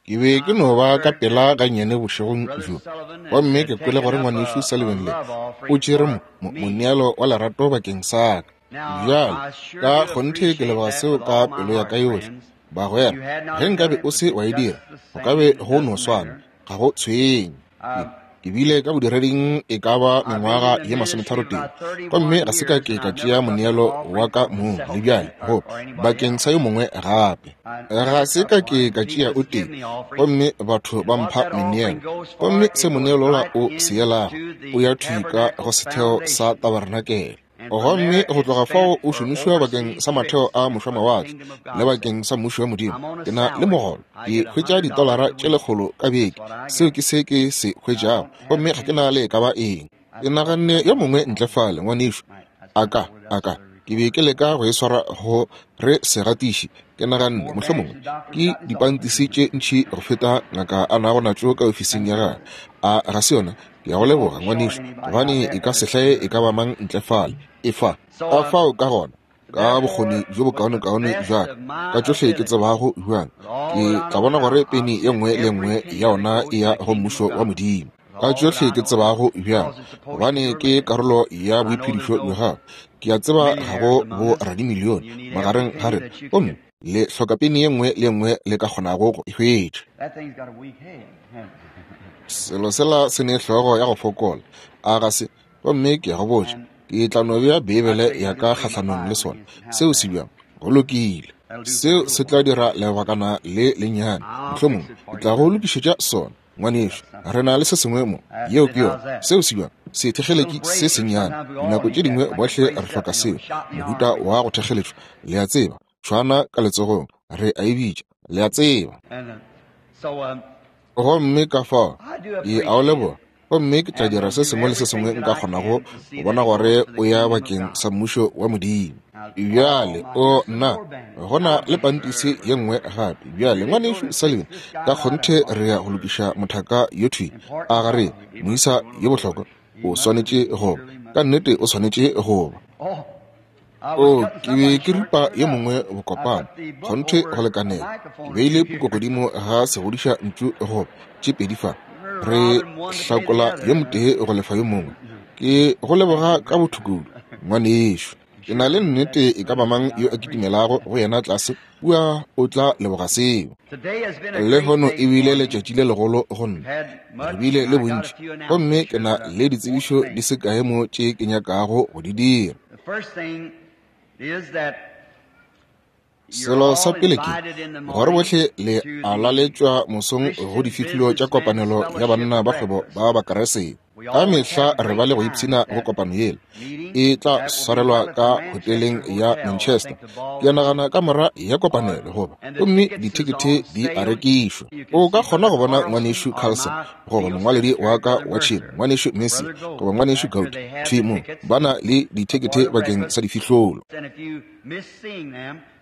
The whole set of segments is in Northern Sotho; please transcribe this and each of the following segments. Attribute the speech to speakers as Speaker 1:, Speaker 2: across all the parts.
Speaker 1: Ke be ke no ba ka pela gannyane bošegong bjo, gomme ke kwele gore Ngwanešu Sullivan le o tšere mo, mo, moneelo wa lerato bakeng sa ka. Bjale, ka kgonthe ke leboga seo ka pelo ya ka yohle. Bagwera, ge nkabe o se wa e dira, go ka be go no swana, ga go tshwenye. Ke, ke bile ka bodireding e ka ba mengwaga ye masometharotee, gomme ga se ka ke ka tšea moneelo wa ka mong le bjale, go bakeng sa yo mongwe gape. Ga se ka ke ka tšea o tee, gomme batho ba mpha meneelo. Gomme se moneelo wola o se yelago, o ya thwi ka go setheo sa tabarenakele. Gomme go tloga fao o šomišwa bakeng sa matheo a mošwamawatle le bakeng sa mmušo wa Modimo. Ke na le mogolo, ke hwetša ditolara tše lekgolo ka beke, seo ke se ke se hwetšago, gomme ga ke na le e ka ba eng. Ke naganne yo mongwe ntle fale, ngwanešu, a ka, a ka, ke be ke leka go e swara go re se gatiše. Ke naganne, mohlomongwe, ke dipantisi tše ntši go feta ngaka a nago natšo ka ofising ya gagwe. A ga se yona? Ke a go leboga, ngwanešu, gobane e ka se hlae e ka ba mang ntle fale. Efa. Ka fao ka gona, ka bokgoni bjo bokaonekaone bja ka, ka tšohle ke tsebago bjang, ke tla bona gore peni ye nngwe le ye nngwe ya ona e ya go Mmušo wa Modimo. Ka tšohle ke tsebago bjang, gobane ke karolo ya boiphedišo bja gago. Ke a tseba ga go bo radimilione magareng ga rena, gomme le hloka peni ye nngwe le ye nngwe le ka kgonago go e hwetša. Selo sela se ne hlogo ya go fokola, a ga se? Gomme ke a go botša, ke tla no bea Beibele ya ka kgahlanong le sona. Seo se bjang? Go lokile. Seo se tla dira lebakana le lennyane. Mohlomongwe ke tla go lokišetša sona, ngwanešu. Re na le se sengwe mo. Yeo ke yona. Seo se bjang? Sethekgeletši se sennyane. Dinako tše dingwe bohle re hloka seo, mohuta wa go thekgeletšwa, le a tseba, tšhwana ka letsogong, re a e bitša, le a tseba. Gomme ka fao ke a o leboga, gomme ke tla dira se sengwe le se sengwe nka kgonago go bona gore o ya bakeng sa Mmušo wa Modimo. Bjale, o nna, go na le pantisi ye nngwe gape. Bjale, Ngwanešu Sullivan, ka kgonthe re ya go lokiša mothaka yo thwi. A ga re, moisa yo bohlokwa? O swanetše go ba. Ka nnete o swanetše go ba. O, ke be ke ripa yo mongwe bokopana, kgonthe go lekanela. Ke beile puku godimo ga segodiša ntšu goba tše pedi fa. Re hlakola yo motee go lefa yo mongwe. Ke go leboga ka botho kudu, ngwanešu. Ke na le nnete e ka ba mang yo a kitimelago go yena tlase kua o tla leboga seo. Lehono e bile letšatši le legolo go nna. Re bile le bontši, gomme ke na le ditsebišo di se kae mo tše ke nyakago go di dira. Selo sa pele ke gore bohle le a laletšwa mosong go difihlolo tša kopanelo ya banna ba kgwebo ba Bakeresete. Ka mehla re ba le go ipshina go kopano yela. E tla swarelwa ka hoteleng ya Manchester. Ke a nagana kamora ya kopanelo goba, gomme dithekethe di a rekišwa. O ka kgona go bona Ngwanešu Carlson goba mongwaledi wa ka wa tšhemo, Ngwanešu Messi goba Ngwanešu Gout, thwi mo, ba na le dithekethe bakeng sa difihlolo.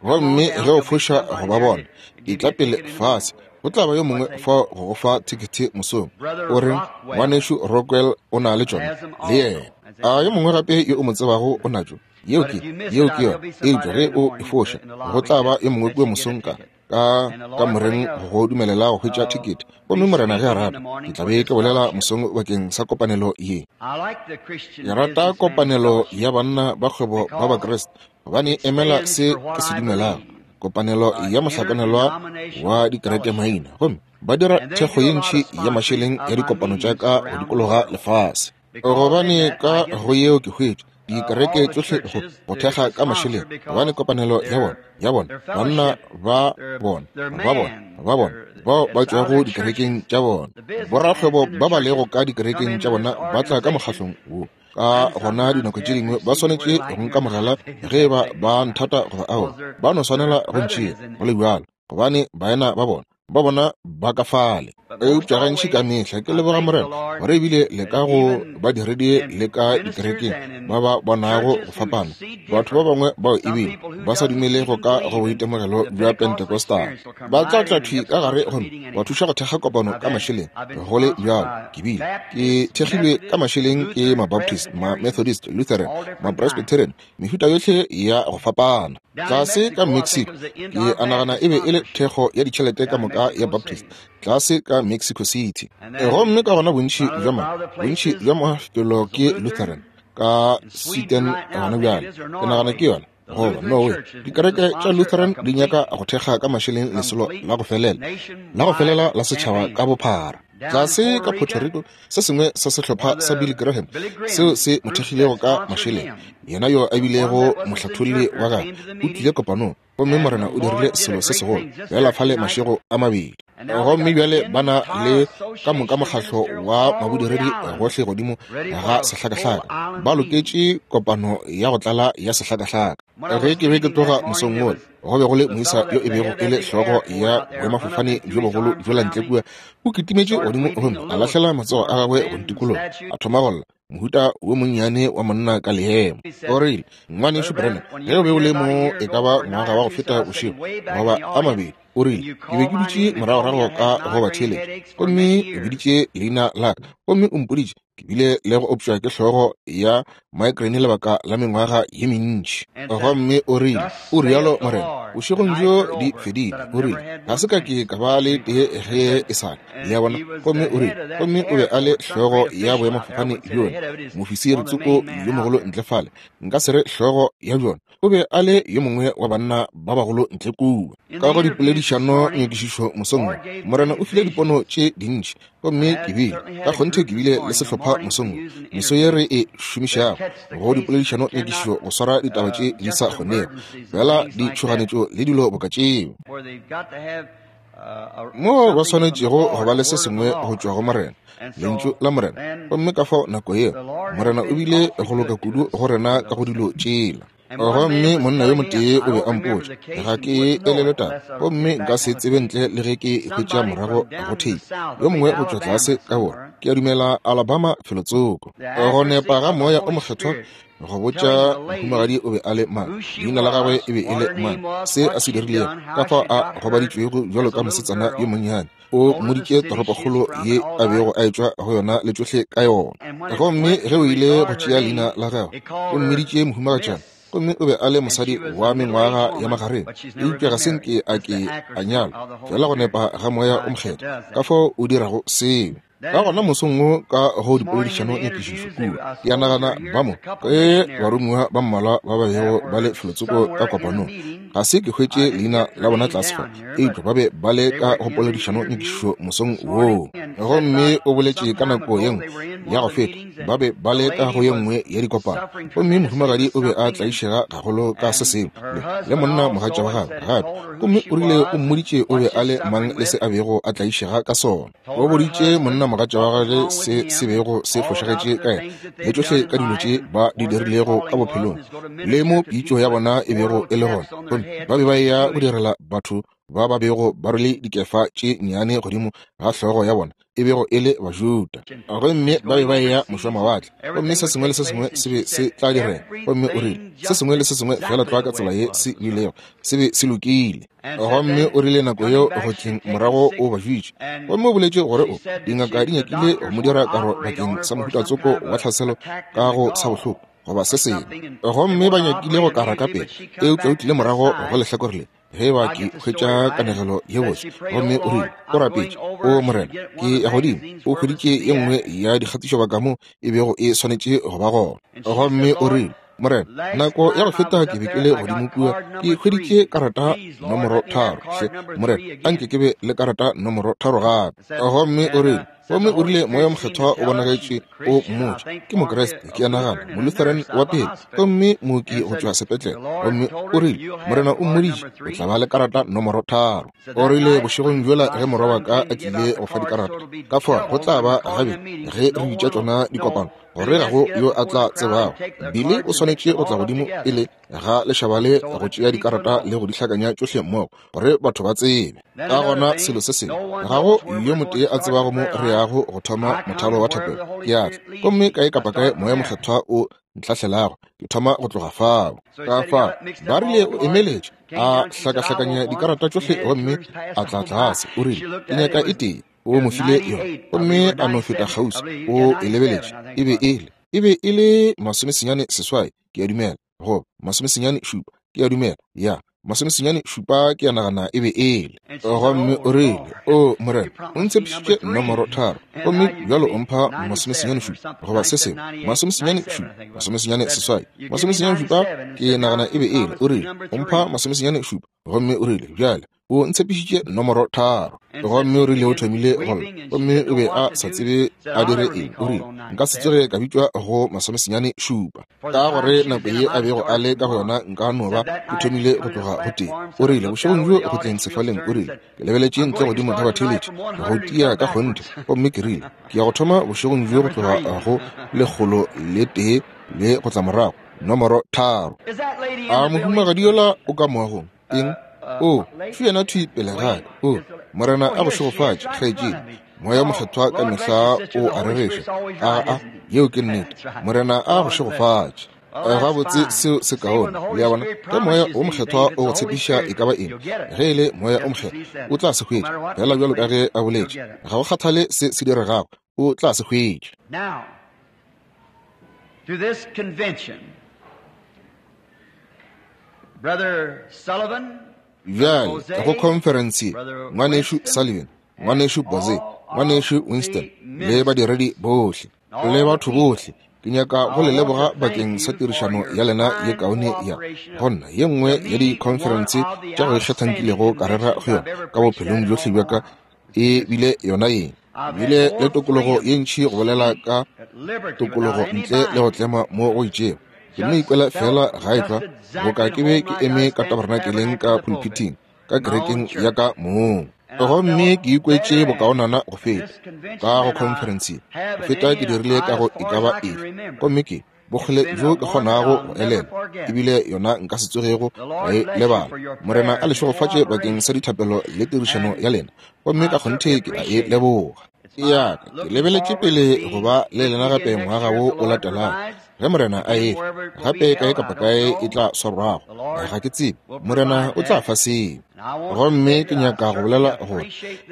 Speaker 1: Gomme ge o foša go ba bona, etla pele fase, go tla ba yo mongwe fao go go fa thekethe mosong. O re, Ngwanešu Rockwell o na le tšona, le yena. A yo mongwe gape yo o mo tsebago o natšo? Yeo ke, yeo ke yona. Eupša ge o e foša, go tla ba yo mongwe kua mosong ka, ka kamoreng go go dumelela go hwetša thekete. Gomme Morena ge a rata, ke tla be ke bolela mosong bakeng sa kopanelo ye. Ke rata kopanelo ya banna ba kgwebo ba Bakriste, gobane e emela se ke se dumelago, kopanelo ya mohlakanelwa wa dikereke maina, gomme ba dira thekgo ye ntši ya mašeleng ya dikopano tša ka go dikologa lefase. Gobane ka go yeo ke hwetša dikereke tšohle go, go thekga ka mašeleng, gobane kopanelo ya bona, ya bona, banna ba bona, ba bona, ba bona, bao ba tšwago dikerekeng tša bona, borakgwebo ba ba lego ka dikerekeng tša bona ba tla ka mokgahlong wo. Ka gona dinako tše dingwe ba swanetše go nkamogela ge e ba ba nthata goba aowa, ba no swanela go ntšea go le bjalo, gobane baena ba bona, ba bona ba ka fale. Eupša gantši ka mehla ke leboga Morena gore ebile le ka go badiredi le ka dikerekeng ba ba bonago go fapana, batho ba bangwe bao ebile ba sa dumelego ka go boitemogelo bja Pentecostal ba tla tla thwi ka gare gomme ba thuša go thekga kopano ka mašeleng. Go le bjalo, ke bile ke thekgilwe ka mašeleng ke Mabaptist, Ma-Methodist, Lutheran, Ma-Presbyterian, mehuta yohle ya go fapana. Tlase ka Mexico, ke a nagana e be e le thekgo ya ditšhelete ka moka ya Baptist tlase ka Mexico City. Gomme ka gona bontši bja ma, bontši bja mafelo ke Lutheran ka Sweden gona bjale, ke nagana ke yona, goba Norway. Dikereke tša Lutheran di nyaka go thekga ka mašeleng lesolo la go felela, la go felela la setšhaba ka bophara. Tlase ka Puerto Rico, se sengwe sa sehlopha sa Billy Graham seo se mo thekgilego ka mašeleng, yena yo a bilego mohlatholli wa gagwe, o tlile kopanong, gomme Morena o dirile selo se segolo bjala fale mašego a mabedi. Gomme bjale ba na le ka moka mokgahlo wa mabodiredi gohle godimo ga sehlakahlaka, ba loketše kopano ya go tlala ya sehlakahlaka. Ge ke be ke tloga mosong wola, go be go le moisa yo e bego e le hlogo ya boemafofane bjo bogolo bjola ntle kua, o kitimetše godimo gomme a lahlela matsogo a gagwe go ntikologa, a thoma go lla, mohuta wo monnyane wa monna ka leemo. O rile, Ngwanešu Branham, ge o be o le mo e ka ba ngwaga wa go feta bošego goba a mabedi, o rile, ke be ke dutše moragorago ka go batheeletši, gomme o biditše leina la ka, gomme o mpoditše ke bile le go opšwa ke hlogo ya migraine lebaka la mengwaga ye mentši. Gomme o rile, O rialo Morena, bošegong bjo di fedile. O rile, Ga se ka ke ka ba le tee ge e sa le. Le a bona? Gomme o rile, gomme o be a le hlogo ya boemafofane bjona, mofisiri tsoko yo mogolo ntle fale, nka se re hlogo ya bjona, o be a le yo mongwe wa banna ba bagolo ntle kua. Ka go dipoledišano nyakišišo mosong wo, Morena o file dipono tše dintši, gomme ke bile ka kgonthe ke bile le sehlopha mosong wo, meso ye re e šomišago go dipoledišano nyakišišo go swara ditaba tše di sa kgonego, fela ditšhoganetšo le dilo boka tšeo, moo ba swanetšego go ba le se sengwe go tšwa go Morena, Lentšu la Morena. Gomme ka fao nako yeo Morena o bile go loka kudu go rena ka go dilo tšela. Gomme monna yo motee o be a mpotša, ga ke elelwe taba, gomme nka se tsebe ntle le ge ke hwetša morago go theipi, yo mongwe go tšwa tlase ka borwa, ke a dumela Alabama felotsoko. Go nepa ga Moya o Mokgethwa go botša mohumagadi o be a le mang, leina la gagwe e be e le mang, se a se dirilego, ka fao a gobaditšwego bjalo ka mosetsana yo monnyane, o mmoditše toropokgolo ye a bego a etšwa go yona le tšohle ka yona. Gomme ge o ile go tšea leina la gagwe, o mmiditše mohumagatšana, gomme o be a le mosadi wa mengwaga ya magareng, eupša ga se nke a ke a nyalwa, fela go nepa ga Moya o Mokgethwa, ka fao o dirago seo. Ka gona mosong wo ka go dipoledišano nyakišišo kua, ke a nagana ba mo ke baromiwa ba mmalwa ba ba bego ba le felotsoko ka kopanong. Ga se ke hwetše leina la bona tlase fa, eupša ba be ba le ka go poledišano nyakišišo mosong woo. Gomme o boletše ka nako ye nngwe ya go feta, ba be ba le ka go ye nngwe ya dikopano, gomme mohumagadi o be a tlaišega gagolo ka se sengwe, le, le monna mogatša wa gagwe gape, gomme o rile o mmoditše o be a le mang le se a bego a tlaišega ka sona. O boditše monnamogatša wa gagwe se se bego se fošagetše ka yena, le tšohle ka dilo tše ba di dirilego ka bophelong, le mo pitšo ya bona e bego e le gona. Gomme ba be ba eya go direla batho ba ba bego ba rwele dikefa tše nnyane godimo ga hlogo ya bona, e bego e le Bajuda. Gomme ba be ba eya mošwamawatle, gomme se sengwe le se sengwe se be se tla direga. Gomme o rile, se sengwe le se sengwe feela tlwa ka tsela ye se bilego, se be se lokile. Gomme o rile nako yeo go tleng morago o ba jwitše, gomme o boletše gore o dingaka di nyakile go mo dira karo bakeng sa mohuta tsoko wa tlhaselo ka go sa bohloko goba se sengwe, gomme ba nyakile go kara ka pele, eupša o tlile morago go lehlakore le, ge ba ke hwetša kanegelo ye botse. Gomme o rile o rapetše, O Morena, ke ya godimo. O hweditše ye nngwe ya dikgatišobaka mo e bego e swanetše go ba gona. Gomme o rile, Morena, nako ya go feta ke be ke le godimo kua, ke hweditše karata nomoro 3. Hle, Morena, anke ke be le karata nomoro 3 gape. Gomme o rile, gomme o rile Moya Mokgethwa o bonagetše o mmotša, ke Mokriste, ke a nagana, Molutheran wa pele, gomme mooki go tšwa sepetlele. Gomme o rile, Morena o mmoditše, o tla ba le karata nomoro 3. O rile, bošegong bjola ge morwa wa ka a tlile go fa dikarata, ka fao go tla ba gabedi ge re bitša tšona dikopano. gore ga go yo a tla tsebago. Billy o swanetše go tla godimo pele ga lešaba le go tšea dikarata le go di hlakanya tšohle mmogo, gore batho ba tsebe. Ka gona selo se sengwe, ga go yo motee a tsebago mo re yago go thoma mothalo wa thapelo. Ke a tla, gomme kae kapa kae Moya Mokgethwa o ntlhahlelago, ke thoma go tloga fao. Ka fao ba rile o emeletše, a hlakahlakanya dikarata tšohle gomme a tla tlase. O rile, Ke nyaka e tee. O mo file yona, gomme a no feta kgauswi. O e lebeletše, e be e le, e be e le 97, ke a dumela, goba 97, ke a dumela, ya 97, ke a nagana e be e le. Gomme o rile, O Morena, o ntshepišitše nomoro 3, gomme bjalo o mpha 97, goba se sengwe, 97, 98, 97, ke nagana e be e le. O rile, O mpha 97, gomme o rile, bjale o ntshepišitše nomoro 3. Gomme o rile o thomile go lla, gomme o be a sa tsebe a dire eng. O rile, Nka se tsoge ka bitšwa go 97, ka gore nako ye a bego a le ka go yona nka no ba ke thomile go tloga go tee. O rile, bošegong bjo go tleng sefaleng, o rile, Ke lebeletše ntle godimo ga batheeletši go tia ka kgonthe, gomme ke rile, Ke ya go thoma bošegong bjo go tloga go 101 le go tla morago, nomoro 3. A mohumagadi yola o ka moagong? Eng? O, šo yena thwi pele ga ka. O, Morena a go šegofatše, kgaetšedi. Moya Mokgethwa ka mehla o a rereša. Aa, yeo ke nnete. Morena a go šegofatše. Gabotse, seo se kaone. Le a bona? Ge Moya wo Mokgethwa o go tshepiša e ka ba eng, ge e le Moya wo Mokgethwa, o tla se hwetša, feela bjalo ka ge a boletše. Ga go kgathale se se diregago, o tla se hwetša.
Speaker 2: Now, to this convention, Brother Sullivan,
Speaker 1: Bjale, go khonferense ye, Ngwanešu Sullivan, Ngwanešu Boze, Ngwanešu Winston, le badiredi bohle, le batho bohle, ke nyaka go le leboga bakeng sa tirišano ya lena ye kaone ya go nna ye nngwe ya dikhonferense tša go ikgetha nkilego ka rera go yona ka bophelong bjohle bja ka, e bile yona ye. Bile le tokologo ye ntši go bolela ka tokologo ntle le go tlema mo go itšego. Ke no ikwela feela gae tlwa boka ke be ke eme ka tabernakeleng ka pulpiting ka kerekeng ya ka mong. Gomme ke ikwetše bokaonana go feta ka go conference ye go feta ke dirile ka go e ka ba efe. Gomme ke bokgole bjo ke kgonago go elelwa, ebile yona nka se tsogego ka e lebala. Morena a le šegofatše bakeng sa dithapelo le tirišano ya lena, gomme ka kgonthe ke a e leboga. Ya ka, ke lebeletše pele go ba le lena gape ngwaga wo o latelago, ge Morena a efa, gape kae kapa kae e tla swarwago, ga ke tsebe, Morena o tla fa seo. Gomme ke nyaka go bolela gore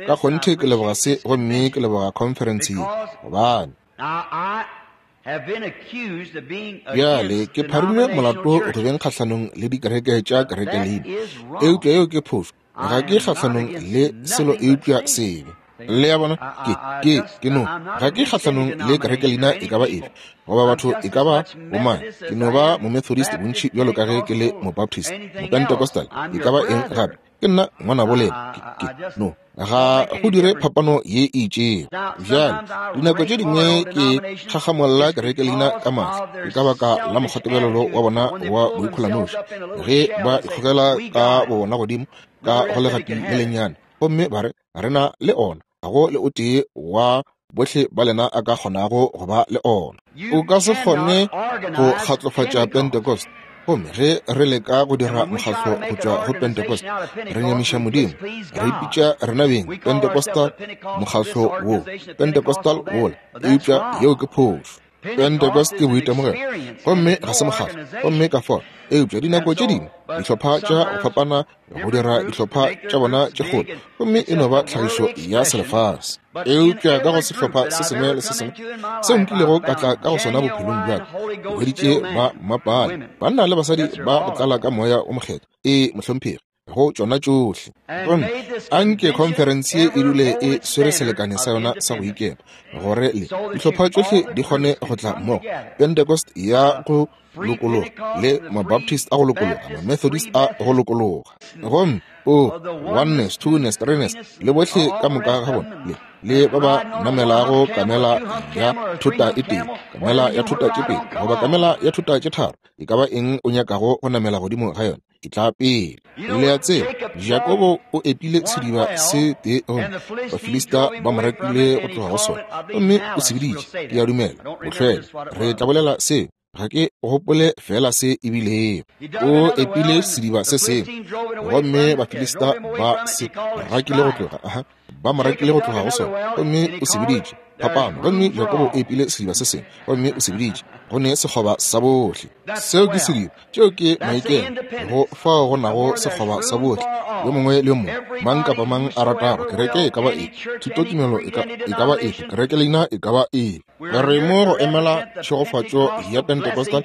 Speaker 1: ka kgonthe ke leboga se, gomme ke leboga khonferense ye, gobane Bjale, ke pharilwe molato go beng kgahlanong le dikereke tša kerekeleina, eupša yeo ke phošo. Ga ke kgahlanong le selo eupša sebe. Le a bona? Ke, ke, ke no, ga ke kgahlanong le kerekeleina e ka ba efe, goba batho e ka ba bomang. Ke no ba Momethodist bontši bjalo ka ge ke le Mobaptist, Mopentecostal, e ka ba eng gape. Ke nna ngwanabo lena. Ke, ke, no, ga go dire phapano ye e itšego. Bjale, dinako tše dingwe ke kgakgamolla kereke leina ka maatla, ke ka baka la mokgwatebelelo wa bona wa boikholanoši, ge ba ikgogela ka bobona godimo ka go legapi le lennyane, gomme ba re, Re na le ona. Ga go le o tee wa bohle ba lena a ka kgonago go ba le ona. O ka se kgone go kgatlofatša Pentecost. Gomme ge re leka go dira mokgatlo go tšwa go Pentecost, re nyamiša Modimo. Re ipitša rena beng Pentecostal, mokgatlo wo, Pentecostal wola, eupša yeo ke phošo. Pentecost ke boitemogelo, gomme ga se mokgatlo. Gomme ka fao, eupša dinako tše dingwe dihlopha tša go fapana go dira dihlopha tša bona tše kgolo, gomme e no ba tlhagišo ya selefase. Eupša ka go sehlopha se sengwe le se sengwe seo nkilego ka tla ka go sona bophelong bja ka, ke hweditše ba mmapale, banna le basadi ba go tlala ka Moya wo Mokgethwa. Ee, mohlomphegi. Go tšona tšohle. Gomme a nke khonferense ye e dule e swere selekane sa yona sa go ikema, gore le dihlopha tšohle di kgone go tla mmogo, Pentecost ya go lokologa, le Mabaptist a go lokologa, Mamethodist a go lokologa, gomme o oneness, twoness, threeness, le bohle ka moka ga bona, le, le ba ba namelago kamela ya thota e tee, kamela ya thota tše pedi, goba kamela ya thota tše tharo, e ka ba eng o nyakago go namela godimo ga yona. Etla pele. Le a tseba, Jakobo o epile sediba se tee gomme Bafilista ba mo rakile go tloga go sona, gomme o se biditše, ke a dumela, bohlwele. Re tla bolela seo. Ga ke gopole fela se e bilego. O epile sediba se sengwe, gomme Bafilista ba se rakile go tloga, aha, ba mo rakile go tloga go sona, gomme o se biditše phapano. Gomme Jakobo o epile sediba se sengwe, gomme o se biditše go ne sekgoba sa bohle. Seo ke sediba, tšeo ke maikelo, go fao go nago sekgoba sa bohle, yo mongwe le yo mongwe, mang kapa mang a ratago, kereke e ka ba efe, thutotumelo e ka ba efe, kereke leina e ka ba efe. Re mo go emela tšhegofatšo ya Pentecostal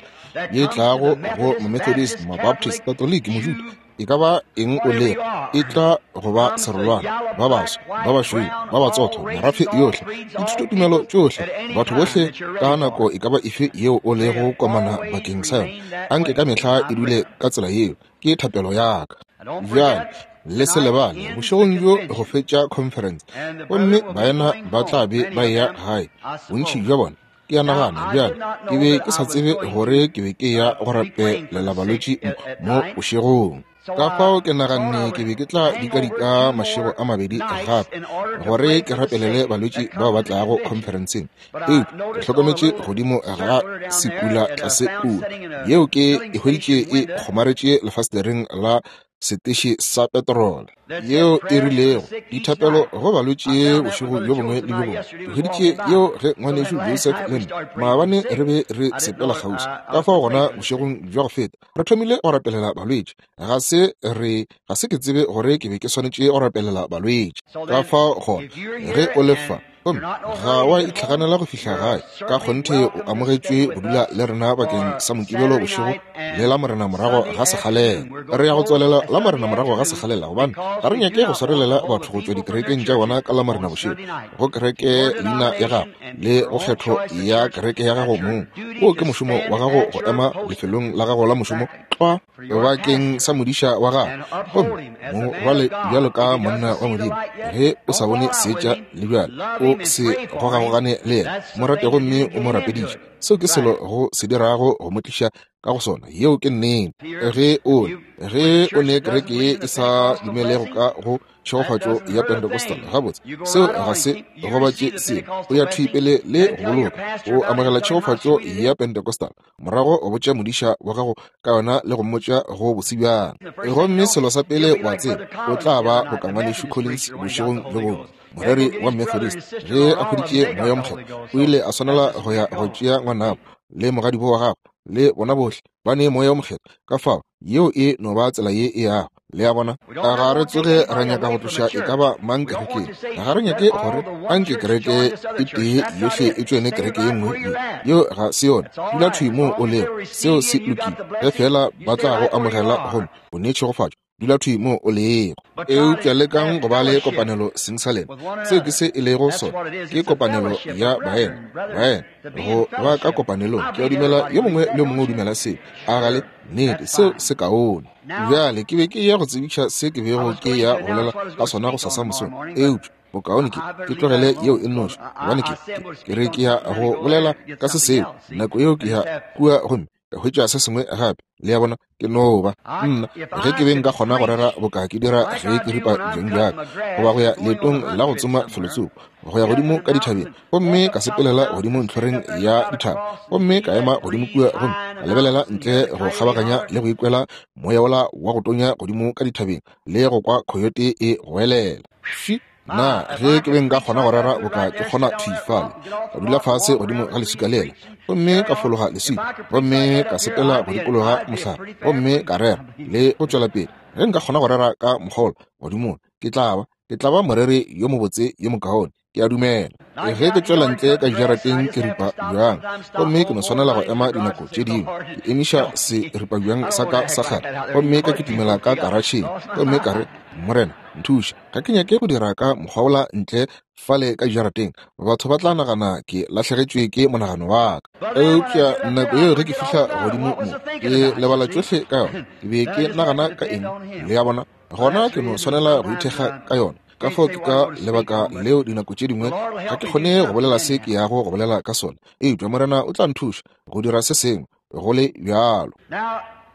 Speaker 1: ye tlago go Methodist, Mabaptist, Catholic, Mojuda, e ka ba eng o lego, e tla go ba serolwana, ba baso, ba bašweu, ba batsotho, merafe yohle, dithutotumelo tšohle, batho bohle, ka nako e ka ba efe yeo o lego komana bakeng sa yona. Anke ka mehla e dule ka tsela yeo, ke thapelo ya ka. Bjale, le se lebale, bošegong bjo go fetša conference, gomme baena ba tla be ba eya gae, bontši bja bona. Ke a nagana bjale, ke be ke sa tsebe gore ke be ke ya go rapelela balwetši mo bošegong. Ka fao ke naganne ke be ke tla dikadika mašego a mabedi gape gore ke rapelele balwetši bao ba tlago conferenceng. Eupša ke hlokometše godimo ga sekula tlase kua, yeo ke e hweditše e kgomaretše lefastereng la seteše sa petrole, yeo e rilego dithapelo go balwetši bošego bjo bongwe le bjo bongwe. Ke hweditše yeo ge ngwanešu Joseph le nna maabane re be re sepela kgauswi. Ka fao gona bošegong bja go feta re thomile go rapelela balwetši. Ga se re ga se ke tsebe gore ke be ke swanetše go rapelela balwetši. Ka fao gona ge o le fa gomme ga wa itlhaganela go fihla gae, ka kgonthe o amogetšwe go dula le rena bakeng sa Mokibelo bošego le la Morena morago ga sekgalela. Re ya go tswalela la Morena morago ga sekgalela gobane ga re nyake go swarelela batho go tšwa dikerekeng tša bona ka la Morena bošego, go kereke leina ya gago le go kgetho ya kereke ya gago mong. Wo ke mošomo wa gago go ema lefelong la gago la mošomo tlwa bakeng sa modiša wa gago, gomme mo rwale bjalo ka monna wa Modimo. Ge o sa bone seetša le bjale, o se gogagogane le yena, mo rate gomme o mo rapediše. Seo ke selo go se dirago go mo tliša ka go sona. Yeo ke nnete. Ge o ge o ne kereke ye e sa dumelego ka go tšhegofatšo ya Pentecostal, gabotse seo ga se gobatše selo. O ya thwi pele le go boloka, o amogela tšhegofatšo ya Pentecostal, morago o botša modiša wa gago ka yona le go mmotša go bose bjang. Gomme selo sa pele wa tseba, o tla ba boka ngwanešu Collins bošegong bjo bongwe, moreri wa Methodist, ge a hweditše Moya wo Mokgethwa, o ile a swanela go ya go tšea ngwanabo le mogadibo wa gagwe le bona bohle ba ne Moya wo Mokgethwa. Ka fao yeo e no ba tsela ye e yago. Le a bona? Ga re tsoge ra nyaka go tloša e ka ba mang kerekeng. Ga re nyake gore anke kereke e tee yohle e tšoene kereke ye nngwe. Yeo ga se yona. Dula thwi moo o lego. Seo se lokile. Ge feela ba tla go amogela gomme o ne tšhegofatšo, dula thwi moo o lego. Eupša lekang go ba le kopanelo seng sa lena. Seo ke se e lego sona. Ke kopanelo ya baena. Baena, go ba ka kopanelong. Ke a dumela yo mongwe le yo mongwe o dumela seo. A ga le? Nnete, seo se kaone. Bjale ke be ke ya go tsebiša se ke bego ke ya go bolela ka sona go sasa mosong, eupša bokaone ke ke tlogele yeo e nnoši, gobane ke ke re ke ya go bolela ka se seo nako yeo ke ya kua gomme ka hwetša se sengwe gape. Le a bona, ke no ba nna ge ke be nka kgona go rera boka ke dira ge ke ripa bjang bjaka, goba go ya leetong la go tsoma felotsoko, go ya godimo ka dithabeng, gomme ka sepelela godimo ntlhoreng ya dithaba, gomme ka ema godimo kua gomme ka lebelela ntle go kgabaganya le go ikwela moya wola wa go tonya godimo ka dithabeng le go kwa khoyote e goelela. Fi, na ge ke be nka kgona go rera boka ke kgona thwi fale, ka dula fase godimo ga leswika lela, gomme ka fologa leswika, gomme ka sepela go dikologa mohlare, gomme ka rera le go tšwela pele. Ge nka kgona go rera ka mokgwa wola godimo, ke tla ba, ke tla ba moreri yo mobotse yo mokaone. Ke a dumela. Ge ke tšwela ntle ka dijarateng ke ripa bjang, gomme ke no swanela go ema dinako tše dingwe, ke emiša seripa bjang sa ka sa kgale, gomme ka kitimela ka karatšheng, gomme ka re, Morena, nthuše. Ga ke nyake go dira ka mokgwa wola ntle fale ka dijarateng. Batho ba tla nagana ke lahlegetšwe ke monagano wa ka. Eupša nako yeo ge ke fihla godimo mo, ke lebala tšohle ka yona. Ke be ke nagana ka eng? Le a bona? Gona ke no swanela go ithekga ka yona. Ka fao ke ka lebaka leo dinako tše dingwe ga ke kgone go bolela se ke yago go bolela ka sona, eupša Morena o tla nthuša go dira se sengwe go le bjalo.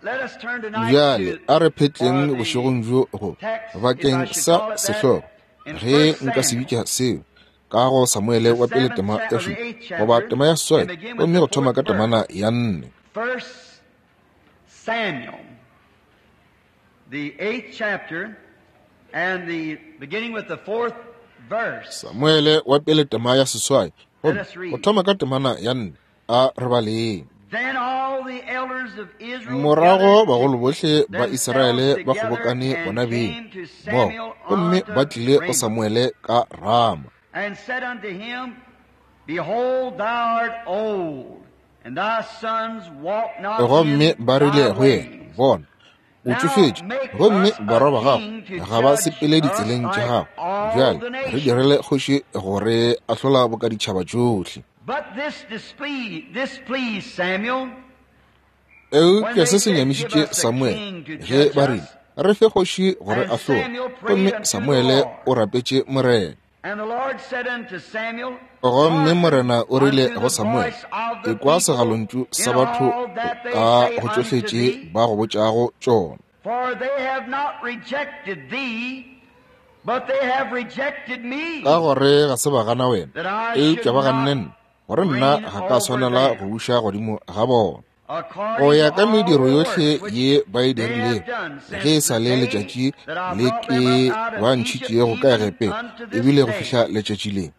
Speaker 1: Bjale a re phetleng bošegong bjo go bakeng sa sehlogo, ge nka se bitša seo, ka go Samuele wa pele tema ya 7 goba tema ya 8, gomme go thoma ka temana ya 4.
Speaker 2: 1 Samuel, the 8th chapter, and the beginning with the 4th verse.
Speaker 1: Samuele wa pele tema ya 8, gomme go thoma ka temana ya 4, a re baleng. Morago bagolo bohle ba Israele ba kgobokane bona beng moo, gomme ba tlile go Samuele ka Rama.
Speaker 2: And said unto him, Behold, thou art old, and thy sons walk not
Speaker 1: Gomme ba rile go yena, Bona, o tšofetše, gomme barwa ba gago ga ba sepele ditseleng tša gago. Bjale re direle kgoši gore ahlola boka ditšhaba tšohle.
Speaker 2: But this displeased Samuel.
Speaker 1: Eupša se se nyamišitše Samuele ge ba rile, Re fe kgoši gore ahlole. Gomme Samuele o rapetše Morena. Gomme Morena o rile go Samuele, Ekwa segalontšu sa batho ka go tšohle tše ba go botšago tšona. Ka gore ga se ba gana wena, eupša ba ganne nna, gore nna ga ka swanela go buša godimo ga bona. Go ya ka mediro yohle ye ba e dirilego, ge e sa le letšatši le ke ba ntšhitšego ka Egepeta, ebile go fihla letšatši le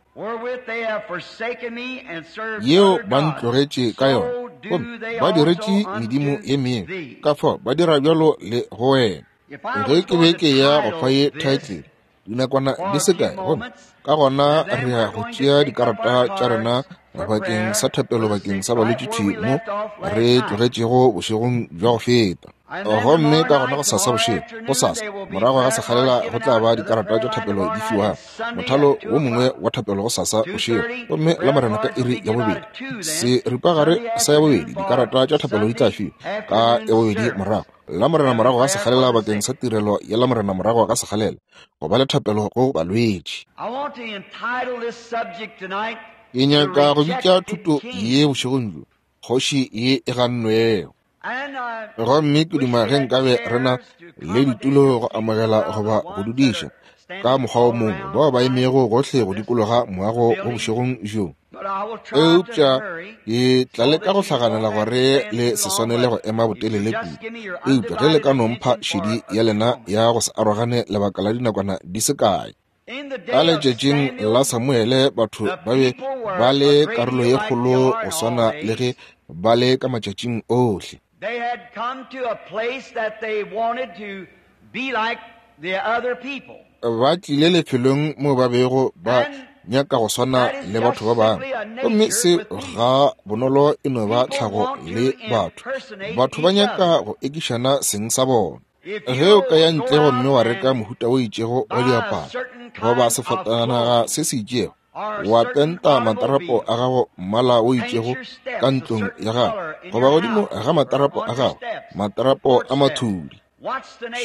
Speaker 1: yeo ba ntlogetše ka yona, gomme ba diretše medimo ye mengwe, ka fao ba dira bjalo le go wena. Ge ke be ke ya go fa ye title dinakwana di se kae, gomme ka gona re ya go tšea dikarata tša rena bakeng sa thapelo bakeng sa balwetši thwi mo re tlogetšego bošegong bja go feta. Gomme ka gona go sasa bošego, go sasa morago ga sekgalela go tla ba dikarata tša thapelo di fiwago, mothalo wo mongwe wa thapelo go sasa bošego, gomme la Morena ka iri ya 2, seripagare sa ya 2, dikarata tša thapelo di tla fiwa ka ya 2 morago la Morena morago ga sekgalela bakeng sa tirelo ya la Morena morago ga sekgalela go ba le thapelo go balwetši. Ke nyaka go bitša thuto ye bošegong bjo, Kgoši ye e gannwego. Gomme ke duma ge nkabe re na le ditulo go amogela goba go dudiša ka mokgwa o mongwe bao ba emego gohle go dikologa moago wo bošegong bjo. Eupša ke tla leka go hlaganela gore le se swanele go ema botelele kudu, eupša ge le ka no mpha šedi ya lena ya go se arogane lebaka la dinakwana di se kae. Ka letšatšing la Samuele batho ba be ba le karolo ye kgolo go swana le ge ba le ka matšatšing ohle.
Speaker 2: They had come to a place that they wanted to be like the other people.
Speaker 1: Ba tlile lefelong mo ba bego ba nyaka go swana le batho ba bangwe, gomme se ga bonolo e no ba tlhago le batho. Batho ba nyaka go ekišana seng sa bona. Ge o ka ya ntle gomme wa reka mohuta o itšego wa diaparo goba sefatanaga se se itšego, wa penta matarapo a gago mmala o itšego ka ntlong ya gago goba godimo ga matarapo a gago matarapo a mathudi,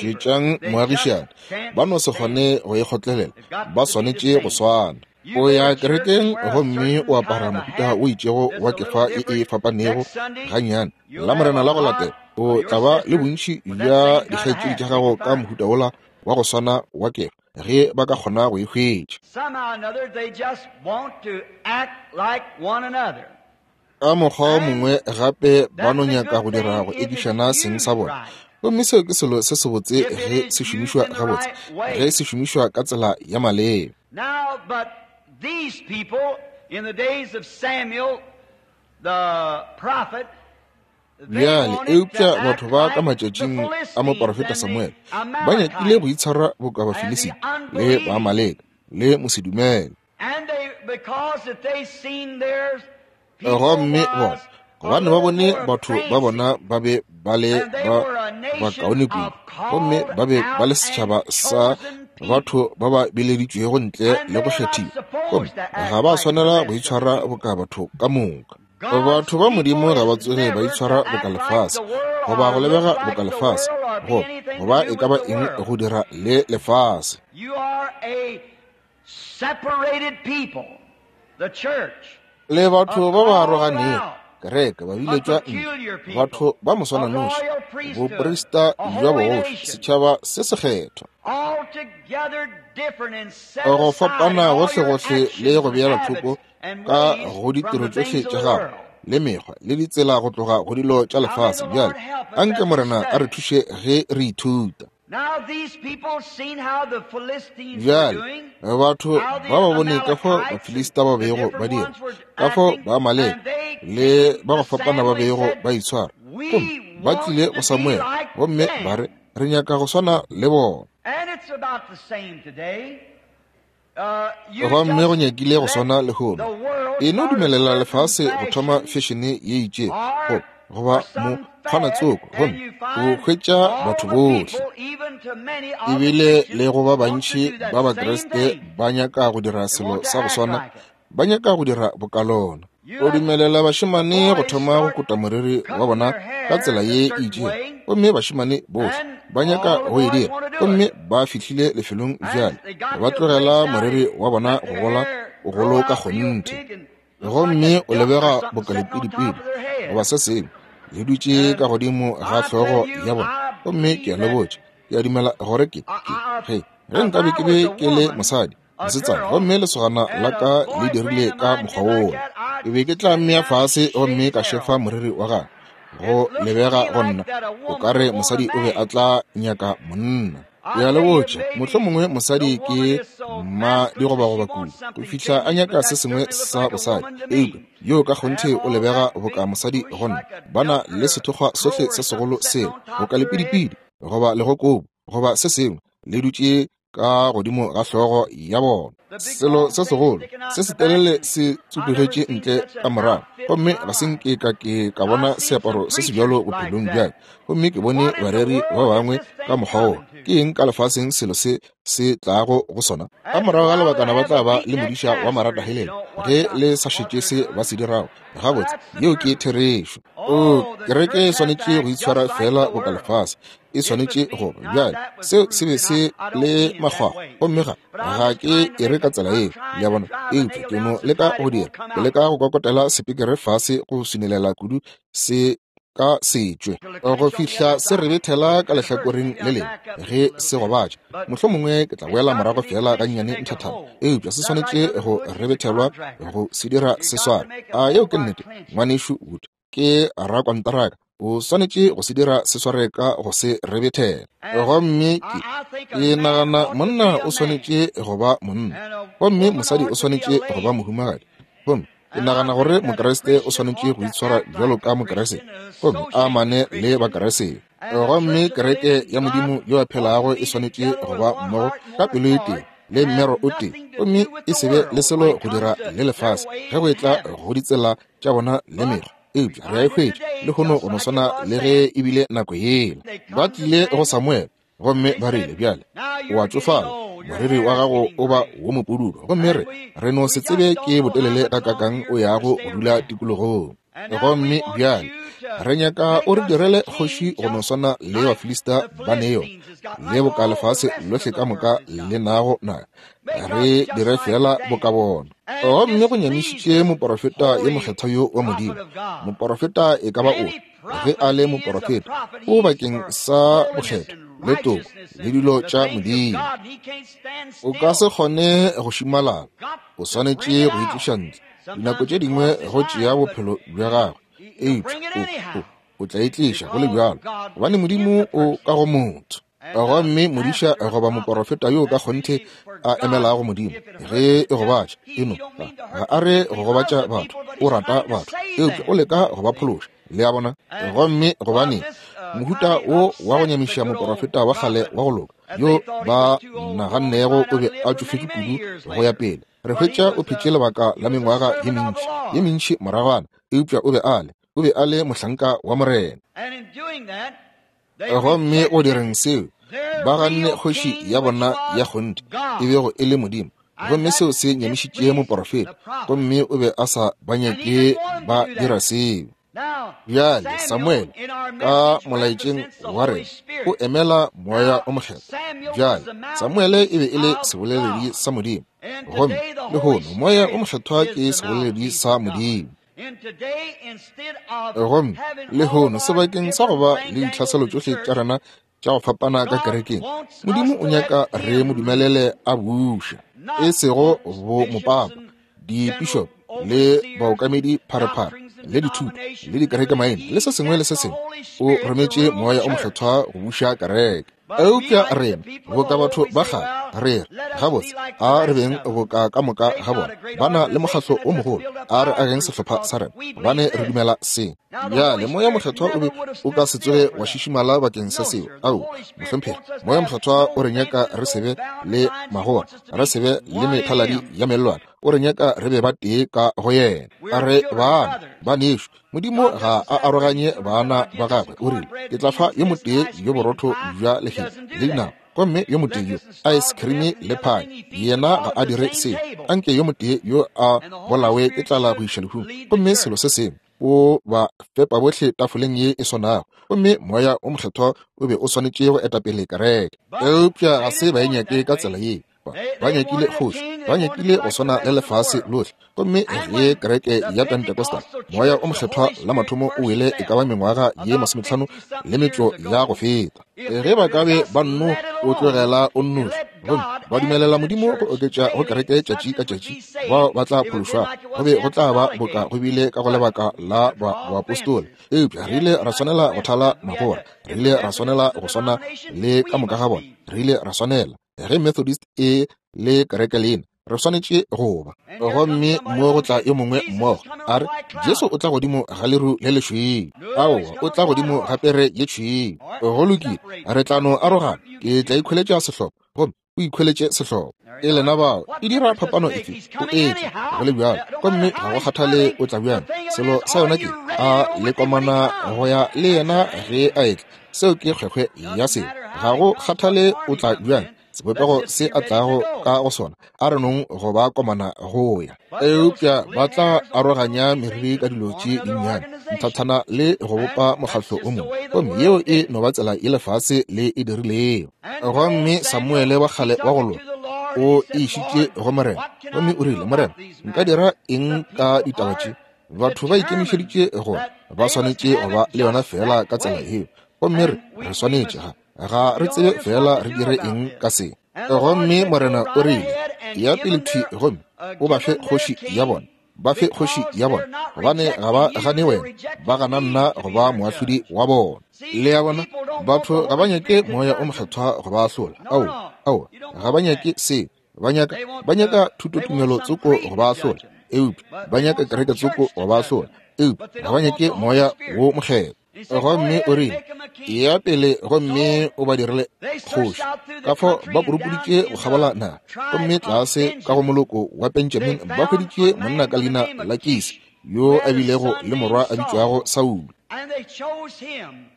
Speaker 1: šetšang moagišane, ba no se kgone go e kgotlelela, ba swanetše go swana. O ya kerekeng gomme o apara mohuta o itšego wa kefa e e fapanego gannyane, la Morena la go latela o tla ba le bontši bja dikgaetšedi tša gago ka mohuta wola wa go swana wa kefa, ge ba ka kgona go e hwetša. Ka mokgwa o mongwe gape ba no nyaka go dira go ekišana seng sa bona, gomme seo ke selo se sebotse ge se šomišwa gabotse, ge se šomišwa ka tsela ya maleba.
Speaker 2: Now, but these people in the days of Samuel, the prophet,
Speaker 1: Bjale, eupša batho ba ka matšatšing a moporofeta Samuele ba nyakile go itshwara boka Bafilisita le Baamaleka le mosedumele. Gomme bona, gobane ba bone batho ba bona ba be ba le ba bakaone kudu, gomme ba be ba le setšhaba sa batho ba ba bileditšwego ntle le go kgethiwa, gomme ga ba swanela go itshwara boka batho ka moka. Batho ba Modimo ga ba tsoge ba itshwara boka lefase, goba go lebega boka lefase, goba e ka ba eng go dira le lefase. Le batho ba ba aroganego, Kereke, babiletšwa ntle, batho ba moswananoši, boprista bja bogoši, setšhaba se sekgethwa. Go fapana gohlegohle le go beela thoko ka go ditiro tšohle tša gago le mekgwa le ditsela go tloga go dilo tša lefase. Bjale anke Morena a re thuše ge re ithuta. Bjale batho ba ba bone ka fao Bafilista ba bego ba dira, ka fao ba Amaleke le ba go fapana ba bego ba itshwara, gomme ba tlile go Samuele gomme ba re, Re nyaka go swana le bona. Gomme go nyakile go swana lehono. E no dumelela lefase go thoma fešene ye itšego goba mokgwanatsoko, gomme o hwetša batho bohle, ebile le go ba bantši ba Bakriste ba nyaka go dira selo sa go swana, ba nyaka go dira bokalona. O dumelela bašemane go thoma go kota moriri wa bona ka tsela ye e itšego, gomme bašemane bohle ba nyaka go e dira, gomme ba fihlile lefelong bjale ba tlogela moriri wa bona go gola bogolo ka kgonthe, gomme o lebega bokalepidipidi goba se sengwe le dutše ka godimo ga hlogo ya bona. Gomme ke a le botša, ke a dumela gore ke ge nkabe ke be ke le mosadi mosetsana gomme lesogana la ka le dirile ka mokgwa wola, ke be ke tla mmea fase gomme ka šefa moriri wa gagwe. Go lebega go nna o ka re mosadi o be a tla nyaka monna. Ke a le botša, mohlomongwe mosadi ke mma digobagoba kudu go fihla a nyaka se sengwe sa bosadi, eupša yo ka kgonthe o lebega boka mosadi go nna. Ba na le sethokgwa sohle se segolo seo, boka lepidipidi goba legokobu goba se sengwe, le dutše ka godimo ga hlogo ya bona. Selo se segolo se se telele se tsupugetše ntle ka morago, gomme ga se nke ka ke ka bona seaparo se se bjalo bophelong bja ka. Gomme ke bone bareri ba bangwe ka mokgwa wo. Ke eng ka lefaseng selo se se tlago go sona? Ka morago ga lebakana ba tla ba le modiša wa maratahelele ge le sa šetše se ba se dirago. Gabotse, yeo ke therešo. O, kereke e swanetše go itshwara fela boka lefase. E swanetše go ba bjale. Seo se be se le makgwakgwa, gomme ga ke e re ka tsela yeo, le a bona, eupša ke no leka go dira, ke leka go kokotela sepikere fase go swinelela kudu se ka se tšwe go fihla se rebethela ka lehlakoreng le lengwe ge se gobatša. Mohlomongwe ke tla boela morago feela gannyane nthathana, eupša se swanetše go rebethelwa go se dira se sware. A yeo ke nnete, Ngwanešu Wood? Ke rakonteraka, o swanetše go se dira se sware ka go se rebethela. Gomme ke nagana monna o swanetše go ba monna, gomme mosadi o swanetše go ba mohumagadi. Gomme ke nagana gore Mokriste o swanetše go itshwara bjalo ka Mokriste, gomme a amane le Bakriste. Gomme kereke ya Modimo yo a phelago e swanetše go ba mmogo ka pelo e tee le mmero o tee, gomme e se be le selo go dira le lefase ge go etla go ditsela tša bona le mekgwa. Eupša re a e hwetša lehono go no swana le ge e bile nako yela. Ba tlile go Samuele gomme ba rile, Bjale o a tšofala, moriri wa gago o ba wo mopududu, gomme re no se tsebe ke botelele gakakang o yago go dula tikologong. Gomme bjale re nyaka o re direle kgoši go no swana le Bafilista ba ne yona, le boka lefase lohle ka moka le nago na, re dire feela boka bona. Gomme go nyamišitše moporofeta yo mokgethwa yo wa Modimo. Moporofeta e ka ba ofe, ge a le moporofeta, o bakeng sa bokgethwa le toko le dilo tša Modimo. O ka se kgone go šimalala, o swanetše go itliša ntle. Dinako tše dingwe go tšea bophelo bja gagwe, eupša o tla itliša go le bjalo, gobane Modimo o ka go motho. Gomme modiša goba moporofeta yo ka kgonthe a emelago Modimo, ge e gobatša, eno ga a re go gobatša batho, o rata batho, eupša o leka go ba phološa. Le a bona? Gomme gobane mohuta wo wa go nyamiša moporofeta wa kgale wa go loka, yo ba nagannego o be a tšofetše kudu go ya pele, re hwetša o phetše lebaka la mengwaga ye mentši, ye mentši moragwana, eupša o be a le mohlanka wa Morena. Gomme go direng seo, ba ganne kgoši ya bona ya kgonthe, e bego e le Modimo. Gomme seo se nyamišitše moporofeta, gomme o be a sa ba nyake ba dira seo. Bjale Samuele ka molaetšeng wa rena o emela Moya o Mokgethwa. Bjale Samuele e be e le seboleledi sa Modimo, gomme lehono Moya o Mokgethwa ke seboleledi sa Modimo. Gomme lehono, sebakeng sa go ba le ditlhaselo tšohle tša rena tša go fapana ka kerekeng, Modimo o nyaka re mo dumelele a buša, e sego bo mopapa, dipišopo le baokamedi pharephare le dithuto le dikerekemaina le se sengwe le se sengwe. O rometše Moya o Mokgethwa go buša kereke. Eupša rena boka batho ba kgale re re, Gabotse, a re beng boka ka moka ga bona, ba na le mokgatlo o mogolo, a re ageng sehlopha sa rena, gobane re dumela se. Bjale Moya Mokgethwa o be o ka se tsoge wa šišimala bakeng sa seo. Ao, mohlomphegi, Moya Mokgethwa o re nyaka re se be le magora, re se be le methaladi ya mellwane, o re nyaka re be ba tee ka go yena. A re bana, banešu. Modimo ga a aroganye bana ba gagwe. O rile, Ke tla fa yo motee yo borotho bja lehea le dinama, gomme yo motee yo ice cream le pie. Yena ga a dire seo. Anke yo motee yo a bolawe ke tlala go iša lehung, gomme selo se sengwe o ba fepa bohle tafoleng ye e swanago. Gomme Moya o Mokgethwa o be o swanetše go etapele kereke. Eupša ga se ba e nyake ka tsela ye. Ba nyakile kgoši, ba nyakile go swana le lefase lohle. Gomme ge kereke ya Pentecostal, Moya o Mokgethwa la mathomo o wele e ka ba mengwaga ye 55 le metšo ya go feta, ge ba ka be ba nno o tlogela o nnoši gomme ba dumelela Modimo go oketša go kereke tšatši ka tšatši bao ba tla phološwa, go be go tla ba boka go bile ka go lebaka la boapostola. Eupša re ile ra swanela go thala magora, re ile ra swanela go swana le ka moka ga bona, re ile ra swanela ge Methodist e le kereke lena, re swanetše go ba. Gomme mo go tla yo mongwe mmogo, a re, Jesu o tla godimo ga leru le lešweu. Aowa, o tla godimo ga pere ye tšhweu. Go lokile, re tla no arogana. Ke tla ikhweletša sehlopha, gomme o ikhweletše sehlopha. E lena bao, e dira phapano efe? O etla go le bjalo, gomme ga go kgathale o tla bjang. Selo sa yona ke, a le komana go ya le yena ge a etla? Seo ke kgwekgwe ya selo. Ga go kgathale o tla bjang, sebopego se a tlago ka go sona, a re nong go ba komana go ya. Eupša ba tla aroganya meriri ka dilo tše dinnyane nthathana le go bopa mokgatlo o mongwe, gomme yeo e no ba tsela ye lefase le e dirilego. Gomme Samuele wa kgale wa go loka o e išitše go Morena, gomme o rile, Morena, nka dira eng ka ditaba tše? Batho ba ikemišeditše gore ba swanetše go ba le yona feela ka tsela yeo, gomme re re swanetše, ga re tsebe feela re dire eng ka se. Gomme Morena o rile, Ya pele thwi gomme o ba fe kgoši ya bona, ba fe kgoši ya bona, gobane ga ba gane wena, ba gana nna go ba moahlodi wa bona. Le a bona, batho ga ba nyake Moya o Mokgethwa go ba ahlola. Aowa, aowa, ga ba nyake seo. Ba nyaka, ba nyaka thutotumelo tsoko go ba ahlola, eupša ba nyaka kereke tsoko go ba ahlola, eupša ga ba nyake Moya wo Mokgethwa. Gomme o rile, Eya pele gomme o ba direle kgoši. Ka fao ba purupuditše go kgabola naga, gomme tlase ka go moloko wa Benjamin ba hweditše monna ka leina la Kisi, yo a bilego le morwa a bitšwago Saulo.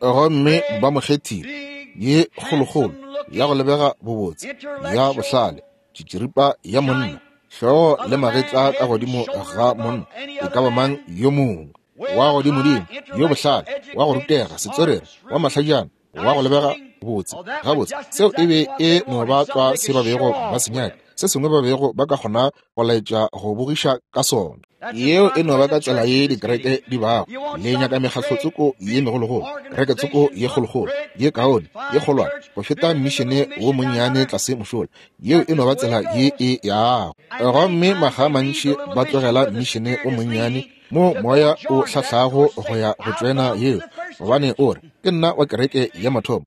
Speaker 1: Gomme ba mo kgethile, ye kgolokgolo, ya go lebega bobotse, ya bohlale, tšitširipa ya monna, hlogo le magetla ka godimo ga monna e ka ba mang yo mongwe, wa godimodimo, yo bohlale, wa go rutega, setswerere, wa mahlajana, wa go lebega botse. Gabotse, seo e be e no ba tlwa se ba bego ba se nyaka, se sengwe ba bego ba ka kgona go laetša go bogiša ka sona. Yeo e no ba ka tsela ye dikereke di bago. Le nyaka mekgatlo tsoko ye megologolo, kereke tsoko ye kgolokgolo, ye kaone, ye kgolwane go feta mmišene wo monnyane tlase mošola. Yeo e no ba tsela ye e yago. Gomme makga a mantši ba tlogela mmišene o monnyane mo moya o hlahlago go ya go tšoena yeo, gobane o re, Ke nna wa kereke ya mathomo.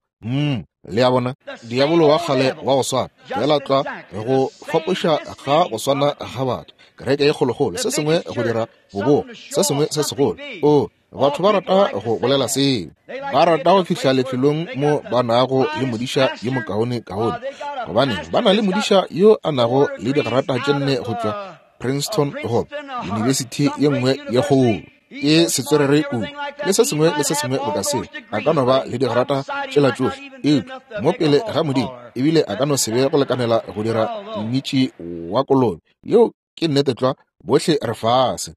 Speaker 1: Le a bona, diabolo wa kgale wa go swana, feela tlwa go fapoša ga go swana ga batho, kereke ye kgolokgolo, se sengwe go dira bobogo, se sengwe se segolo. O, batho ba rata go bolela seo. Ba rata go fihla lefelong mo ba nago le modiša yo mokaone kaone, gobane ba na le modiša yo a nago le digrata tše 4 go tšwa Princeton goba yunibesithi ye nngwe ye kgolo. Ke setswerere kudu le se sengwe le se sengwe boka seo. A ka no ba le digrata tšela tšohle, eupša mo pele ga Modimo ebile a ka no se be go lekanela go dira mmitši wa kolobe. Yeo ke nnete tlwa, bohle re fase.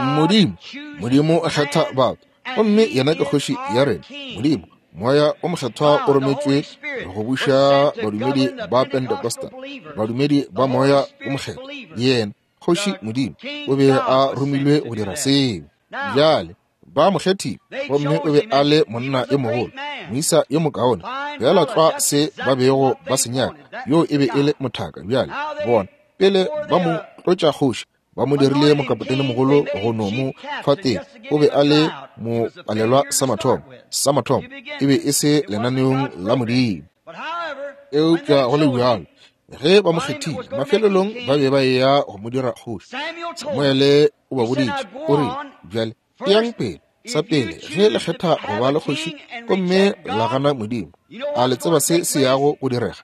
Speaker 1: Modimo, Modimo o kgetha batho, gomme yena ke kgoši ya rena. Modimo, Moya o Mokgethwa o rometšwe go buša badumedi ba Pentecostal, badumedi ba Moya o Mokgethwa. Yena. Kgoši Modimo o be a romilwe go dira seo. Bjale ba mo kgethile, gomme o be a le monna yo mogolo, moisa yo mokaone, bjala tlwa se ba bego ba se nyaka. Yo e be e le mothaka. Bjale bona, pele ba mo tlotša kgoši, ba mo dirile mokapotene mogolo go no mo fa teng. O be a le mopalelwa sa mathomo. Sa mathomo e be e se lenaneong la Modimo. Eupša go le bjalo, ge ba mo kgethile, mafelelong ba be ba eya go mo dira kgoši. Samuele o ba boditše, o rile, bjale eyang pele. Sa pele, ge le kgetha go ba le kgoši gomme la gana Modimo, a le tseba se se yago go direga?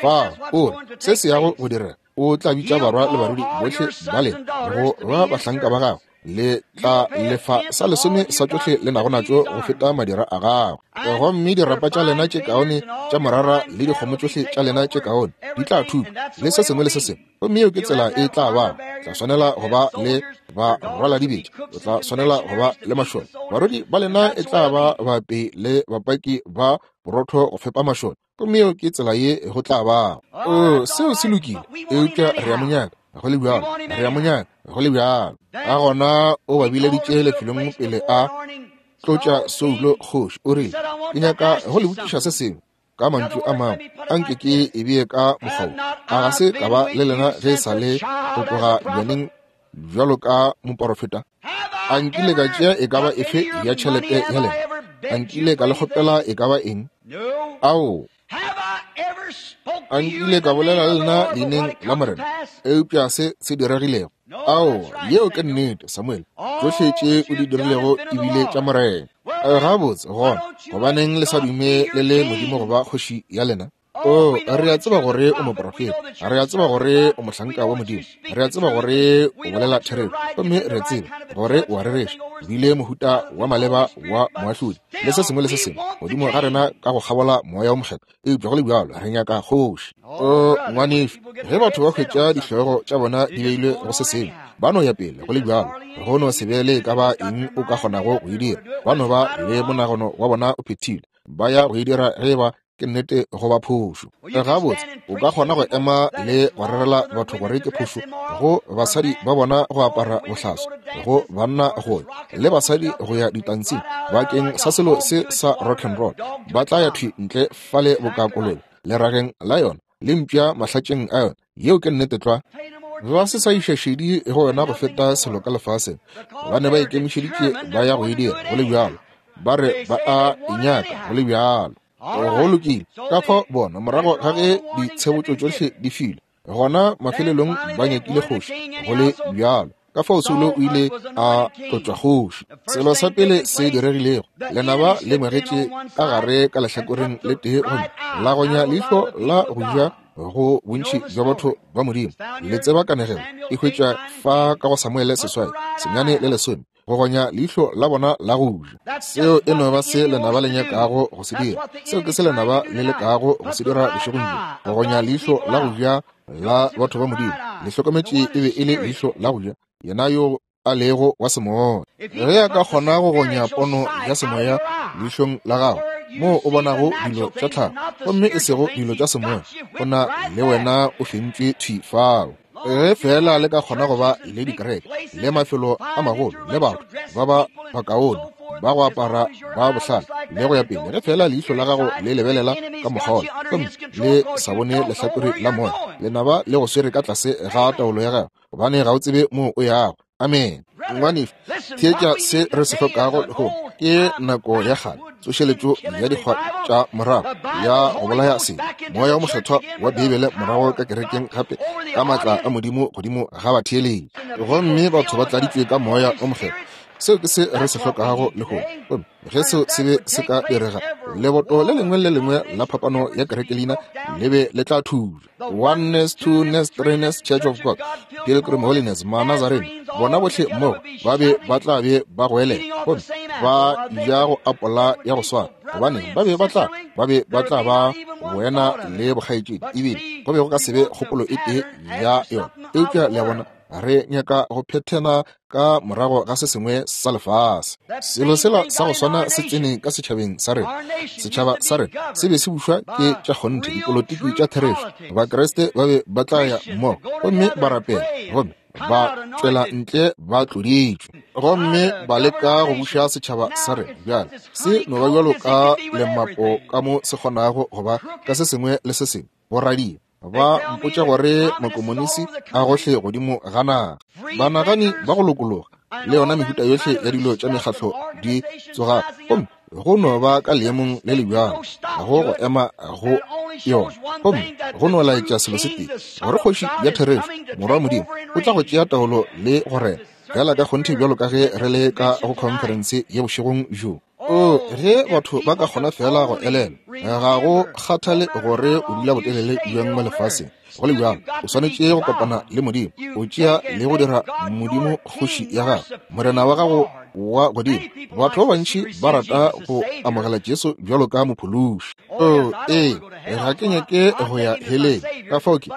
Speaker 1: Fa o re se se yago go direga, o tla bitša barwa le barwedi bohle ba lena go ba bahlanka ba gagwe. Le tla lefa sa lesome sa tšohle le nago natšo go feta madira a gagwe. Gomme dirapa tša lena tše kaone tša morara le dikgomo tšohle tša lena tše kaone di tla thutwa, le se sengwe le se sengwe. Gomme yeo ke tsela e tla ba. Tla swanela go ba le ba rwala dibetša, o tla swanela go ba le mašole. Barwedi ba lena e tla ba bape le bapaki ba borotho go fepa mašole. Gomme yeo ke tsela ye go tla ba. O, seo se lokile, eupša re a mo nyaka go le bjalo, re a mo nyaka go le bjalo. Ka gona o ba bileditše lefelong pele a tlotša Saulo kgoši. O rile, ke nyaka go le botšiša se sengwe. Ka mantšu a mangwe, anke ke e bee ka mokgwa wo. A ga se ka ba le lena ge e sa le go tloga bjaneng bjalo ka moporofeta? A nkile ka tšea e ka ba efe ya tšhelete ya lena? A nkile ka le kgopela e ka ba eng? Ao, a nkile ka bolela le lena leineng la Morena, eupša se se diregilego? Ao, yeo ke nnete, Samuel. Tšohle tše o di dirilego e bile tša Morena. Gabotse, gona, gobaneng le sa dume le le Modimo go ba kgoši ya lena? O, re a tseba gore o moprofeta, re a tseba gore o mohlanka wa Modimo, re a tseba gore o bolela therešo, gomme re a tseba gore o a rereša, o bile mohuta wa maleba wa moahlodi, le se sengwe le se sengwe godimo ga rena ka go kgabola Moya wo Mokgethwa, eupša go le bjalo re nyaka kgoši. O, ngwanešu, ge batho ba hwetša dihlogo tša bona di beilwe go se sengwe, ba no ya pele go le bjalo, go no se be le e ka ba eng o ka kgonago go e dira, ba no ba le monagano wa bona o phethilwe, ba ya go e dira ge ba ke nnete go ba phošo. Gabotse, o ka kgona go ema le go rerela batho gore ke phošo go basadi ba bona go apara bohlaswa, go banna go ya le basadi go ya ditantsing bakeng sa selo se sa rock and roll. Ba tla ya thwi ntle fale boka kolobe lerageng la yona le mpša mahlatšeng a yona. Yeo ke nnete tlwa. Ba se sa iša šedi go yona go feta selo ka lefaseng, gobane ba ikemišeditše ba ya go e dira go le bjalo. Ba re ba a e nyaka go le bjalo. Go lokile. Ka fao bona, morago ga ge ditshebotšo tšohle di filwe, gona mafelelong ba nyakile kgoši go le bjalo. Ka fao Saulo o ile a tlotšwa kgoši. Selo sa pele se diregilego, lenaba le ngwegetše ka gare ka lehlakoreng le tee gomme la gonya leihlo la go ja go bontši bja batho ba Modimo. Le tseba kanegelo e hwetšwa fa ka go Samuele 8, 9 le 10. Go gonya leihlo la bona la go ja. Seo e no ba se lenaba le nyakago go se dira. Seo ke se lenaba le lekago go se dira bošegong bjo, go gonya leihlo la go ja la batho ba Modimo. Le hlokometše e be e le leihlo la go ja, yena yo a lego wa semoya. Ge a ka kgona go gonya pono ya semoya leihlong la gago, moo o bonago dilo tša tlhago gomme e sego dilo tša semoya, o na le wena o fentšwe thwi fao. Ge feela le ka kgona go ba le dikereke le mafelo a magolo le batho ba ba bakaone ba go apara ba bohlale le go ya pele, ge feela leihlo la gago le lebelela ka mokgwa gomme le sa bone lehlakore la moya, lenaba le go swere ka tlase ga taolo ya gago, gobane ga o tsebe moo o yago. Amen. Ngwanešu, theetša se re se hlokago lehono ke nako ya kgale, tsošeletšo ya dikgwa tša morago ya go bolaya sebe, Moya wo Mokgethwa wa Beibele morago ka kerekeng gape ka maatla a Modimo godimo ga batheeletši, gomme batho ba tladitšwe ka Moya wo Mokgethwa. Seo ke se re se hlokago lehono. Gomme ge seo se be se ka direga, leboto le lengwe le lengwe la phapano ya kerekelina le be le tla thubja. Oneness, Twoness, Threeness, Church of God, Pilgrim Holiness, Manazarene, bona bohle mmogo ba be ba tla be ba goelela gomme ba ja go apola ya go swana, gobane ba be ba tla ba be ba tla ba boena le bokgaetšedi, ebile go be go ka se be kgopolo e tee ya yona. Eupša le a bona, re nyaka go phethena ka morago ga se sengwe sa lefase. Selo sela sa go swana se tsene ka setšhabeng sa rena. Setšhaba sa rena se be se bušwa ke tša kgonthe, dipolotiki tša therešo. Bakriste ba be ba tla ya mmogo gomme ba rapela, gomme Ba tšwela ntle ba tloditšwe gomme ba leka go buša setšhaba sa rena. Bjale se no ba bjalo ka lemapo ka mo se kgonago go ba ka se sengwe le se sengwe. Boradia ba mpotša gore makomonisi a gohle godimo ga naga, banagani ba go lokologa le yona mehuta yohle ya dilo tša mekgatlo di tsoga, gomme go no ba ka leemong le le bjalo go go ema go yona, gomme go no laetša selo se tee, gore kgoši ya therešo, Morwa wa Modimo, o tla go tšea taolo le go rena bjala ka kgonthe bjalo ka ge re le ka go khonferense ye bošegong bjo. O, ge batho ba ka kgona feela go elelwa, ga go kgathale gore o dula botelele bjang mo lefaseng, go le bjalo o swanetše go kopana le Modimo, o tšea le go dira Modimo kgoši ya gago, Morena wa gago wa godimo. Batho ba bantši ba rata go amogela Jesu bjalo ka mophološi. O, ee, ga ke nyake go ya heleng, ka fao ke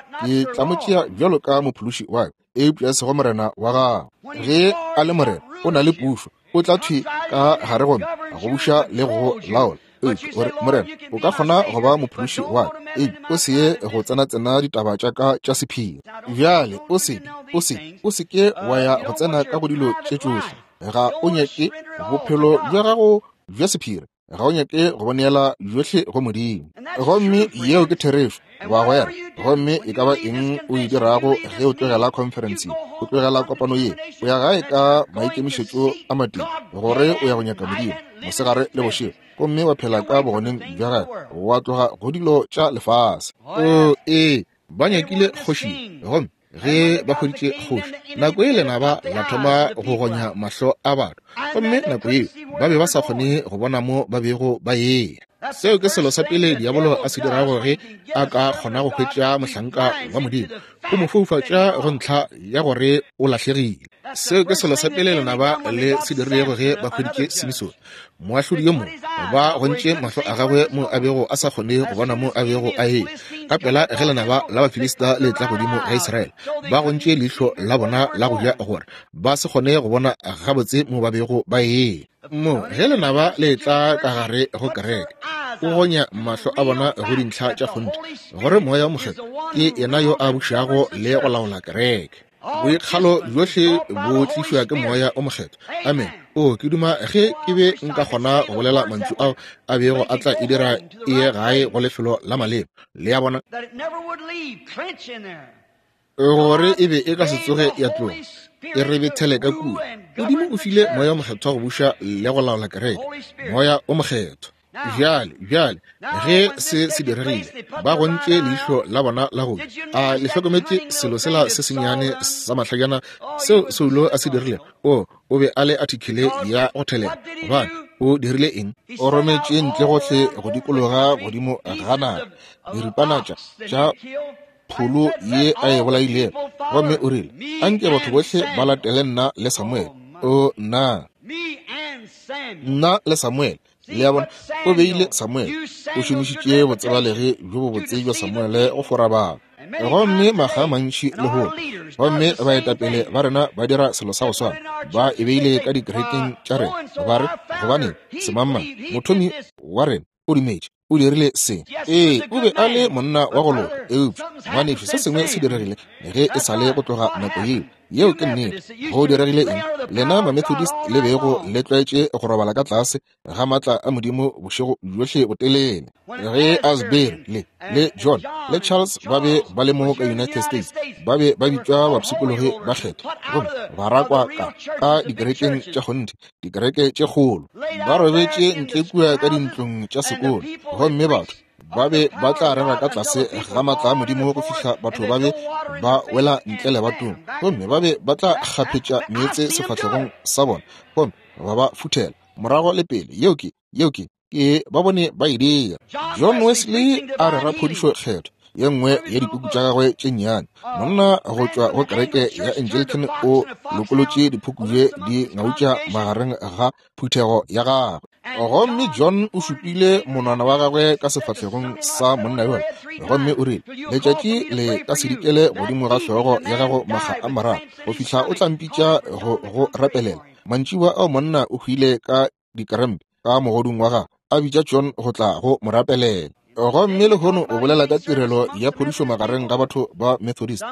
Speaker 1: tla mo tšea bjalo ka mophološi wa ka, eupša e sego Morena wa gago. Ge a le Morena, o na le pušo, o tla thwi ka gare gomme go buša le go laola. Eupša o re, Morena, o ka kgona go ba mophološi wa ka, eupša o se ye go tsenatsena ditaba tša ka tša sephiri. Bjale o se, o se, o se ke wa ya go tsena ka go dilo tše tšohle. Ga o nyake bophelo bja gago bja sephiri, ga o nyake go bo neela bjohle go Modimo. Gomme yeo ke therešo, bagwera. Gomme e ka ba eng o e dirago ge o tlogela khonferense ye, o tlogela kopano ye, o ya gae ka maikemišetšo a matee, gore o ya go nyaka Modimo mosegare le bošego, gomme wa phela ka bogoneng bja gagwe, wa tloga go dilo tša lefase. O, ee, ba nyakile kgoši, gomme ge ba hweditše kgoši, nako ye lenaba la thoma go gonya mahlo a batho, gomme nako yeo ba be ba sa kgone go bona mo ba bego ba eya. Seo ke selo sa pele diabolo a se dirago ge a ka kgona go hwetša mohlanka wa Modimo, o mo foufatša go ntlha ya gore o lahlegile. Seo ke selo sa pele lenaba le se dirilego ge ba hweditše Simisone, moahlodi yo mongwe, ba gontše mahlo a gagwe mo a bego a sa kgone go bona mo a bego a eya. Ka pela ge lenaba la Bafilista le tla godimo ga Israele, ba gontše leihlo la bona la go ja gore ba se kgone go bona gabotse mo ba bego ba eya. Mo ge lenaba le tla ka gare go kereke, o gonya mahlo a bona go dintlha tša kgonthe gore Moya wo Mokgethwa ke yena yo a bušago le go laola kereke. Boikgalo bjohle bo tlišwa ke Moya o Mokgethwa. Amen. O, ke duma ge ke be nka kgona go bolela mantšu ao a bego a tla e dira e ye gae go lefelo la maleba. Le a bona? Gore e be e ka se tsoge ya tloga, e re bethele ka kua. Modimo o file Moya o Mokgethwa go buša le go laola kereke, Moya o Mokgethwa. Bjale, bjale, ge se se diregile, ba gontše leihlo la bona la go a le hlokometše selo sela se sennyane sa mahlajana seo Saulo a se dirilego. O, o be a le athikele ya go thelela. Gobane o dirile eng? O rometše ntle gohle go dikologa godimo ga naga diripana tša pholo ye a e bolailego, gomme o rile, Anke batho bohle ba latele nna le Samuele. O, nna! Nna le Samuele. Le a bona, o beile Samuele, o šomišitše botsebalegi bjo bobotse bja Samuele go fora batho. Gomme makga a mantši lehono, gomme baetapele ba rena ba dira selo sa go swana, ba e beile ka dikerekeng tša rena, ba re, Gobaneng, semangmang, mothomi wa rena, o dumetše, o dirile se. Ee, o be a le monna wa go loka, eupša, ngwanešu, se sengwe se diregile ge e sa le go tloga nako yeo. Yeo ke nnete. Go diregile eng? Lena Mamethodist le bego le tlwaetše go robala ka tlase ga maatla a Modimo bošego bjohle botelele. Ge Asbury le, le John le Charles ba be ba le mo ka United States, ba be ba bitšwa bapshikologi ba kgethwa, gomme ba rakwa ka, ka dikerekeng tša kgonthe, dikereke tše kgolo. Ba robetše ntle kua ka dintlong tša sekolo, gomme batho ba be ba tla rera ka tlase ga maatla a Modimo go fihla batho ba be ba wela ntle lebatong, gomme ba be ba tla kgaphetša meetse sefahlegong sa bona gomme ba ba futhela morago le pele. Yeo ke, yeo ke, ke ba bone ba e dira. John Wesley a rera phodišo kgethwa, ye nngwe ya dipuku tša gagwe tše nnyane. Monna go tšwa go kereke ya Anglican o lokolotše diphukubje di ngautša magareng ga phuthego ya gagwe. Gomme John o šupile monwana wa gagwe ka sefahlegong sa monna yola, gomme o rile, Letšatši le ka se dikele godimo ga hlogo ya gago makga a mararo, go fihla o tla mpitša go go rapelela. Mantšiboa ao monna o hwile ka dikrempe ka mogodung wa gagwe, a bitša John go tla go mo rapelela. Gomme lehono o bolela ka tirelo ya phodišo magareng ga batho ba Methodist.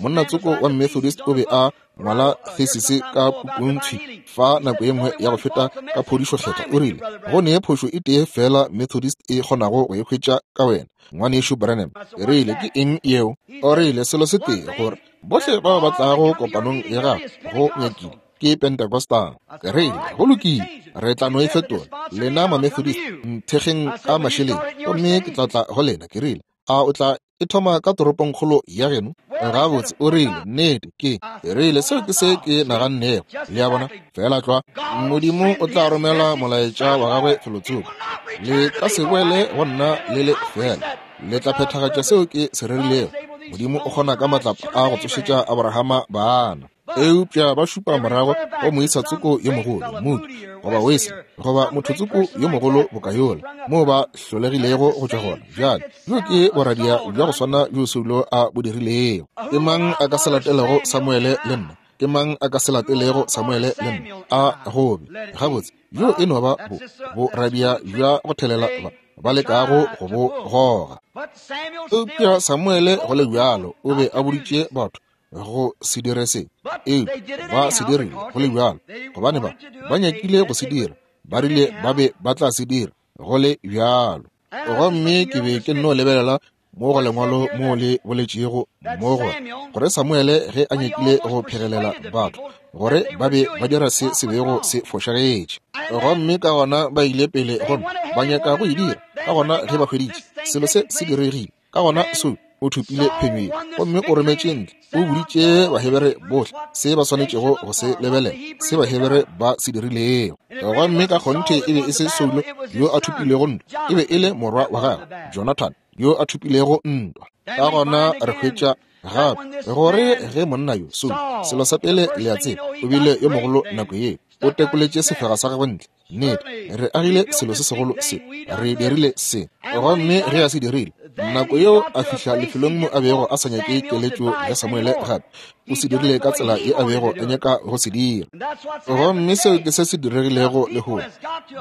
Speaker 1: Monna tsoko wa Methodist o be a ngwala thesis ka pukuntshi fa nako ye nngwe ya go feta ka phodišo kgethwa. O rile, go ne phošo e tee fela Methodist e kgonago go e hwetša ka wena, Ngwanešu Branham. Ke rile, ke eng yeo? O rile, selo se tee, gore bohle bao ba tlago kopanong ya gago go nyakile ke Pentecostal. Ke rile, go lokile, re tla no e fetola. Lena ma-Methodist, nthekgeng ka mašeleng, gomme ke tla tla go lena. Ke rile, a o tla e thoma ka toropongkgolo ya geno? Gabotse, o rile, nnete, ke rile, seo ke se ke nagannego. Le a bona, feela tlwa. Modimo o tla romela molaetša wa gagwe felotsoko. Le ka se boele go nna le le fela. Le tla phethagatša seo ke se rerilego. Modimo o kgona ka matlapa a go tsošetša Abrahama bana. Eupša ba šupa morago go moisa tsoko yo mogolo, Moody, goba Wesley, goba motho tsoko yo mogolo boka yola, moo ba hlolegilego go tšwa gona. Bjale, bjo ke boradia bja go swana bjo Saulo a bo dirilego. Ke mang a ka se latelego Samuele le nna? Ke mang a ka se latelego Samuele le nna? A gobe. Gabotse, bjo e no ba bo, boradia bja go thelela ba, ba lekago go bo goga. Eupša Samuele go le bjalo o be a boditše batho go se dire se, eupša ba se dirile go le bjalo, gobane ba, ba nyakile go se dira, ba rile ba be ba tla se dira go le bjalo. Gomme ke be ke nno lebelela mo go lengwalo mo le boletšego mo gore, gore Samuele ge a nyakile go phegelela batho gore ba be ba dira se se bego se fošagetše, gomme ka gona ba ile pele gomme ba nyaka go e dira. Ka gona ge ba hweditše selo se se diregile, ka gona Saul o thopile phenyo ye gomme o rometše ntle, o boditše Bahebere bohle se ba swanetšego go se lebelela, se Bahebere ba se dirilego. Gomme ka kgonthe e be e se Saulo yo a thopilego ntwa, e be e le morwa wa gagwe Jonathan yo a thopilego ntwa. Ka gona re hwetša gape gore ge monna yo Saulo, selo sa pele le a tseba, o bile yo mogolo nako ye, o tekoletše sefega sa gagwe ntle. Nnete, re agile selo se segolo se, re dirile se. Gomme ge a se dirile, nako yeo a fihla lefelong mo a bego a sa nyake keletšo ya Samuele gape, o se dirile ka tsela ye a bego a nyaka go se dira. Gomme seo ke se se diregilego lehono.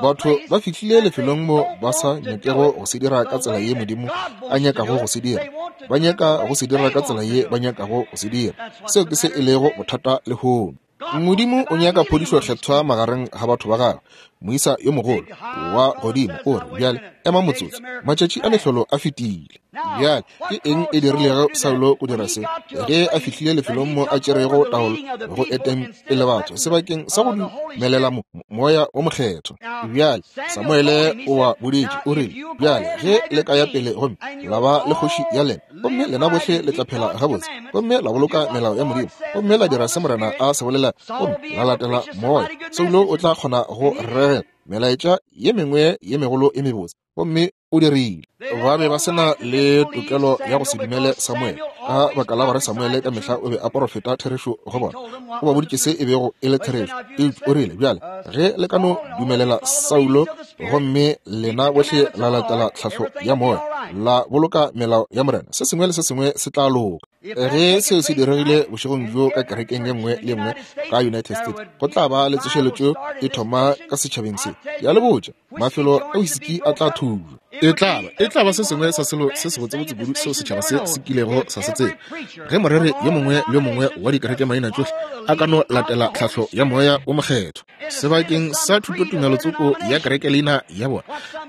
Speaker 1: Batho ba fihlile lefelong mo ba sa nyakego go se dira ka tsela ye Modimo a nyakago go se dira. Ba nyaka go se dira ka tsela ye ba nyakago go se dira. Seo ke se e lego bothata lehono. Modimo o nyaka phodišo kgethwa magareng ga batho ba gagwe. Moisa yo mogolo wa godimo o re, bjale ema motsotso, matšatši a mehlolo a fetile. Bjale ke eng e dirilego Saulo go dira se? Ge a fihlile lefelong mo a tšerego taolo go eteng pele batho sebakeng sa go dumelela moya wo mokgethwa. Bjale Samuele o ba boditše, o rile, bjale ge le ka ya pele gomme la ba le kgoši ya lena, gomme lena bohle le tla phela gabotse, gomme la boloka melao ya Modimo, gomme la dira se Morena a se bolela, gomme la latela moya, Saulo o tla kgona go rera melaetša ye mengwe ye megolo e mebotse. Gomme o dirile. Ba be ba se na le tokelo ya go se dumele Samuele, ka baka la gore Samuele ka mehla o be a porofeta therešo go bona. O ba boditše se e bego e le therešo. Eupša o rile, bjale, ge le ka no dumelela Saulo, gomme lena bohle la latela tlhahlo ya moya, la boloka melao ya Morena, se sengwe le se sengwe se tla loka. Ge seo se diregile bošegong bjo ka kerekeng ye nngwe le nngwe ka United States, go tla ba le tsošeletšo e thoma ka setšhabeng se. Ke a le botša, mafelo a wisiki a tla thujwa. E tla ba, e tla ba se sengwe sa selo se sebotsebotse kudu seo setšhaba se se kilego sa se tseba. Ge moreri yo mongwe le yo mongwe wa dikerekemaina tšohle a ka no latela tlhahlo ya Moya wo Mokgethwa sebakeng sa thutotumelo tsoko ya kerekeleina ya bona,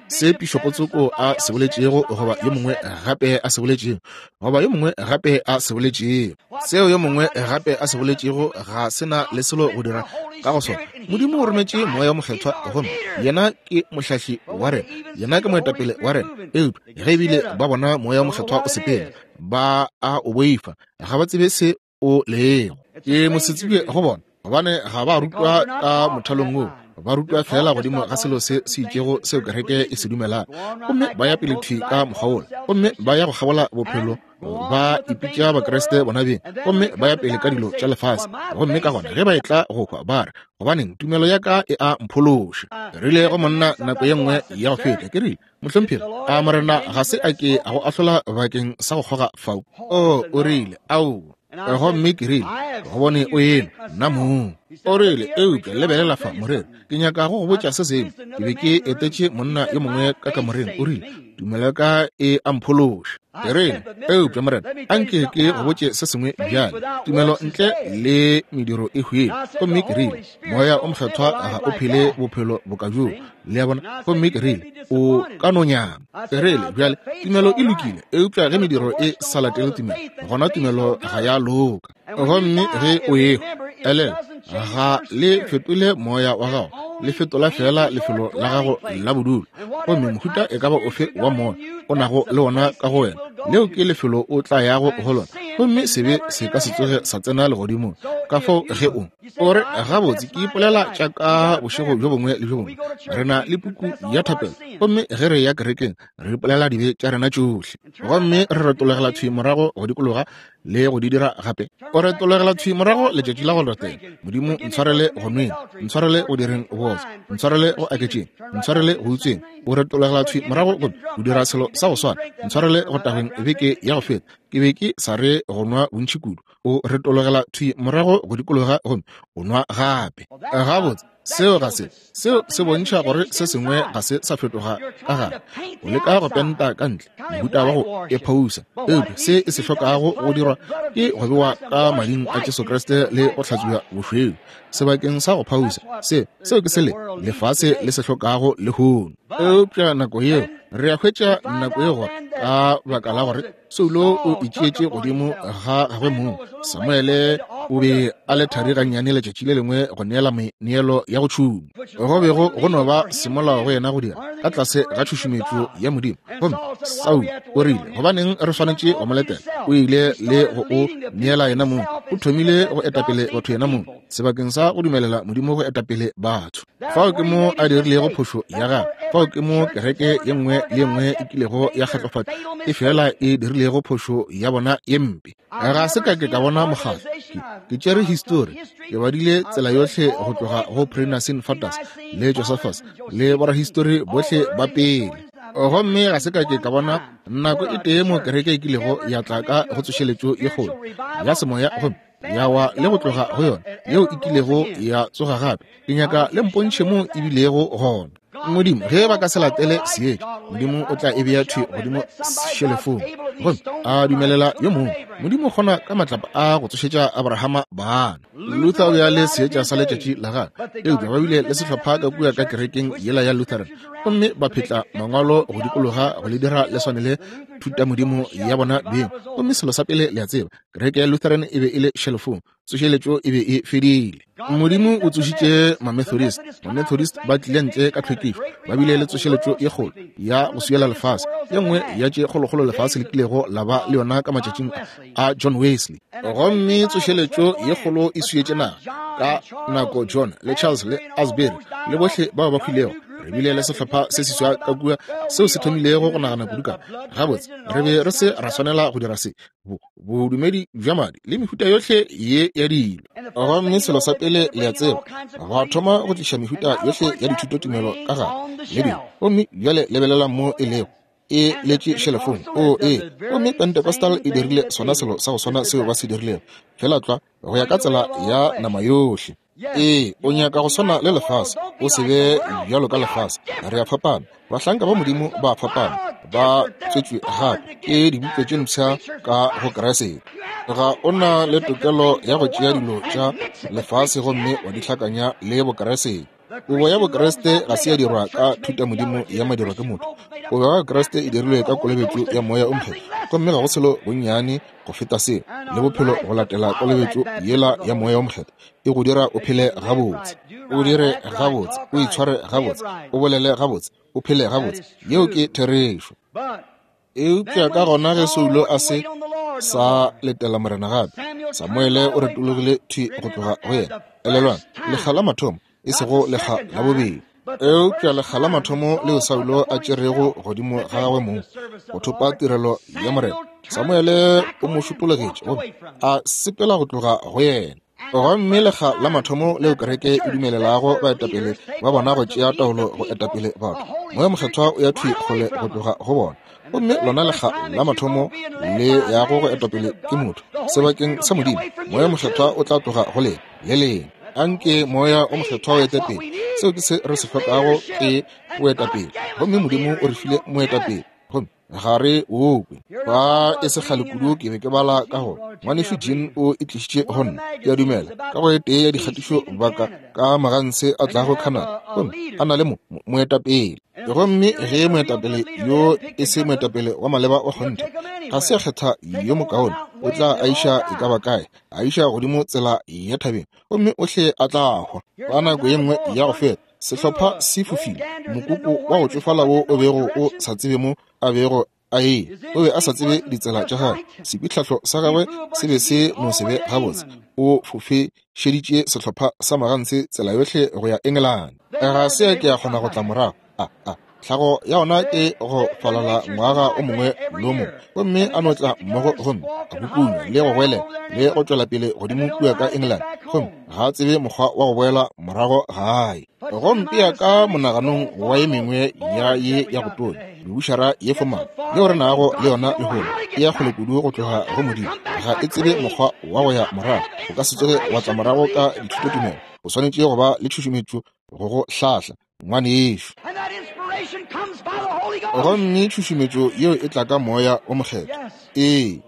Speaker 1: se pišopo tsoko a se boletšego goba yo mongwe gape a se boletšego, goba yo mongwe gape a se boletšego, seo yo mongwe gape a se boletšego ga se na le selo go dira ka go sona. Modimo o rometše Moya wo Mokgethwa, gomme Yena ke mohlahli wa rena, Yena ke moetapele wa rena. Eupša ge ebile ba bona Moya wo Mokgethwa o sepela, ba a o boifa, ga ba tsebe se o lego. Ke mosetsebje go bona, gobane ga ba rutwa ka mothalong wo, ba rutwa feela godimo ga selo se se itšego seo kereke e se dumelago, gomme ba ya pele thwi ka mokgwa wola, gomme ba ya go kgabola bophelo, ba ipitša Bakriste bona beng, gomme ba ya pele ka dilo tša lefase. Gomme ka gona ge ba etla go hwa, ba re, Gobaneng, tumelo ya ka e a mphološa. Ke rile go monna nako ye nngwe ya go feta, ke rile, Mohlomphegi, a Morena ga se a ke a go ahlola bakeng sa go kgoga fao? O, o rile, Aowa. Gomme ke rile, Go bone o enwa, nna mong. O rile, eupša lebelela fa, moreri, ke nyaka go go botša se sengwe. Ke be ke etetše monna yo mongwe ka kamoreng, o rile, tumelo ya ka e a mphološa. Ke rile, eupša morena, anke ke go botše se sengwe bjale. Tumelo ntle le mediro e hwile. Gomme ke rile, Moya o Mokgethwa ga o phele bophelo boka bjoo. Le a bona? Gomme ke rile, O ka no nyama. Ke rile, Bjale, tumelo e lokile, eupša ge mediro e sa latele tumelo, gona tumelo ga ya loka. Gomme ge o ehwa, elelwa, ga le fetole moya wa gago, le fetola feela lefelo la gago la bodulo. Gomme mohuta e ka ba ofe wa moya o nago le wona ka go wena, leo ke lefelo o tla yago go lona. Gomme sebe se ka se tsoge sa tsena legodimong. Ka fao ge o o re, gabotse, ke ipolela tša ka bošego bjo bongwe le bjo bongwe, re na le puku ya thapelo, gomme ge re ya kerekeng re ipolela dibe tša rena tšohle, gomme re retologela thwi morago go dikologa le go di dira gape. O retologela thwi morago letšatši la go latela, Modimo ntshwarele go nweng, ntshwarele go direng bootswa, ntshwarele go aketšeng, ntshwarele go utsweng. O retologela thwi morago gomme o dira selo sa go swana, ntshwarele go tagweng beke ya go feta, ke be ke sa re go nwa bontši kudu. O retologela thwi morago go dikologa gomme o nwa gape. Gabotse, seo ga se, seo se bontšha gore se sengwe ga se sa fetoga ka gare. O leka go penta ka ntle, mohuta wa go ephousa, eupša se e se hlokago go dirwa ke go bewa ka mading a Jesu Kriste le go hlatswiwa bošweu sebakeng sa go phausa. Se, seo ke se le lefase le se hlokago lehono. Eupša nako yeo re a hwetša nako yeo gore ka baka la gore Saulo o itšeetše godimo ga gagwe mong, Samuele o be a le thari gannyane letšatši le lengwe go neela meneelo ya go tšhuma, go bego go no ba semolao go yena go dira ka tlase ga tšhušumetšo ya Modimo. Gomme Saulo o rile, gobaneng re swanetše go mo letela? O ile le go o neela yena mong. O thomile go etapele batho yena mong, sebakeng sa go dumelela Modimo go etapele batho. Fao ke mo a dirilego phošo ya gagwe. Fao ke mo kereke ye nngwe le ye nngwe e kilego ya kgatlofatšwa e fela e dirilego phošo ya bona ye mpe. Ga se ka ke ka bona mokgatlo. Ke tšere histori, ke badile tsela yohle go tloga go Pre-Nicene Fathers le Josephus le borahistori bohle ba pele. Gomme ga se ka ke ka bona nako e tee mo kereke e kilego ya tla ka go tsošeletšo ye kgolo ya semoya gomme ya wa le go tloga go yona yeo e kilego ya tsoga gape. Ke nyaka le mpontšhe mo e bilego gona. Modimo, ge ba ka se latele seetša, Modimo o tla e bea thwi godimo šelefong gomme a dumelela yo mongwe. Modimo o kgona ka matlapa a go tsošetša Abrahama bana. Luther o be a le seetša sa letšatši la gagwe, eupša ba bile le sehlopha ka kua ka kerekeng yela ya Lutheran gomme ba phetla mangwalo go dikologa go le dira le swane le thutamodimo ya bona beng. Gomme selo sa pele le a tseba, kereke ya Lutheran e be e le šelefong, tsošeletšo e be e fedile. Modimo o tsošitše Mamethodist. Mamethodist ba tlile ntle ka tlhwekišo, ba bile le tsošeletšo ye kgolo ya go swiela lefase, ye nngwe ya tše kgolokgolo lefase le kilego la ba le yona ka matšatšing a John Wesley. Gomme tsošeletšo ye kgolo e swietše naga ka nako John le Charles le Asbury le bohle bao ba hwilego. Re bile le sehlopha se seswa ka kua seo se thomilego go nagana kudu ka gabotse re be re se ra swanela go dira se, bodumedi bja madi le mehuta yohle ye ya dilo. Gomme selo sa pele le a tseba, ba thoma go tliša mehuta yohle ya dithutotumelo ka gare le dilo. Gomme bjale lebelelang mo e lego, e letše šelefong. O ee, gomme Pentecostal e dirile sona selo sa go swana seo ba se dirilego, feela tlwa go ya ka tsela ya nama yohle. Ee, o nyaka go swana le lefase, o se be bjalo ka lefase. Re a fapana, bahlanka ba Modimo ba a fapana, ba tswetšwe gape ke dibuka tše mpsha ka go Kriste. Ga o na le tokelo ya go tšea dilo tša lefase gomme wa di hlakanya le Bokriste. Kobo ya Bokriste ga se ya dirwa ka thutamodimo ya madirwa ke motho. Kobo ya Bokriste e dirilwe ka kolobetšo ya Moya o Mokgethwa, gomme ga go selo bonnyane go feta seo le bophelo go latela kolobetšo yela ya Moya o Mokgethwa e go dira o phele gabotse, o dire gabotse, o itshware gabotse, o bolele gabotse, o phele gabotse. Yeo ke therešo. Eupša ka gona ge Saulo a se sa letela Morena gape, Samuele o retologile thwi go tloga go yena. Elelwang, lekga la mathomo, e sego lekga la bobedi. Eupša lekga la mathomo leo Saulo a tšerego godimo ga gagwe mong go thopa tirelo ya Morena, Samuele o mo šupologetše gomme a sepela go tloga go yena. Gomme lekga la mathomo leo kereke e dumelelago baetapele ba bona go tšea taolo go etapele batho, Moya Mokgethwa o ya thwi kgole go tloga go bona. Gomme lona lekga la mathomo le yago go etapele ke motho sebakeng sa Modimo, Moya Mokgethwa o tla tloga go lena le lena. Anke Moya o Mokgethwa o ete pele. Seo ke se re se hlokago, ke boetapele. Gomme Modimo o re file moetapele, gomme ga re o kwe. Fa e se kgale kudu ke be ke bala ka go Ngwanešu Jean o e tlišitše go nna, ke a dumela, ka go e tee ya dikgatišo baka ka maganse a tlago Canada, gomme a na le moetapele. Gomme ge moetapele yo e se moetapele wa maleba wa kgonthe, ga se a kgetha yo mokaone, o tla a iša e ka ba kae, a iša godimo tsela ya thabeng, gomme ohle a tla hwa. Ka nako ye nngwe ya go feta, sehlopha se fofile, mokoko wa go tšofala wo o bego o sa tsebe mo a bego a eya, o be a sa tsebe ditsela tša gagwe, sepitlhahlo sa gagwe se be se no se be gabotse, o fofešeditše sehlopha sa maganse tsela yohle go ya Engelane. Ga se a ke a kgona go tla morago. A tlhago ya ona ke go falala ngwaga o mongwe le o mongwe, gomme a no tla mmogo gomme a kukunya le go goelela le go tšwela pele godimo kua ka England, gomme ga a tsebe mokgwa wa go boela morago gae. Go mpea ka monaganong wa ye mengwe ya ye ya go tonya mebušara ye fomana yeo re nago le yona lehono, e ya kgole kudu go tloga go Modimo, ga e tsebe mokgwa wa go ya morago. O ka se tsoge wa tla morago ka dithutotumelo, o swanetše go ba le tšhušumetšo go go hlahla, ngwanešu. Gomme tšhušumetšo yeo e tla ka Moya o Mokgethwa. Ee,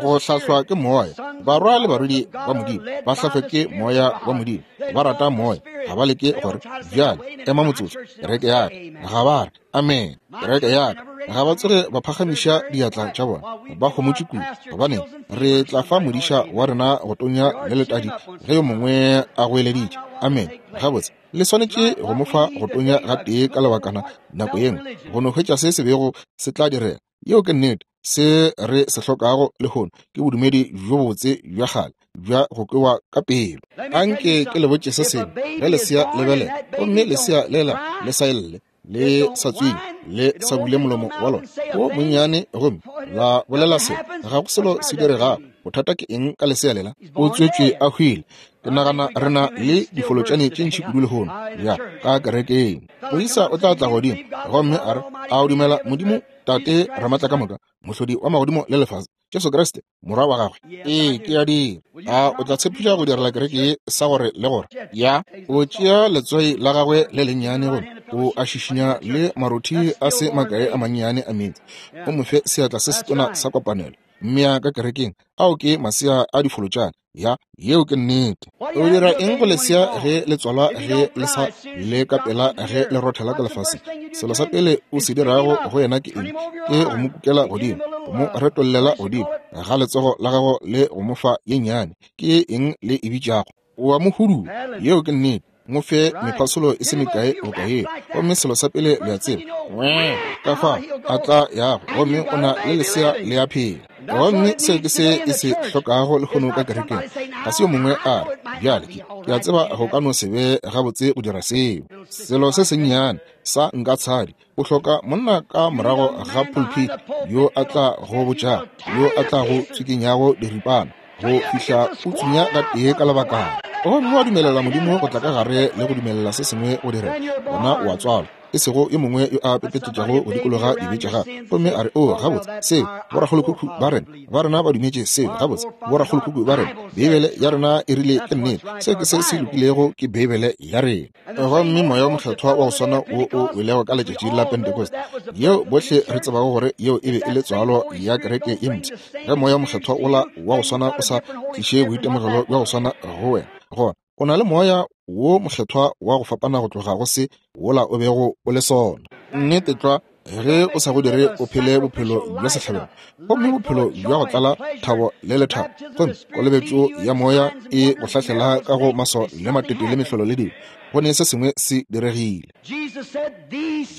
Speaker 1: go hlahlwa ke Moya. Barwa le barwedi ba Modimo ba hlahlwa ke Moya wa Modimo. Ba rata Moya. Ga ba leke gore, bjale, ema motsotso, kereke ya ka. Ga ba re, amen, kereke ya ka. Ga ba tsoge ba phagamiša diatla tša bona. Ba homotše kudu. Gobaneng, re tla fa modiša wa rena go tonya le letadi ge yo mongwe a goeleditše, amen. Gabotse, le swanetše go mo fa go tonya gatee ka lebakana nako ye nngwe, go no hwetša se se bego se tla direga. Yeo ke nnete. Se re se hlokago lehono ke bodumedi bjo bobotse bja kgale bja go kwewa ka pelo. Anke ke le botše se sengwe, ge lesea le belega gomme lesea lela le sa lle, le sa tswinye, le sa bule molomo wa lona o monnyane gomme la bolela se, ga go selo se diregago. Bothata ke eng ka lesea lela? O tswetšwe a hwile. Ke nagana re na le difolotšane tše ntši kudu lehono ya ka kerekeng. Moisa o tla tla godimo gomme a re, a o dumela Modimo Tate Ramatlakamoka, Mohlodi wa magodimo le lefase, Jesu Kriste, Morwa wa gagwe? Ee, ke a dira. A o tla tshepiša go direla kereke ye sa gore le gore? Ya. O tšea letswai la gagwe le lennyane gomme o a šišinya le marothi a se makae a mannyane a meetse, o mo fe seatla se setona sa kopanelo. Mmea ka kerekeng. Ao ke masea a difolotšane. Ya, yeo ke nnete. O dira eng go lesea ge le tswalwa, ge le sa le ka pela ge le rothela ka lefaseng? Selo sa pele o se dirago go yena ke eng? Ke go mo kukela godimo, go mo retollela godimo ga letsogo la gago le go mo fa ye nnyane. Ke eng le e bitšago? O a mo hudua. Yeo ke nnete. Mo fe mephasolo e se mekae boka yeo, gomme selo sa pele le a tseba, wee, ka fa a tla yago, gomme o na le lesea le a phela. Gomme seo ke se e se hlokago lehono ka kerekeng. Ga se yo mongwe a re, bjale, ke a tseba go ka no se be gabotse go dira seo. Selo se sennyane sa nka tshadi, o hloka monna ka morago ga pulpit yo a tla go botšago, yo a tla go tswikinyago diripana go fihla o tsunya ka tee ka lebakana, gomme wa dumelela Modimo go tla ka gare le go dumelela se sengwe go direga, gona o a tswalwa, e sego yo mongwe yo a pepetetšago go dikologa dibe tša gagwe gomme a re, O, gabotse, seo, borakgolokhukhu ba rena, ba rena ba dumetše seo. Gabotse, borakgolokhukhu ba rena, Beibele ya rena e rile ke nnete. Seo ke se se lokilego, ke Beibele ya rena. Gomme Moya wo Mokgethwa wa go swana wo o welego ka letšatši la Pentecost, yeo bohle re tsebago gore yeo e be e le tswalo ya kereke ye mpsha, ge Moya wo Mokgethwa wola wa go swana o sa tliše boitemogelo bja go swana go wena, gona o na le Moya wo Mokgethwa wa go fapana go tloga go se wola o bego o le sona. Nnete tlwa. Ge o sa go dire o phele bophelo bja sehlabelo, gomme bophelo bja go tlala thabo le lethabo, gomme kolobetšo ya Moya e go hlahlela ka go maso le matete le mehlolo le dilo, go ne se sengwe se diregile.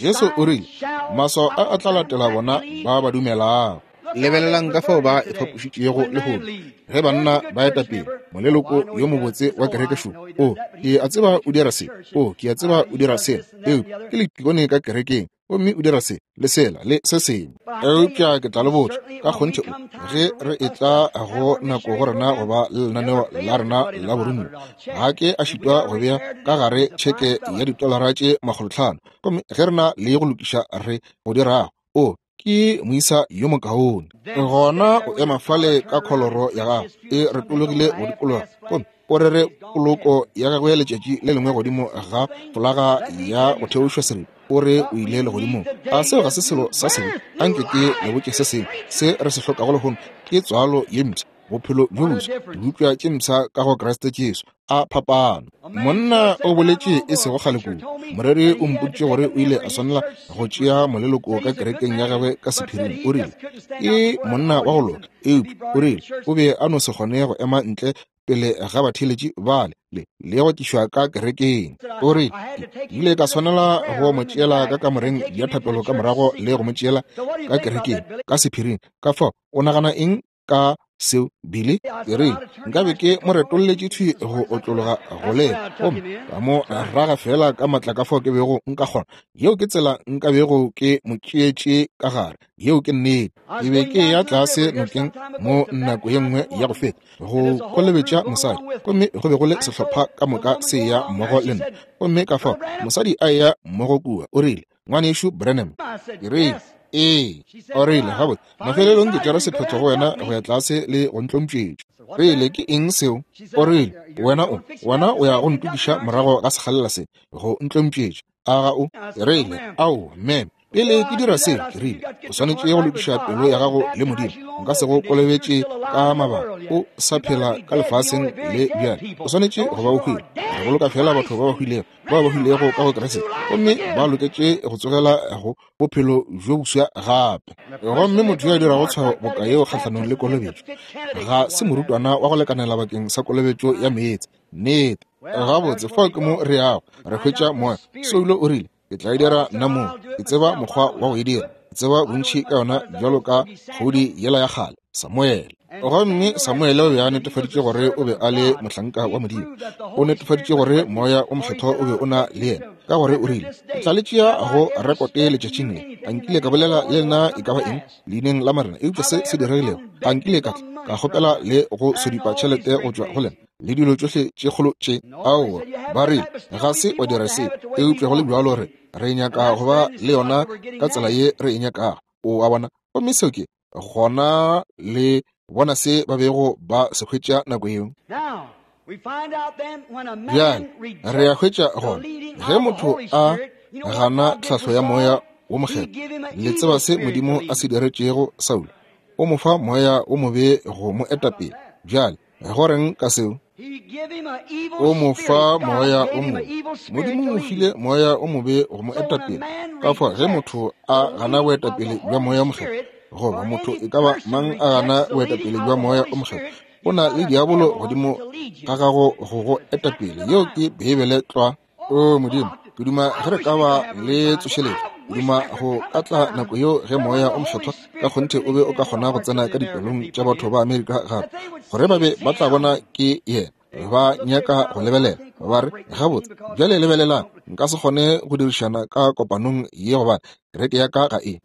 Speaker 1: Jesu o rile, Maswao a a tla latela bona ba ba dumelago. Lebelelang ka fao ba ifapošitšego lehono ge banna ba eta pele, moleloko yo mobotse wa kereke šo, o, ke a tseba o dira se, o, ke a tseba o dira sela, eupša ke letikone ka kerekeng, gomme o dira se le sela le se sengwe. Eupša ke tla le botša ka kgonthe, o, ge re etla go nako go rena go ba le lenaneo la rena la boromiwa, ga ke a šitwa go bea ka gare tšheke ya ditolara tše 500, gomme ge re na le go lokiša re go dirago, o, ke moisa yo mokaone. Gona o ema fale ka kholoro ya gago e retologile go dikologa, gomme O rere poloko ya gagwe letšatši le lengwe godimo ga folaga ya go theošwa seripa, o re o ile legodimong. A seo ga se selo sa sebe? Anke ke le botše se sengwe se re se hlokago lehono, ke tswalo ye mpsha, bophelo bjo boswa, dibopša tše mpsha ka go Kriste Jesu. A phapano! Monna o boletše e sego kgale kudu. Moreri o mpoditše gore o ile a swanela go tšea moleloko ka kerekeng ya gagwe ka sephiring. O rile, Ke monna wa go loka, eupša o rile o be a no se kgone go ema ntle pele ga batheeletši bale le le go tlišwa ka kerekeng. O rile, Ke ile ka swanela go mo tšeela ka kamoreng ya thapelo ka morago le go mo tšeela ka kerekeng ka sephiring. Ka fao, o nagana eng ka seo, Billy? Ke rile, Nkabe ke mo retolletše thwi go otlologa go le, gomme ka mo raga feela ka matla ka fao ke bego nka kgona. Yeo ke tsela nka bego ke mo tšeetše ka gare. Yeo ke nnete. Ke be ke eya tlase nokeng mo nako ye nngwe ya go feta, go kolobetša mosadi, gomme go be go le sehlopha ka moka se eya mmogo le nna. Gomme ka fao mosadi a eya mmogo kua, o rile, Ngwanešu Branham. Ke rile, Ee. O rile, Gabotse, mafelelong ke tšere sephetho go wena go ya tlase le go ntlompšetša. Rile, Ke eng seo? O rile, Wena o, wena o ya go ntokiša morago ga sekgalela se, go ntlompšetša, a ga o? Ke rile, Ao, ma'am, pele ke dira seo, ke rile, o swanetše go lokiša pelo ya gago le Modimo. Nka se go kolobetše ka mabaka. O sa phela ka lefaseng le bjale. O swanetše go ba o hwile. Re boloka feela batho ba ba hwilego, bao ba hwilego ka go Kriste, gomme ba loketše go tsogela go bophelo bjo boswa gape. Gomme motho yo a dirago tshwao boka yeo kgahlanong le kolobetšo ga se morutwana wa go lekanela bakeng sa kolobetšo ya meetse. Nnete. Gabotse, fao ke mo re yago, re hwetša moya. Soulo o rile, Ke tla e dira nna mong. Ke tseba mokgwa wa go e dira. Ke tseba bontši ka yona bjalo ka kgodi yela ya kgale, Samuele. Gomme Samuele o be a netefaditše gore o be a le mohlanka wa Modimo. O netefaditše gore Moya wo Mokgethwa o be o na le yena, ka gore o rile, Ke tla le tšea go rekote letšatšing le. A nkile ka bolela le lena e ka ba eng leineng la Morena eupša se se diregilego? A nkile ka tla ka kgopela le go sodipa tšhelete go tšwa go lena le dilo tšohle tše kgolo tše? Aowa, ba rile, ga se wa dira se, eupša go le bjalo re, re nyaka go ba le yona ka tsela ye re e nyakago. O a bona? Gomme seo ke gona le bona se ba bego ba se hwetša nako yeo. Bjale re a hwetša gona ge motho a gana tlhahlo ya Moya wo Mokgethwa, le tseba se Modimo a se diretšego Saulo? O mo fa moya wo mobe go mo eta pele. Bjale go reng ka seo? O mo fa moya o mobe. Modimo o file moya o mobe go mo eta pele. Ka fao ge motho a gana boetapele bja Moya wo Mokgethwa, goba motho e ka ba mang a gana boetapele bja Moya wo Mokgethwa, o na le diabolo godimo ga gago go go eta pele. Yeo ke Beibele tlwa. O Modimo, ke duma ge re ka ba le tsošeletšo. Ke duma go ka tla nako yeo ge Moya o Mokgethwa ka kgonthe o be o ka kgona go tsena ka dipelong tša batho ba Amerika gape, gore ba be ba tla bona ke Yena. Ba nyaka go lebelela, ba re, Gabotse, bjale lebelelang, nka se kgone go dirišana ka kopanong ye gobane kereke ya ka ga e.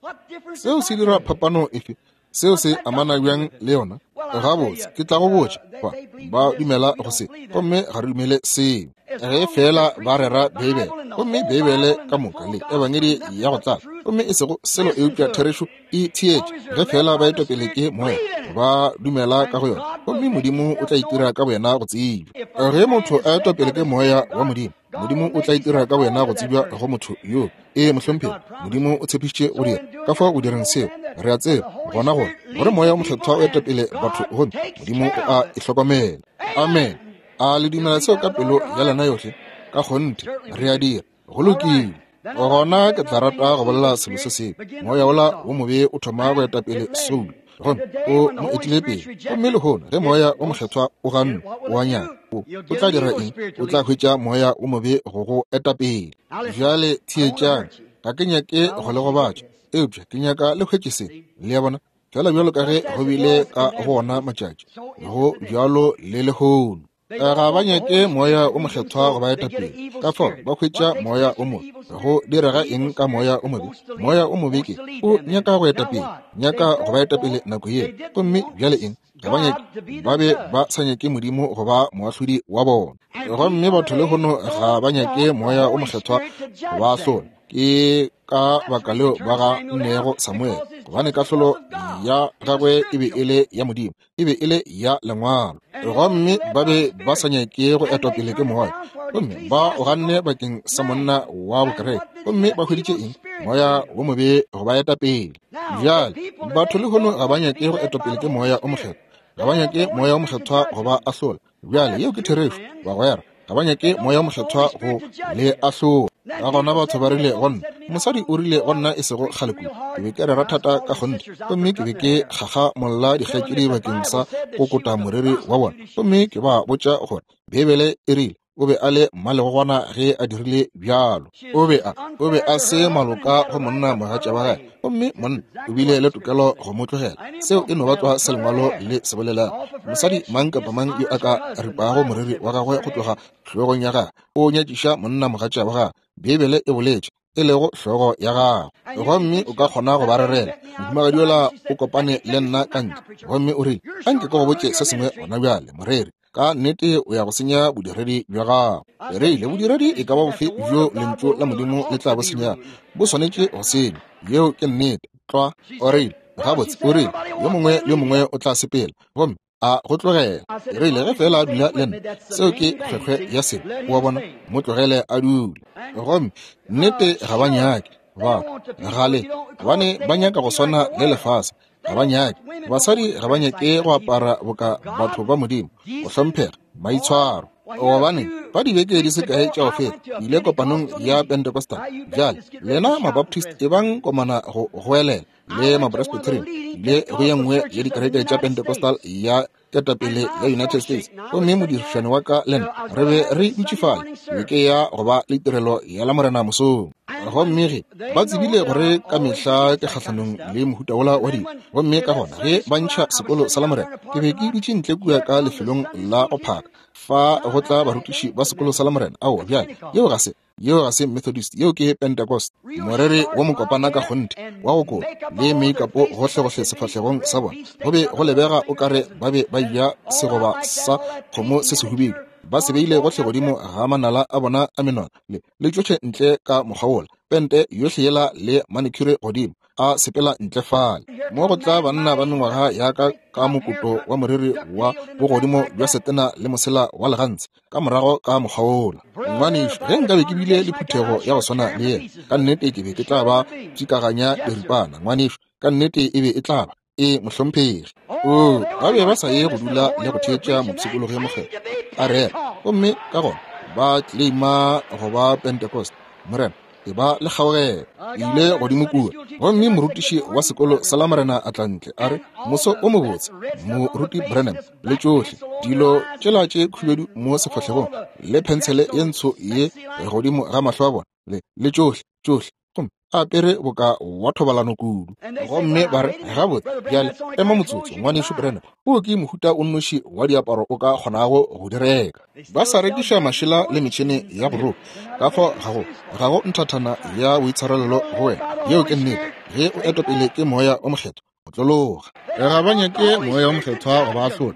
Speaker 1: Seo se dira phapano efe? Seo se amana bjang le yona? Gabotse, ke tla go botša, ba, ba dumela go se, gomme ga re dumele seo. Ge feela ba rera Beibele, gomme Beibele ka moka le Ebangedi ya go tlala, gomme e sego selo eupša therešo e theetše, ge feela ba etwa pele ke Moya, ba dumela ka go yona, gomme Modimo o tla itira ka boyena go tsebja. Ge motho a etwa pele ke Moya wa Modimo, Modimo o tla itira ka boyena go tsebja go motho yoo. Ee, mohlomphegi, Modimo o tshepišitše go dira. Ka fao go direng seo, re a tseba gona gore gore Moya o Mokgethwa o eta pele batho gomme Modimo o a e hlokomela. Amen. A le dumela seo ka pelo ya lena yohle? Ka kgonthe, re a dira. Go lokile. Gona ke tla rata go bolela selo se sengwe. Moya wola wo mobe o thoma go eta pele Saulo, gomme o mo etile pele. Gomme lehono ge Moya wo Mokgethwa o gannwe, o a nyaka, o, o tla dira eng? O tla hwetša moya wo mobe go go eta pele. Bjale theetšang, ga ke nyake go le gobatša, eupša ke nyaka le hwetše se. Le a bona? Feela bjalo ka ge go bile ka go ona matšatši, go bjalo le lehono. Ga ba nyake Moya wo Mokgethwa go ba eta pele, ka fao ba hwetša moya o mobe. Go direga eng ka moya o mobe? Moya o mobe ke o nyaka go eta pele, nyaka go ba eta pele nako ye. Gomme bjale eng? Ga ba nyake, ba be ba sa nyake Modimo go ba moahlodi wa bona. Gomme batho lehono ga ba nyake Moya wo Mokgethwa go ba ahlola. Ke ka baka leo ba gannego Samuele, gobane kahlolo ya gagwe e be e le ya Modimo, e be e le ya Lengwalo. Gomme ba be ba sa nyake go etwa pele ke Moya, gomme ba o ganne bakeng sa monna wa bokereke. Gomme ba hweditše eng? Moya wo mobe go ba eta pele. Bjale batho lehono ga ba nyake go etwa pele ke Moya o Mokgethwa, ga ba nyake Moya o Mokgethwa go ba ahlola. Bjale yeo ke therešo, bagwera. Ga ba nyake Moya o Mokgethwa go le ahlola. Ka gona batho ba rile go nna, mosadi o rile go nna e sego kgale kudu, ke be ke rera thata ka kgonthe, gomme ke be ke kgakgamolla dikgaetšedi bakeng sa go kota moriri wa bona, gomme ke ba botša gore Beibele e rile o be a le mmalegogwana ge a dirile bjalo. O be a, o be a se maloka go monna mogatša wa gagwe, gomme monna o bile le tokelo go mo tlogela. Seo e no ba tlwa se Lengwalo le se bolelago. Mosadi mang kapa mang yo a ka ripago moriri wa gagwe go tloga hlogong ya gagwe, o nyatšiša monna mogatša wa gagwe. Beibele e boletše, e lego hlogo ya gagwe. Gomme o ka kgona go ba rerela. Mohumagadi yola o kopane le nna ka ntle, gomme o rile, Anke ke go botše se sengwe gona bjale, moreri. Ka nnete o ya go senya bodiredi bja gago. Re ile bodiredi e ka ba bofe bjo lentšu la Modimo le tla bo senya, bo swanetše go senywa. Yeo ke nnete tlwa. O rile, Gabotse, o rile, yo mongwe yo mongwe o tla sepela gomme a go tlogela. Re ile ge fela a dula le nna, seo ke kgwekgwe ya selo, o a bona, mo tlogele a dule. Gomme nnete ga ba nyake ba gale, gobane ba nyaka go swana le lefase. Ga ba nyake, basadi ga ba nyake go apara boka batho ba Modimo, go hlomphega, maitshwaro. Gobane ba dibeke di se kae tša go feta, ke ile kopanong ya Pentecostal. Bjale lena Mabaptist ebang komana go goelela, le Mapresbyterian, le go ye nngwe ya dikereke tša Pentecostal ya ketapele ya United States. Gomme modirišani wa ka le nna re be re dutše fale, be ke ya go ba le tirelo ya Lamorena mosong. Gomme ge ba tsebile gore ka mehla ke kgahlanong le mohuta wola wa dilo, gomme ka gona ge ba ntšha sekolo sa Lamorena, ke be ke dutše ntle kua ka lefelong la go phaka, fa go tla barutiši ba sekolo sa Lamorena. Aowa, bjale, yeo ga se, yeo ga se Methodist, yeo ke Pentecost. Moreri wa mokopana ka kgonthe, wa go kola, le meikapo gohlegohle sefahlegong sa bona, go be go lebega o ka re ba be ba eja segoba sa kgomo se sehubedu, ba se beile gohle godimo ga manala a bona a menwana, le, le tšohle ntle ka mokgwa wola, pente yohle yela le manicure godimo, a sepela ntle fale. Mo go tla banna ba mengwaga ya ka ka mokoto wa moriri wa bogodimo bja setena le mosela wa legantshe, ka morago ka mokgwa wola. Ngwanešu, ge nkabe ke bile le phuthego ya go swana le yena, ka nnete ke be ke tla ba tšikaganya diripana. Ngwanešu, ka nnete e be e tla ba. Ee, mohlomphegi. Oo, ba be ba sa ye go dula le go theetša mopshikologi yo mokgethwa a rera, gomme ka gona ba claima go ba Pentecost. Morena, e ba le kgaogelo. Ke ile godimo kua, gomme morutiši wa sekolo sa Lamorena a tla ntle, a re, Moso o mobotse, Moruti Branham, le tšohle dilo tšela tše khubedu mo sefahlegong, le phentshele ye ntsho ye godimo ga mahlo a bona, le, le tšohle, tšohle, gomme a apere boka wa thobalano kudu. Gomme ba re, Gabotse, bjale, ema motsotso, Ngwanešu Branham, o ke mohuta o nnoši wa diaparo o ka kgonago go di reka. Ba sa rekiša mašela le metšhene ya go roka. Ka fao ga go, ga go nthathana ya boitshwarelelo go wena. Yeo ke nnete. Ge o etwa pele ke Moya wo Mokgethwa, o tlologa. Ga ba nyake Moya wo Mokgethwa go ba ahlola.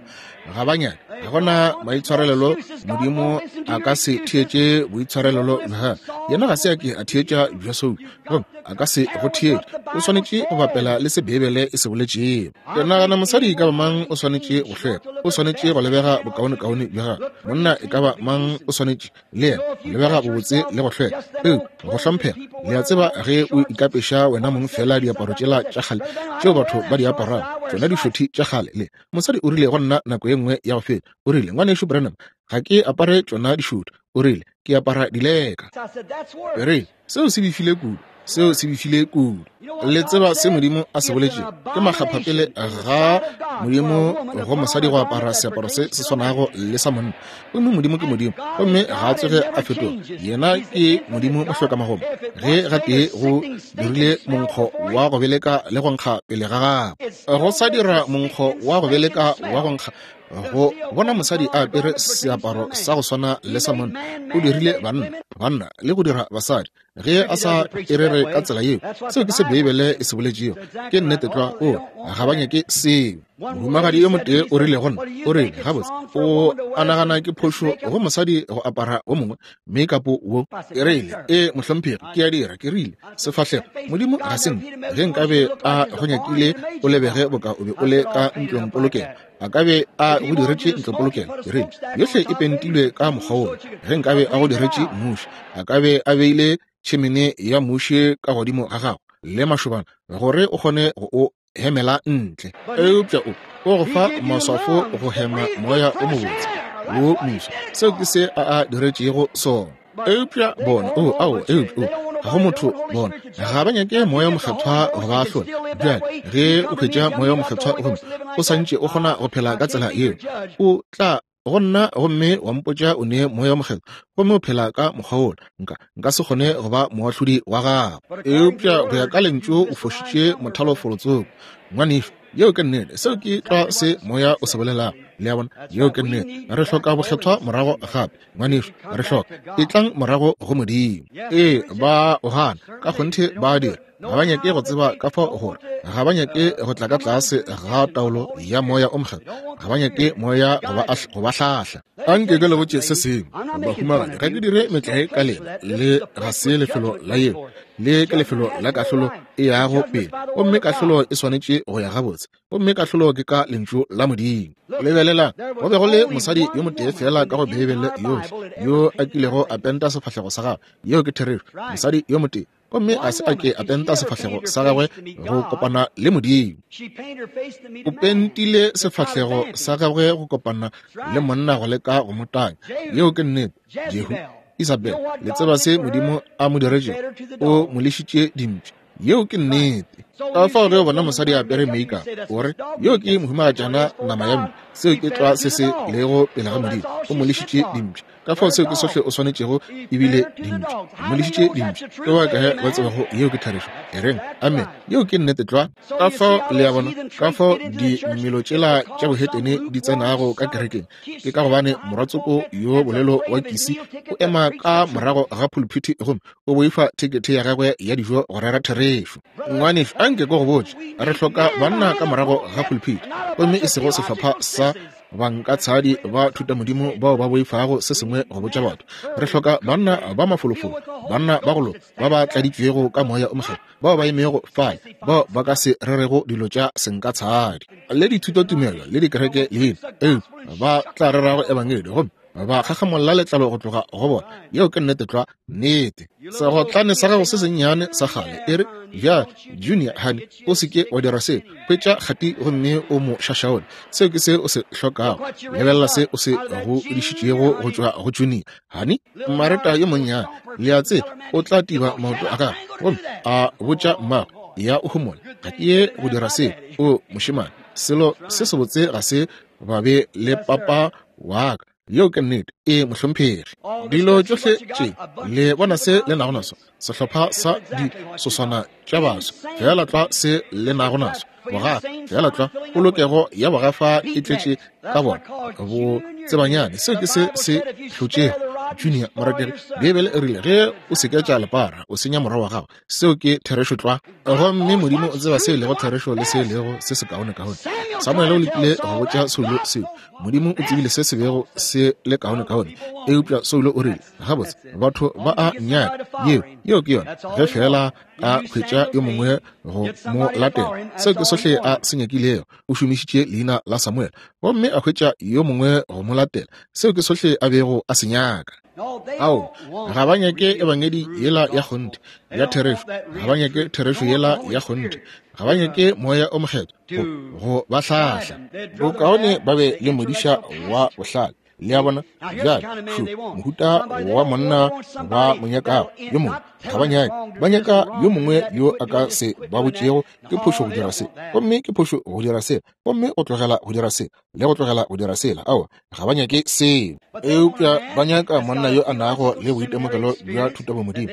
Speaker 1: Ga ba nyake. Ga gona maitshwarelelo. Modimo a ka se theetše boitshwarelelo bja. Yena ga se a ke a theetša bja Saulo, gomme a ka se go theetše. O swanetše go bapela le se Beibele e se boletšego. Ke nagana mosadi e ka ba mang o swanetše go hlweka, o swanetše go lebega bokaonekaone bja gagwe. Monna e ka ba mang o swanetše le yena go lebega bobotse le go hlweka, eupša go hlomphega. Le a tseba, ge o ikapeša wena mong feela diaparo tšela tša kgale tšeo batho ba di aparago, tšona dišothi tša kgale. Le mosadi o rile go nna nako ye nngwe ya go feta, o rile, Ngwanešu Branham, ga ke apare tšona dišothi. O rile, Ke apara dileka. Ke rile, Seo se befile kudu. Seo se befile kudu. Le tseba se Modimo a se boletšego? Ke makgaphapele ga Modimo go mosadi go apara seaparo se se swanago le sa monna. Gomme Modimo ke Modimo, gomme ga a tsoge a fetoga. Yena ke Modimo mohlokamagomo. Ge gatee go dirile monkgo wa go beleka le go nkga pele ga gagwe, go sa dira monkgo wa go beleka wa go nkga, go bona mosadi a apere seaparo sa go swana le sa monna. O dirile banna banna le go dira basadi. Ge a sa e rere ka tsela yeo, seo ke se Beibele e se boletšego. Ke nnete tlwa. O, ga ba nyake seo. Mohumagadi yo motee o rile go nna, o rile, Gabotse, o a nagana ke phošo go mosadi go apara wo mongwe makeup wo? Ke rile, Ee, mohlomphegi, ke a dira. Ke rile, Sefahlego, Modimo ga se nna. Ge nkabe a go nyakile o lebege boka o be o le ka ntlongpolokelo, a ka be a go diretše ntlopolokelo. Ke rile, Yohle e pentilwe ka mokgwa wola. Ge nkabe a go diretše mmuši, a ka be a beile tšhemene ya mmuši ka godimo ga gago le mašobana gore o kgone go o hemela ntle. Eupša o o go fa maswafo go hema moya o mobotse wo moswa. Seo ke se a a diretšego sona. Eupša bona, o, ao, eupša o, ga go motho bona ga ba nyake Moya Mokgethwa go ba ahlola. Bjale ge o hwetša Moya Mokgethwa gomme o sa ntše o kgona go phela ka tsela yeo, o tla go nna gomme wa mpotša o ne Moya Mokgethwa gomme o phela ka mokgwa wola, nka nka se kgone go ba moahlodi wa gago. Eupša go ya ka Lentšu o fošitše mothalofolotsogo, ngwanešu. Yeo ke nnete. Seo ke tlwa se Moya o se bolelago. Le a bona? Yeo ke nnete. Re hloka bokgethwa morago gape, ngwanešu. Re hloka. Etlang morago go Modimo. Ee, ba o gana. Ka kgonthe ba a dira. Ga ba nyake go tseba ka fao gore. Ga ba nyake go tla ka tlase ga taolo ya Moya o Mokgethwa. Ga ba nyake Moya go ba hlahla. Anke ke le botše se sengwe, bahumagadi. Ga ke dire metlae ka lena. Le ga se lefelo la yeo. Le ke lefelo la kahlolo e yago pele, gomme kahlolo e swanetše go ya gabotse, gomme kahlolo ke ka Lentšu la Modimo. Lebelelang, go be go le mosadi yo motee feela ka go Beibele yohle yo a kilego a penta sefahlego sa gagwe. Yeo ke therešo, mosadi yo motee, gomme a se a ke a penta sefahlego sa gagwe go kopana le Modimo. O pentile sefahlego sa gagwe go kopana le monna go leka go mo tanya. Yeo ke nnete. Jehu, Isabel, le tseba se Modimo a mo diretšego? O mo lešitše dimpša. Yeo ke nnete. Ka fao ge o bona mosadi a apere makeup, o re, Yo ke mohumagatšana nama ya mpša. Seo ke tlwa se se lego pele ga Modimo. O mo lešitše dimpša. Ka fao seo ke sohle o swanetšego ebile dimpša. O mo lešitše dimpša. Ke ba kae ba tsebago yeo ke therešo? E reng, Amen. Yeo ke nnete tlwa. Ka fao le a bona ka fao dimelo tšela tša bohetene di tsenago ka kerekeng. Ke ka gobane morwatsoko yo bolelo wa Kisi o ema ka morago ga phuluphithi gomme o boifa thekethe ya gagwe ya dijo go rera therešo. Ngwanešu, anke ke go botše, re hloka banna ka morago ga phuluphithi, gomme e sego sehlopha sa bankatshadi ba thutamodimo bao ba boifago se sengwe go botša batho. Re hloka banna ba mafolofolo, banna ba go loka, ba ba tladitšwego ka Moya o Mokgethwa, bao ba emego fale, bao ba ka se rerego dilo tša senkatshadi le dithutotumelo le dikereke leina, eupša ba tla rerago ebangedi gomme ba kgakgamolla letlalo go tloga go bona. Yeo ke nnete tlwa, nnete. Segotlane sa gago se sennyane sa kgale e re, Bjale, Junior, honey, o se ke wa dira seo. Hwetša kgati gomme o mo šašaole. Seo ke se o se hlokago. Lebelela se o se godišitšego go tšwa go Junior, honey. Mareta yo monnyane, le a tseba, o tla tiba maoto a gagwe gomme a botša mmagwe, Ya o homole, ga ke ye go dira seo. O mošemane, selo se sebotse ga se ba be le papa wa ka. Yeo ke nnete. Ee, mohlomphegi. Dilo tšohle tše le bona se le nago naso, sehlopha sa disoswana tša baswa, feela tlwa se le nago naso, bogafa, feela tlwa polokego ya bogafa e tletše ka bona bo tsebanyane. Seo ke se se hlotšego Junior morategi. Beibele e rile ge o seketša lepara o senya morwa wa gago. Seo ke therešo tlwa. Gomme Modimo o tseba se e lego therešo le se e lego se sekaonekaone. Samuele o lekile go botša Saulo seo. Modimo o tsebile se se bego se le kaonekaone, eupša Saulo o rile, Gabotse, batho ba a nnyaka. Yeo, yeo ke yona. Ge feela a hwetša yo mongwe go mo latela, seo ke sohle a se nyakilego. O šomišitše leina la Samuele gomme a hwetša yo mongwe go mo latela. Seo ke sohle a bego a se nyaka. Ao, ga ba nyake ebangedi yela ya kgonthe ya therešo. Ga ba nyake therešo yela ya kgonthe. Ga ba nyake Moya o Mokgethwa go ba hlahla. Bokaone ba be le modiša wa bohlale. Le a bona? Bjale, šo mohuta wa monna ba mo nyakago. Yo mongwe ga ba nyake, ba nyaka yo mongwe yo a ka se ba botšego ke phošo go dira se, gomme ke phošo go dira se, gomme go tlogela go dira se, le go tlogela go dira sela. Aowa, ga ba nyake seo. Eupša ba nyaka monna yo a nago le boitemogelo bja thutabomodimo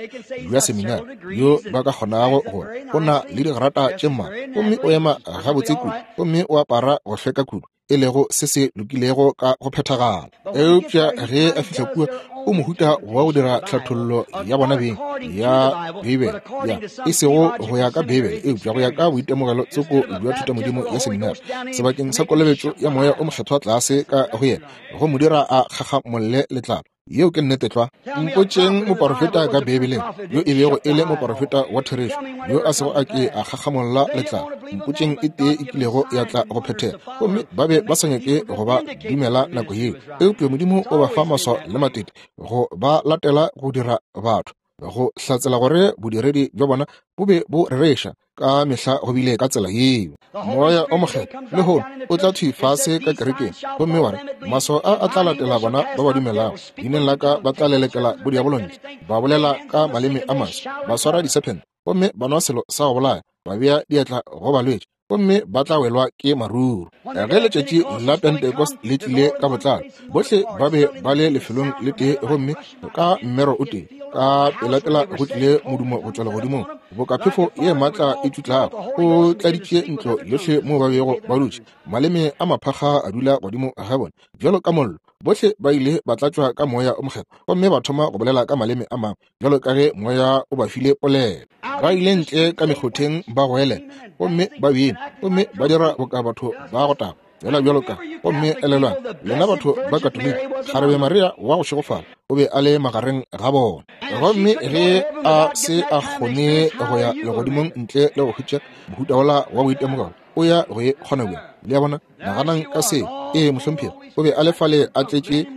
Speaker 1: bja seminari, yo ba ka kgonago gore o na le digrata tše mmalwa, gomme o ema gabotse kudu, gomme o apara go hlweka kudu, e lego se se lokilego ka go phethagala. Eupša ge a fihla kua, O mohuta wa go dira tlhathollo ya bona beng ya Beibele, ya e sego go ya ka Beibele, eupša go ya ka boitemogelo tsoko bja thutamodimo ya seminari, sebakeng sa kolobetšo ya Moya o Mokgethwa tlase ka go yena, go mo dira a kgakgamolle letlalo. Yeo ke nnete tlwa. Mpotšeng moporofeta ka Beibeleng yo e bego e le moporofeta wa therešo yo a sego a ke a kgakgamolla letlalo. Mpotšeng e tee e kilego ya tla go phethega. Gomme ba be ba sa nyake go ba dumela nako yeo. Eupša Modimo o ba fa maswao le matete go ba latela go dira batho go hlatsela gore bodiredi bja bona bo be bo rereša. Ka mehla go bile ka tsela yeo. Moya o Mokgethwa lehono o tla thwi fase ka kerekeng gomme wa re, Maswao a a tla latela bona ba ba dumelago. Leineng la ka ba tla lelekela bodiabolo ntle, ba bolela ka maleme a maswa, ba swara disephente, gomme ba nwa selo sa go bolaya, ba bea diatla go balwetši, gomme ba tla welwa ke maruru. Ge letšatši la Pentecost le tlile ka botlalo, bohle ba be ba le lefelong le tee gomme ka mmero o tee. Ka pelapela go tlile modumo go tšwa legodimong, boka phefo ye maatla e tšutlago, o tladitše ntlo yohle moo ba bego ba dutše. Maleme a maphakga a dula godimo ga bona bjalo ka mollo. Bohle ba ile ba tlatšwa ka Moya o Mokgethwa gomme ba thoma go bolela ka maleme a mangwe bjalo ka ge Moya o ba file polelo. Ba ile ntle ka mekgotheng ba goelela gomme ba bina gomme ba dira boka batho ba go tagwa, fela bjalo ka. Gomme elelwang, lena batho ba Katoliki, kgarebe Maria wa go šegofala o be a le magareng ga bona. Gomme ge a se a kgone go ya legodimong ntle le go hwetša mohuta wola wa boitemogelo, o ya go e kgona bjang? Le a bona? Naganang ka se. Ee, mohlomphegi, o be a le fale a tletše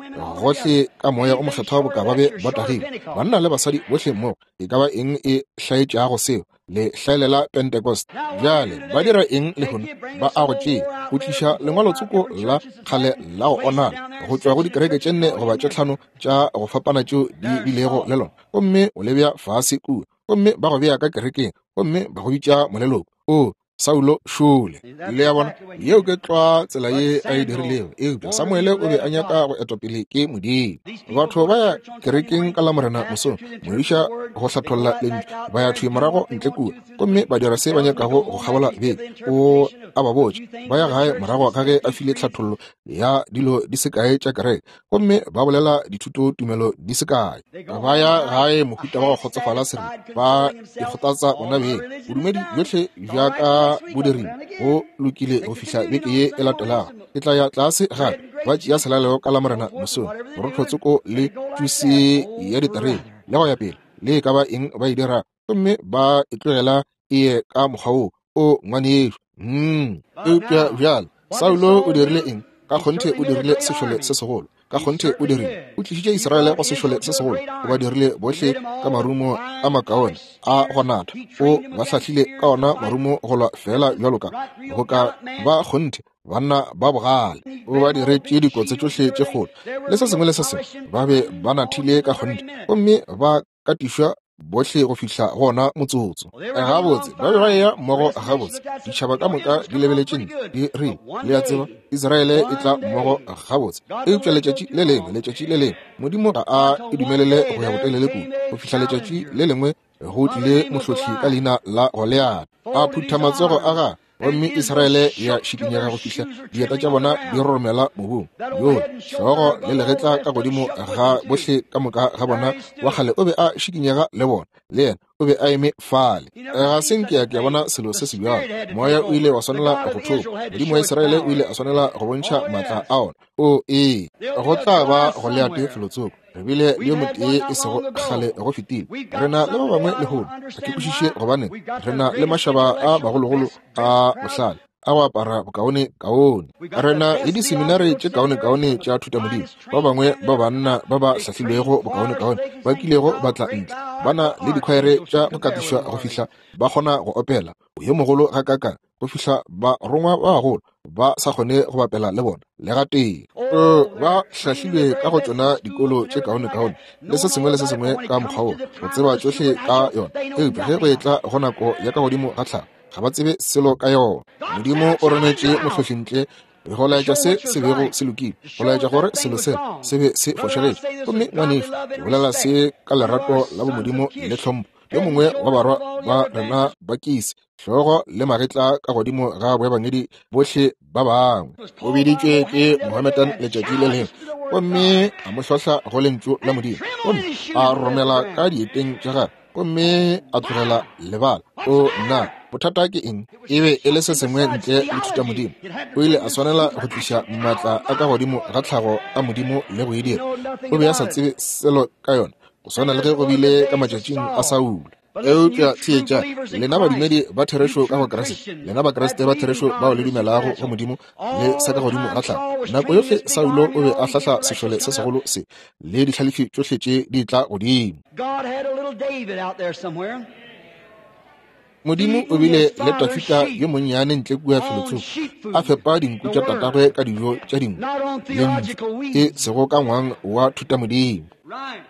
Speaker 1: gohle ka Moya o Mokgethwa boka ba be ba tagilwe, banna le basadi bohle mmogo. E ka ba eng e hlaetšago seo? Le hlaelela Pentecost. Bjale ba dira eng lehono? Ba a go tšea, go tliša lengwalotsoko la kgale la go onala go tšwa go dikereke tše nne goba tše tlhano tša go fapana tšeo di bilego le lona, gomme o le bea fase kua, gomme ba go bea ka kerekeng, gomme ba go bitša moleloko. O Saulo šole. Le a bona, yeo ke tlwa tsela ye a e dirilego. Eupša Samuele o be a nyaka go etwa pele ke Modimo. Batho ba ya kerekeng ka Lamorena mosong, modiša go hlatholla lentšu, ba ya thwi morago ntle kua gomme ba dira se ba nyakago go kgabola beke. O a ba botša, ba ya gae morago ga ge a file tlhathollo ya dilo di se kae tša kereke, gomme ba bolela dithuto tumelo di se kae. Ba ya gae mohuta wa go kgotsofala seripa, ba ikgothatsa bona beng. Bodumedi bjohle bja ka bo dirile go lokile go fihla beke ye e latelago. Ke tla ya tlase gape, ba tšea selalelo ka Lamorena mosong, borothotsoko le tšusi ya diterebe, le go ya pele, le e ka ba eng ba e dirago, gomme ba e tlogela e ye ka mokgwa woo. O ngwanešu. Eupša bjale Saulo o dirile eng? Ka kgonthe o dirile sešole se segolo. Ka kgonthe o dirile. O tlišitše Israele go sešole se segolo. O ba dirile bohle ka marumo a makaone a go natha. O ba hlahlile ka ona marumo go lwa feela bjalo ka go ka ba kgonthe banna ba bogale. O ba diretše dikotse tšohle tše kgolo le se sengwe le se sengwe. Ba be ba nathile ka kgonthe gomme ba katišwa bohle go fihla go ona motsotso. Gabotse, ba be ba eya mmogo gabotse. Ditšhaba ka moka di lebeletše ntle, di rile, Le a tseba, Israele e tla mmogo gabotse. Eupša letšatši le lengwe, letšatši le lengwe, Modimo ga a e dumelele go ya botelele kudu, go fihla letšatši le lengwe go tlile mohlohli ka leina la Goliate, a phutha matsogo a gagwe, gomme Israele ya šikinyega go fihla dieta tša bona di roromela mobung. Yoo hlogo le legetla ka godimo ga bohle ka moka ga bona wa kgale o be a šikinyega le bona, le yena o be a eme fale. Ga se nke ya ke bona selo se se bjalo. Moya o ile wa swanela go thopa. Modimo wa Israele o ile a swanela go bontšha maatla a ona. O ee, go tla ba Goliate felotsoko. Re bile le yo motee e sego kgale go fetile. Re na le ba bangwe lehono. Ga ke kwešiše gobane re na le mašaba a magologolo a bohlale a go apara bokaone kaone. Re na le diseminari tše kaone-kaone tša thutamodimo. Ba bangwe ba banna ba ba hlahlilwego bokaone-kaone ba kilego ba tla ntle. Ba na le dikhwaere tša go katišwa go fihla ba kgona go opela. Yo mogolo gakaakang go fihla barongwa ba bagolo ba sa kgone go bapela le bona le gatee. Ba hlahlilwe ka go tšona dikolo tše kaone-kaone le se sengwe le se sengwe ka mokgwa wo, go tseba tšohle ka yona. Eupša ge go etla go nako ya ka godimo ga tlhago, ga ba tsebe selo ka yona. Modimo o rometše mohlohli ntle go laetša se se bego se lokile, go laetša gore selo se se be se fošagetše. Gomme ngwanešu, ke bolela se ka lerato la bomodimo le tlhompho. Yo mongwe wa barwa ba rena ba Kisi, hlogo le magetla ka godimo ga boebangedi bohle ba bangwe. O biditšwe ke Mohammedan letšatši le lengwe, gomme a mo hlohla go lentšu la Modimo, gomme a romela ka dieteng tša gagwe, gomme a tlogela lebala. O nna, bothata ke eng? E be e le se sengwe ntle le thutamodimo. O ile a swanela go tliša maatla a ka godimo ga tlhago a Modimo le go e dira. O be a sa tsebe selo ka yona, go swana le ge go bile ka matšatšing a Saulo. Eupša theetša, lena badumedi ba therešo ka go Kriste, lena Bakriste ba therešo bao le dumelago go Modimo le sa ka godimo ga tlhago. Nako yohle Saulo o be a hlahla sešole se segolo se le dihlalefi tšohle tše di tla godimo. Modimo o bile le Dafida yo monnyane ntle kua felotsoko, a fepa dinku tša tatagwe ka dijo tša dinku, lentšu, e sego ka ngwang wa thutamodimo.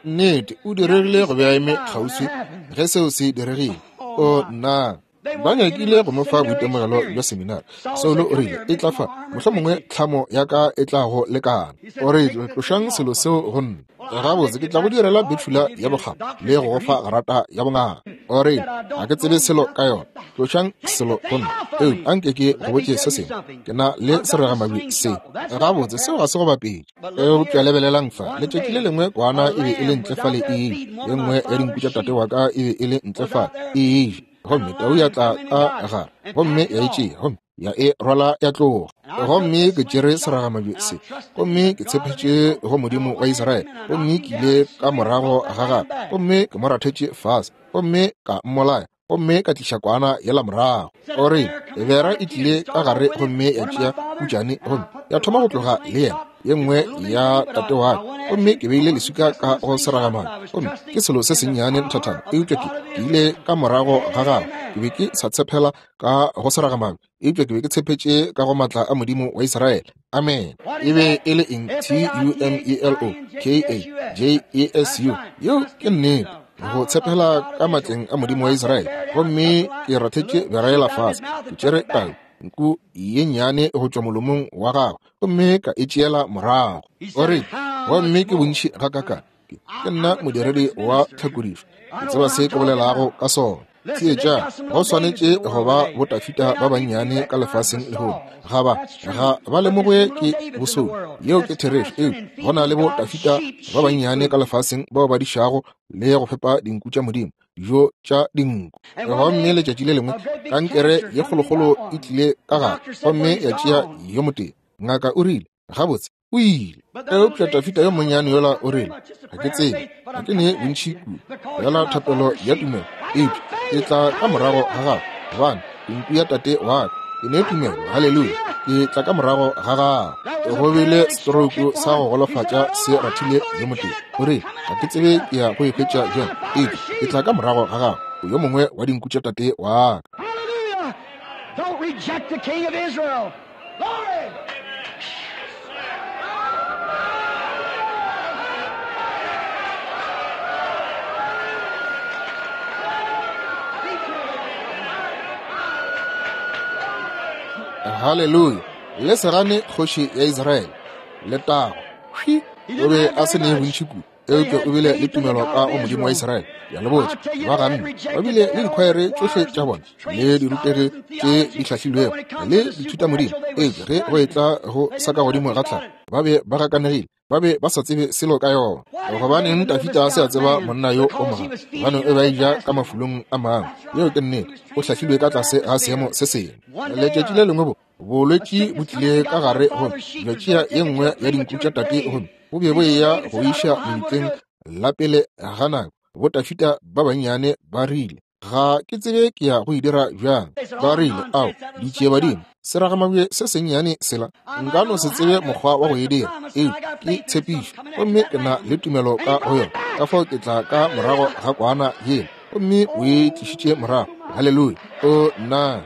Speaker 1: Nnete, o diregile go be a eme kgauswi ge seo se diregile. O nna! Ba nyakile go mo fa boitemogelo bja seminari. Saulo o rile, E tla fa, mohlomongwe tlhamo ya ka e tla go lekana. O rile, Tlošang selo seo go nna. Gabotse, ke tla go direla betšhula ya bokgabo le go go fa grata ya bongaka. O rile, Ga ke tsebe selo ka yona. Tlošang selo go nna. Eupša anke ke go botše se sengwe. Ke na le seragamabje se. Gabotse, seo ga se go bapetše. Eupša lebelelang fa, letšatši le lengwe kwana e be e le ntle fale e eja. Ye nngwe ya dinku tša tate wa ka e be e le ntle fale e eja. Gomme tau ya tla ka gare gomme ya e tšea, gomme ya e rwala ya tloga. Gomme ke tšere seragamabje se, gomme ke tshepetše go Modimo wa Israele, gomme ke ile ka morago ga gagwe, gomme ke mo rathetše fase, gomme ka mmolaya, gomme ka tliša kwana yela morago. O re, bera e tlile ka gare gomme ya tšea putšane, gomme ya thoma go tloga le yena, ye nngwe ya tate wa ka, gomme ke beile leswika ka go seragamabje, gomme ke selo se sennyane nthathana, eupša ke ile ka morago ga gagwe. Ke be ke sa tshepela ka go seragamabje, eupša ke be ke tshepetše ka go matla a Modimo wa Israele. Amen. E be e le eng? T-U-M-E-L-O K-A J-E-S-U. Yeo ke nnete, go tshepela ka matleng a Modimo wa Israele. Gomme ke rathetše bera yela fase, ke tšere tau, nku ye nnyane go tšwa molomong wa gagwe, gomme ka e tšeela morago. O re, gomme ke bontši gakakang. Ke nna modiredi wa tlhakodišo, ke tseba se ke bolelago ka sona. Theetša, go swanetše go ba boTafita ba bannyane ka lefaseng lehono. Ga ba, ga ba lemogwe ke bosodi. Yeo ke therešo. Eupša go na le boTafita ba bannyane ka lefaseng bao ba dišago le go fepa dinku tša Modimo, dijo tša dinku. Gomme letšatši le lengwe kankere ye kgolokgolo e tlile ka gare gomme ya tšea yo motee. Ngaka o rile, Gabotse, o ile. Eupša Dafida yo monnyane yola o rile, Ga ke tsebe, ga ke ne bontši kudu, feela thapelo ya tumelo, eupša ke tla ka morago ga gago, gobane ke nku ya tate wa ka. Ke ne tumelo, haleluya, ke tla ka morago ga gago. Go bile stroke sa go golofatša se rathile yo motee. O rile, Ga ke tsebe ke ya go e hwetša bjang, eupša ke tla ka morago ga gago, o yo mongwe wa dinku tša tate wa ka.
Speaker 2: Hallelujah! Don't reject the King of Israel. Glory!
Speaker 1: Haleluya! Le se gane kgoši ya Israele. Letago! Hwi! O be a se ne bontši kudu, eupša o bile le tumelo ka go Modimo wa Israele. Ke a le botša, ba ganne. Ba bile le dikhwaere tšohle tša bona le dirutegi tše di hlahlilwego le dithutamodimo, eupša ge go etla go sa ka godimo ga tlhago, ba be ba gakanegile, ba be ba sa tsebe selo ka yona. Gobaneng Dafida a se a tseba monna yo o moga? Gobane o be a eja ka mafulong a mangwe. Yeo ke nnete. O hlahlilwe ka tlase ga seemo se sengwe. Letšatši le lengwe bo bolwetši bo tlile ka gare gomme bja tšea ye nngwe ya dinku tša tate gomme bo be bo eya go iša lebitleng la pele ga nako. Bo Dafida ba bannyane ba rile, Ga ke tsebe ke ya go e dira bjang. Ba rile, Ao, ditšiebadimo, seragamabje se sennyane sela, nka no se tsebe mokgwa wa go e dira, eupša ke tshepišo, gomme ke na le tumelo ka go yona, ka fao ke tla ka morago ga kwana yela. Gomme o e tlišitše morago. Haleluya! O, nna!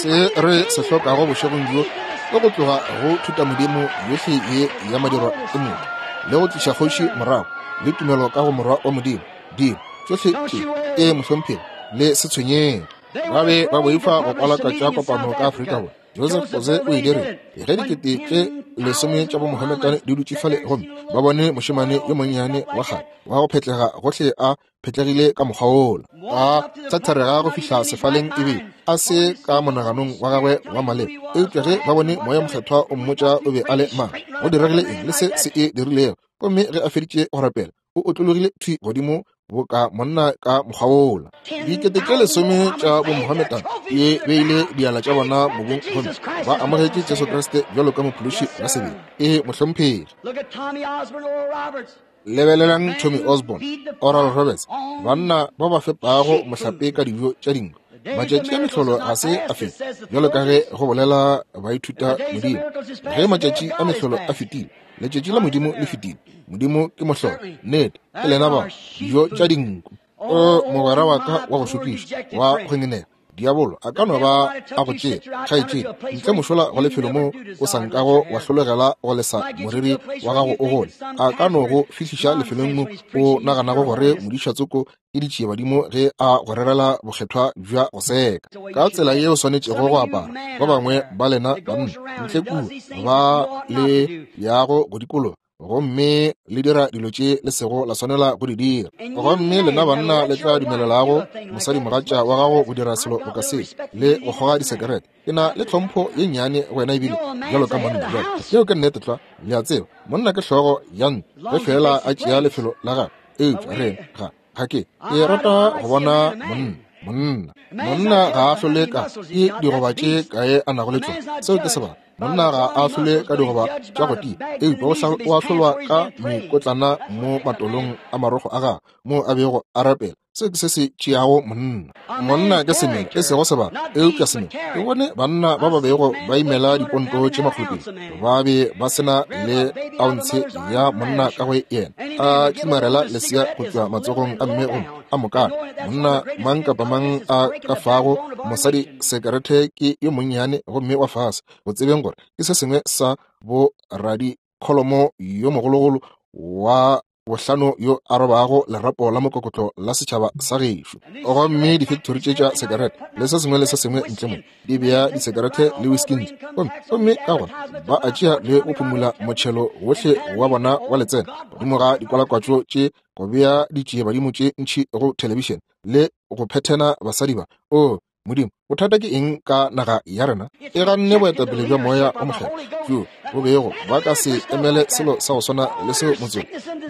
Speaker 1: Se re se hlokago bošegong bjo ke go tloga go thutamodimo yohle ye ya madirwa ke motho, le go tliša kgoši morago le tumelo ka go Morwa wa Modimo. Dilo tšohle tše ke mohlomphegi, le se tshwenyege. Ba be ba boifa go kwalakatša kopano ka Afrika Borwa. Joseph Boze o e dirile. Ge dikete tše lesome tša bomohammedan di dutše fale gomme ba bone mošemane yo monnyane wa kgale wa go phetlega gohle a phetlegile ka mokgwa wola, a thatharega go fihla sefaleng ebile a se ka monaganong wa gagwe wa maleba, eupša ge ba bone Moya Mokgethwa o mmotša o be a le mang, go diregile eng le se se e dirilego, gomme ge a feditše go rapela, o otlologile thwi godimo boka monna ka mokgwa wola. Dikete tše lesome tša bomohammedan di beile diala tša bona mobung gomme ba amogetše Jesu Kriste bjalo ka Mophološi wa sebele. Ee, mohlomphegi. Lebelelang Tommy Osborn, Oral Roberts, banna ba ba fepago mohlape ka dijo tša dinku. Matšatši a mehlolo ga se a feta, bjalo ka ge go bolela baithuta modimo. Ge matšatši a mehlolo a fetile, letšatši la Modimo le fetile. Modimo ke mohlolo. Nnete, ke lena ba dijo tša dinku. O mogwera wa ka wa go šokiša, wa go ngenega. Diabolo a ka no ba a go tšea, kgaetšedi, ntle mošola go lefelo mo o sa nkago wa hlologela go lesa moriri wa gago o gole. A ka no go fihliša lefelong mo o naganago gore modišatsoko ke ditšiebadimo ge a go rerela bokgethwa bja go seka. Ka tsela ye o swanetšego go apara, ba bangwe ba lena banna ntle kua ba le yago go dikologa gomme le dira dilo tše le sego la swanela go di dira. Gomme lena banna le tla dumelelago mosadimogatša wa gago go dira selo boka se le go kgoga disekerete. Ke na le tlhompho ye nnyane go wena ebile bjalo ka monna. Bjale yeo ke nnete tlwa, le a tseba. Monna ke hlogo ya ntlo ge feela a tšea lefelo la gagwe. Eupša re ga ga ke ke rata go bona monna monna monna ga a hlole ka ke digoba tše kae a nago le tšona. Seo ke sebaka. Monna ga a hlole ka digoba tša go tia, eupša o ahlolwa ka mekotlana mo matolong a marokgo a gagwe moo a bego a rapela. Seo ke se se tšeago monna. Monna ke semelo, e sego sebaka, eupša semelo. Ke bone banna ba ba bego ba imela diponto tše makgolopedi, ba be ba se na le ounce ya monna ka go yena, a tlimarela lesea go tšwa matsogong a mme gomme a mokana. Monna mang kapa mang a ka fago mosadi sekerete ke yo monnyane gomme wa fase, go tsebeng gore ke se sengwe sa bo radikholomo yo mogologolo wa bohlano yo a robago lerapo la mokokotlo la setšhaba sa gešo. Gomme difekthori tše tša sekerete le se sengwe le se sengwe ntle mo di bea disekerete le whisky ntle, gomme gomme ka gona ba a tšea le go phumula motšhelo wohle wa bona wa letseno godimo ga dikwalakwatšo tše, go bea ditšiebadimo tše ntši go thelebišene le go phethena basadi ba. O Modimo, bothata ke eng ka naga ya rena? E ganne boetapele bja Moya o Mokgethwa bjo bo bego ba ka se emele selo sa go swana le seo motseng.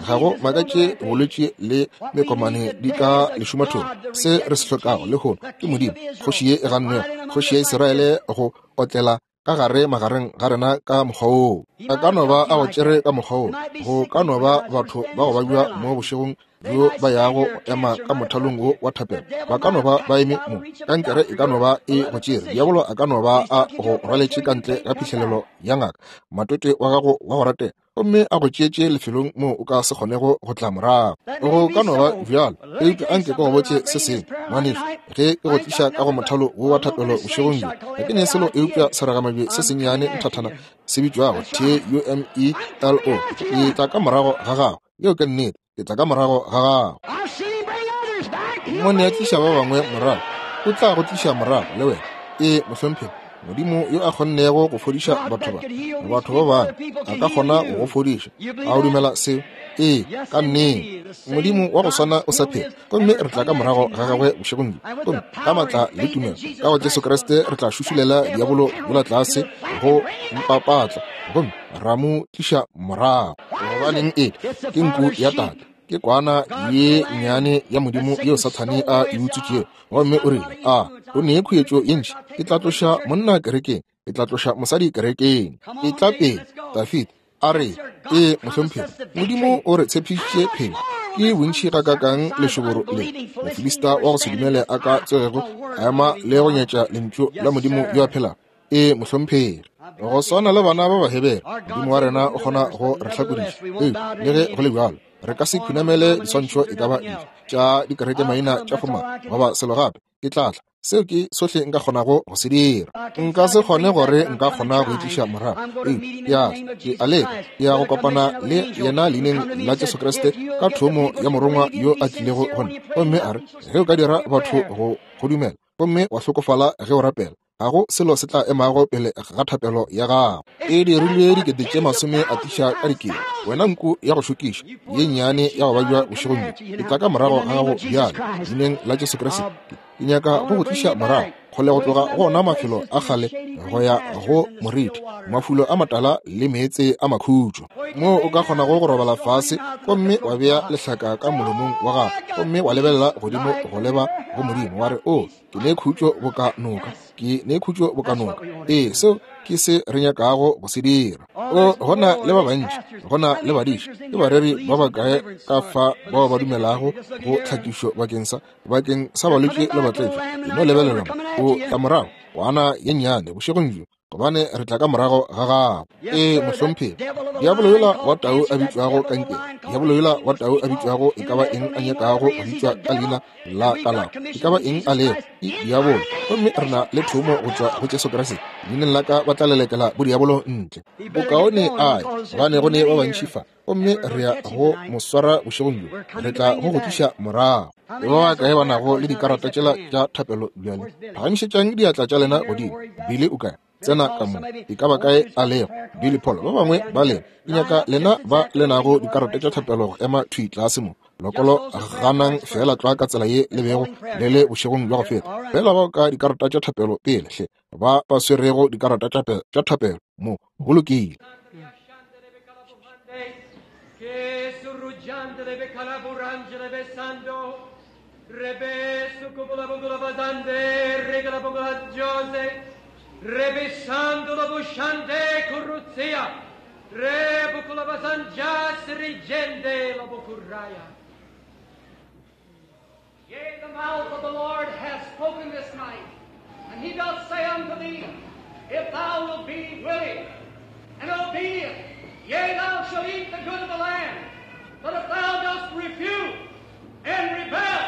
Speaker 1: Ga go makatše bolwetši le mekomane di ka lešumathong. Se re se hlokago lehono ke Modimo, kgoši ye e gannwego, kgoši ya Isiraele, go otlela ka gare magareng ga rena ka mokgwa woo. A ka no ba a go tšere ka mokgwa woo. Go ka no ba batho ba go babja mo bošegong bjo ba yago go ema ka mothalong wo wa thapelo. Ba ka no ba ba eme mo. Kankere e ka no ba e go tšere. Diabolo a ka no ba a go rwaletše ka ntle ga phihlelelo ya ngaka, matwetwe wa gago wa go ratega, gomme a go tšeetše lefelong moo o ka se kgonego go tla morago. Go ka no ba bjalo, eupša anke ke go botše se sengwe, ngwanešu, ge ke go tliša ka go mothalo wo wa thapelo bošegong bjo, ga ke ne selo eupša seragamabje se sennyane nthathana se bitšwago T-U-M-E-L-O. Ke tla ka morago ga gago. Yeo ke nnete. Ke tla ka morago ga gago. Mmone a tliša ba bangwe morago, o tla go tliša morago le wena. Ee, mohlomphegi. Modimo yo a kgonnego go fodiša batho ba, batho ba bangwe, a ka kgona go go fodiša. A o dumela seo? Ee, ka nnete. Modimo wa go swana o sa phela, gomme re tla ka morago ga gagwe bošegong bjo. Gomme ka maatla le tumelo ka go Jesu Kriste re tla šušulela diabolo yola tlase go mpapatla, gomme ra mo tliša morago. Gobaneng e ke nku ya tate, ke kwana ye nnyane ya Modimo yeo Sathane a e utswitšego. Gomme o rile, A o ne khuetšo ye ntši, ke tla tloša monna kerekeng, ke tla tloša mosadi kerekeng. E tla pele, Dafida a re, Ee, mohlomphegi, Modimo o re tshepišitše phenyo. Ke bontši gakaakang lešoboro le Mofilista wa go se dumele a ka tsogego a ema le go nyatša lentšu la Modimo yo a phelago. Ee, mohlomphegi. Go swana le bana ba Bahebere, Modimo wa rena o kgona go re hlakodiša. Ee, le ge go le bjalo, re ka se khunamele diswantšho e ka ba dife tša dikerekemaina tša fomala goba selo gape. Ke tla tla. Seo ke sohle nka kgonago go se dira. Nka se kgone gore nka kgona go itliša morago. Ee, ke a tla. Ke a leka. Ke ya go kopana le yena leineng la Jesu Kriste ka thomo ya morongwa yo a tlilego go nna. Gomme a re, Ge o ka dira batho go go dumela, gomme wa hlokofala ge o rapela. Ga go selo se tla emago pele ga thapelo ya gago. E dirilwe 10,000 atiša ka dikete. Wena nku ya go šokiša ye nnyane ya go babja bošegong bjo, ke tla ka morago ga gago bjale, leineng la Jesu Kriste. Ke nyaka go go tliša morago kgole go tloga go ona mafelo a kgale go ya go moriti, mafulo a matala le meetse a makhutšo, moo o ka kgonago go robala fase gomme wa bea lehlaka ka molomong wa gago gomme wa lebelela godimo go leba go Modimo, wa re, O, ke ne khutšo boka noka, ke ne khutšo boka noka. Ee, seo ke se re nyakago go se dira. O, go na le ba bantši, go na le badiši ke bareri ba bakae ka fa bao ba dumelago go tlhakišo bakeng sa bakeng sa balwetši le batletšo. E no lebelela mo, o tla morago kwana ye nnyane bošegong bjo, gobane re tla ka morago ga gago. Ee, mohlomphegi. Diabolo yola wa tau a bitšwago kankere, diabolo yola wa tau a bitšwago e ka ba eng a nyakago go bitšwa ka leina la kalafo, e ka ba eng a lego, ke diabolo. Gomme re na le thomo go tšwa go Jesu Kriste, leineng la ka ba tla lelekela bodiabolo ntle. Bokaone a ye, gobane go ne ba bantši fa, gomme re ya go mo swara bošegong bjo, re tla go go tliša morago. Ke ba bakae ba nago le dikarata tšela tša thapelo bjale? Phagamišetšang diatla tša lena godimo. Billy o kae? Tsena ka mo. E ka ba kae a lego? Billy Paul, ba bangwe ba lena. Ke nyaka lena ba le nago dikarata tša thapelo go ema thwi tlase mo. Lokolo ganang feela tlwa ka tsela ye le bego le le bošegong bja go feta. Feela bao ka dikarata tša thapelo pele, hle, ba ba swerego dikarata tša thapelo mo. Go lokile.
Speaker 3: Yea, the mouth of the Lord hath spoken this night, and he doth say unto thee, If thou wilt be willing and obedient, yea, thou shalt eat the good of the land. But if thou dost refuse and rebel,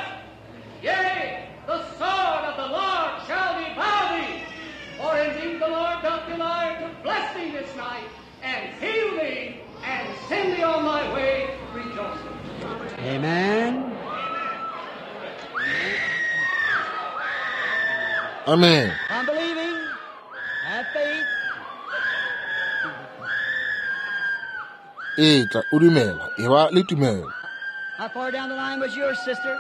Speaker 3: yea, the sword of the Lord shall devour thee. For indeed the Lord doth desire to bless thee this night, and heal thee, and send thee on thy way rejoicing.
Speaker 2: Amen.
Speaker 1: Amen.
Speaker 2: I'm believing. Have faith.
Speaker 1: Etla o dumela, e ba le tumelo.
Speaker 2: How far down the line was yours, sister?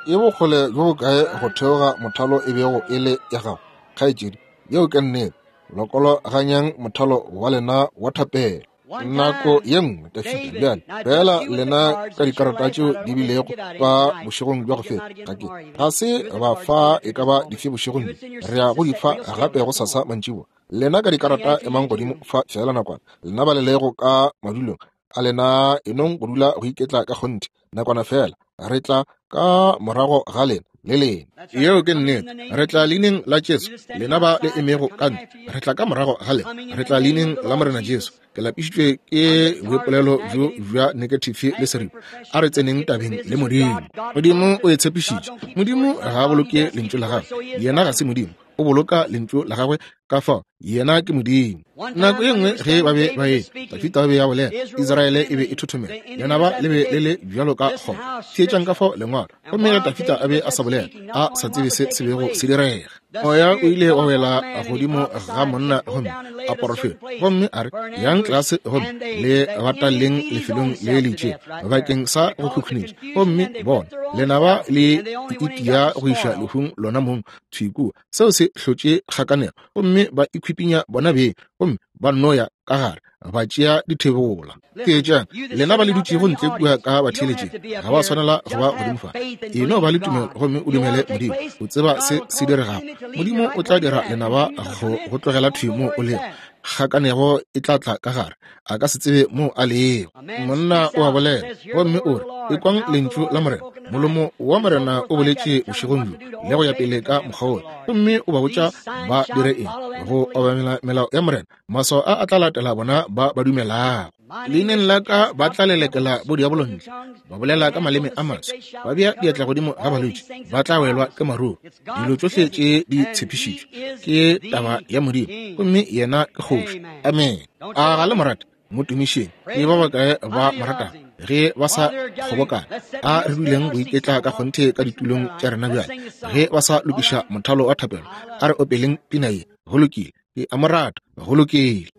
Speaker 1: E bokgole bjo bokae go theoga mothalo e bego e le ya gago, kgaetšedi? Yeo ke nnete. Lokologanyang mothalo wa lena wa thapelo. Nako ye nngwe Dafida bjale feela lena ka dikarata tšeo di bilego fa bošegong bja go feta, ga ke ga se ba fa e ka ba dife bošegong bjo, re ya go di fa gape go sasa mantšiboa. Lena ka dikarata emang godimo fa feela nakwana, lena ba le lego ka madulong a lena enong go dula go iketla ka kgonthe nakwana feela, re tla ka morago ga lena le lena. Yeo ke nnete. Re tla leineng la Jesu. Lena ba le emego ka ntle, re tla ka morago ga lena. Re tla leineng la Morena Jesu. Ke lapišitšwe ke boipolelo bjo bja negative le seripa. A re tseneng tabeng le Modimo. Modimo o e tshepišitše. Modimo ga a boloke lentšu la gagwe. Yena ga se Modimo. O boloka lentšu la gagwe, ka fao yena ke Modimo. Nako ye nngwe ge ba be ba e Dafida ba be ya bolela, Israele e be e thothomela, lenaba le be le le bjalo ka kgomo. Theetšang ka fao lengwalo. Gomme ge Dafida a be a sa bolela, a sa tsebe se se bego se direga, moya o ile wa wela godimo ga monna gomme a porofeta, gomme a re, Yang tlase gomme le bataleng lefelong le le itšego bakeng sa go khukhunetša. Gomme bona, lenaba le itia go iša lehung lona mong thwi kua. Seo se hlotše kgakanego, gomme ba ikhwipinya bona beng, gomme ba nno ya ka gare ba tšea dithebola. Theetšang, lena ba le dutšego ntle kua ka batheeletšeng, ga ba swanela go ba godimo fa. E no ba le tumelo gomme o dumele Modimo. O tseba se se diregago. Modimo o tla dira lenaba go go tlogela thwi moo o lego. Kgakanego e tla tla ka gare, a ka se tsebe moo a lego. Monna o a bolela gomme o re, Ekwang lentšu la Morena. Molomo wa Morena o boletše bošegong bjo, le go ya pele ka mokgwa wola. Gomme o ba botša ba dire eng? Go obamela melao ya Morena. Maswao a a tla latela bona ba ba dumelago. Leineng la ka ba tla lelekela bodiabolo ntle, ba bolela ka maleme a maswa, ba bea diatla godimo ga balwetši, ba tla welwa ke maruru. Dilo tšohle tše di tshepišitšwe ke taba ya Modimo, gomme yena ke kgoši. Amen. A ga le mo rate? Mo tumišeng. Ke ba bakae ba mo ratago? Ge ba sa kgobokana, a re duleng go iketla ka kgonthe ka ditulong tša rena bjale. Ge ba sa lokiša mothalo wa thapelo, a re opeleng pina ye. Go lokile. Ke a mo rata. Go lokile.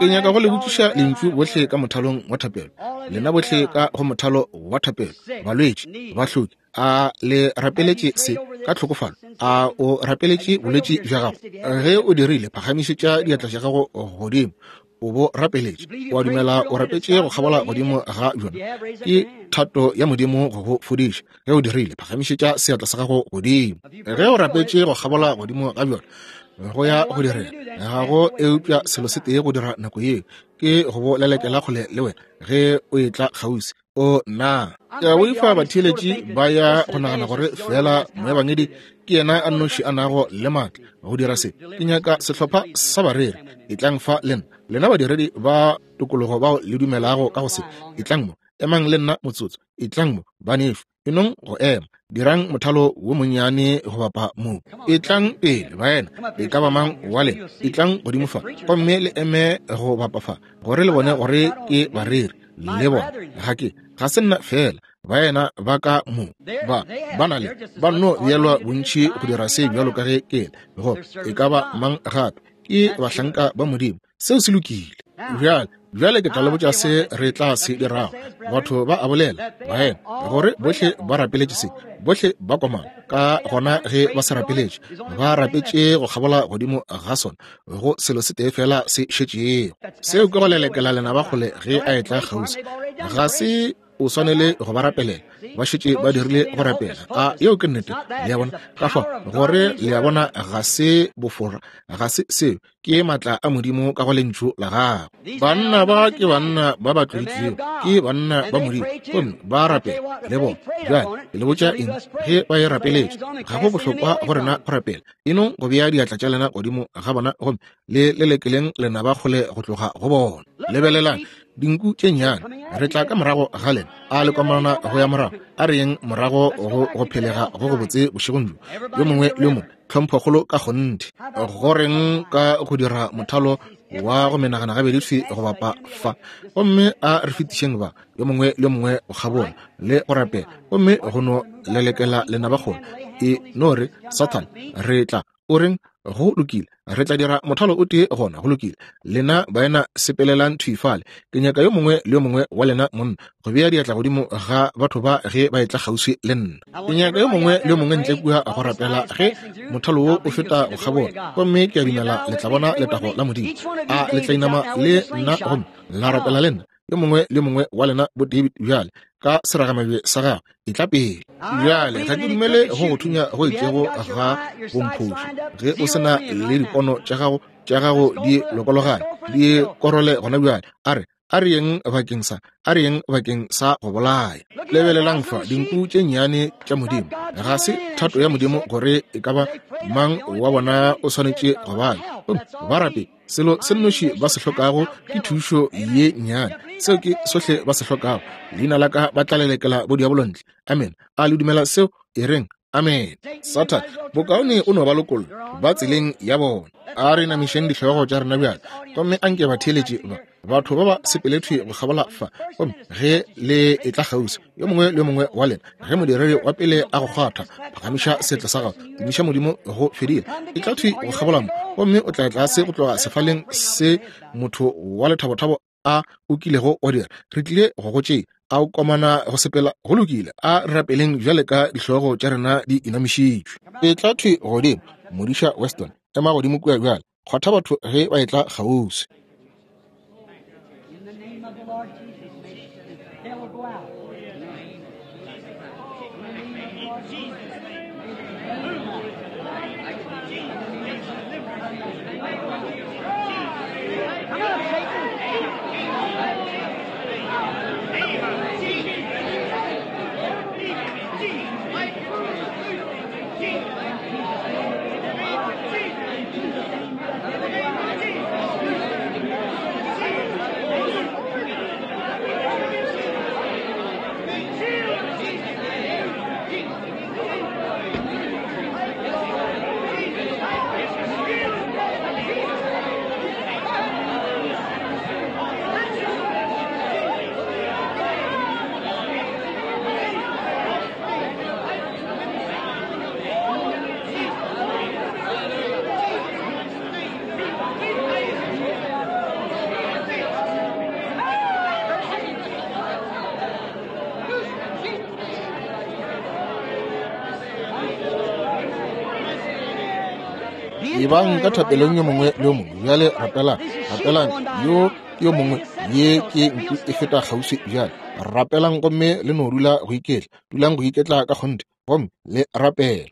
Speaker 1: Ke nyaka go le botšiša lentšu bohle ka mothalong wa thapelo. Lena bohle ka go mothalo wa thapelo, balwetši, bahloki, a le rapeletše se ka tlhokofalo? A o rapeletše bolwetši bja gago? Ge o dirile, phagamišetša diatla tša gago godimo. O bo rapeletše. O a dumela o rapetše go kgabola godimo ga bjona. Ke thato ya Modimo go go fodiša. Ge o dirile, phagamišetša seatla sa gago godimo. Ge o rapetše go kgabola godimo ga bjona, go ya go direga ga go eupša selo se tee go dira nako yeo ke go bo lelekela kgole le wena ge o etla kgauswi. O na ke a boifa batheeletši ba ya go nagana gore fela moebangedi ke yena a nnoši a nago le maatla go dira se. Ke nyaka sehlopha sa bareri. Etlang fa le nna, lena badiredi ba tokologo bao le dumelago ka go se. Etlang mo, emang le nna motsotso. Etlang mo, banešu. E nong go ema, dirang mothalo wo monnyane go bapa mo. Etlang pele, baena, e ka ba mang wa lena, etlang godimo fa gomme le eme go bapa fa, gore le bone gore ke bareri le bona. Ga ke, ga se nna fela, baena ba ka mo ba ba na le ba nno beelwa bontši go dira se bjalo ka ge ke le, go e ka ba mang gape. Ke bahlanka ba Modimo. Seo se lokile. Bjale, bjale ke tla le botša se re tla se dirago. Batho ba a bolela, baena, gore bohle ba rapeletše se, bohle ba komana. Ka gona ge ba se rapeletše, ba rapetše go kgabola godimo ga sona, go selo se tee fela se šetšego. Seo ke go lelekela lenaba kgole ge a etla kgauswi. Ga se o swanele go ba rapelela, ba šetše ba dirile go rapela. A yeo ke nnete? Le a bona? Ka fao gore le a bona, ga se bofora, ga se seo, ke maatla a Modimo ka go lentšu la gagwe. Banna ba ke banna ba ba tloditšwego, ke banna ba Modimo, gomme ba rapela le bona. Bjale ke le botša eng, ge ba e rapeletše, ga go bohlokwa go rena go rapela. E nong go bea diatla tša lena godimo ga bona gomme le lelekeleng lenaba kgole go tloga go bona. Lebelelang dinku tše nnyane, re tla ka morago ga lena. A le komana go ya morago? A re yeng morago go go phelega go go botse bošegong bjo, yo mongwe le yo mongwe, tlhomphokgolo ka kgonthe. Go reng ka go dira mothalo wa go menagana gabedi thwi go bapa fa, gomme a re fetišeng ba yo mongwe le yo mongwe go kgabola le go rapela, gomme go no lelekela lenaba kgole. E no re, Sathane, re tla o reng? Go lokile, re tla dira mothalo o tee gona. Go lokile, lena baena sepelelang thwi fale. Ke nyaka yo mongwe le yo mongwe wa lena monna go bea diatla godimo ga batho ba ge ba etla kgauswi le nna. Ke nyaka yo mongwe le yo mongwe ntle kua go rapela ge mothalo wo o feta go kgabola, gomme ke a dumela le tla bona letago la Modimo. A le tla inama le nna gomme la rapela le nna? Yo mongwe le mongwe wa lena bo David bjale ka seragamabje sa gagwe, etla pele. Bjale ga ke dumele go go thunya go itšego ga bomphošo. Ge o se na le dipono tša gago, tša gago di lokologane, di korole gona bjale. A re, a re yeng bakeng sa, a re yeng bakeng sa go bolaya. Lebelelang fa, dinku tše nnyane tša Modimo. Ga se thato ya Modimo gore e ka ba mang wa bona o swanetše go bala. Gomme ba rape Selo se nnoši ba se hlokago ke thušo ye nnyane. Seo ke sohle ba se hlokago. Leina la ka ba tla lelekela bodiabolo ntle. Amen. A le dumela seo? E reng, amen. Sathane, bokaone o no ba lokolla. Ba tseleng ya bona. A re namišeng dihlogo tša rena bjale, gomme a nke batheeletši ba batho ba ba sepele thwi go kgabola fa. Gomme ge le etla kgauswi, yo mongwe le yo mongwe wa lena, ge modiredi wa pele a go kgwatha, phagamiša seatla sa gago, tumiša Modimo, go fedile. E tla thwi go kgabola mo, gomme o tla tlase go tloga sefaleng se motho wa lethabothabo a o kilego wa dira. Re tlile go go tšea. A o komana go sepela? Go lokile, a re rapeleng bjale ka dihlogo tša rena di inamišitšwe. E tla thwi godimo, Modiša Weston, ema godimo kua bjale. Kgwatha batho ge ba etla kgauswi. Ebang ka thapelong yo mongwe le yo mongwe. Bjale rapelang, rapelang yo ke yo mongwe. Ye ke nku e feta kgauswi bjale. Rapelang gomme le no dula go iketla. Dulang go iketla ka kgonthe gomme le rapele.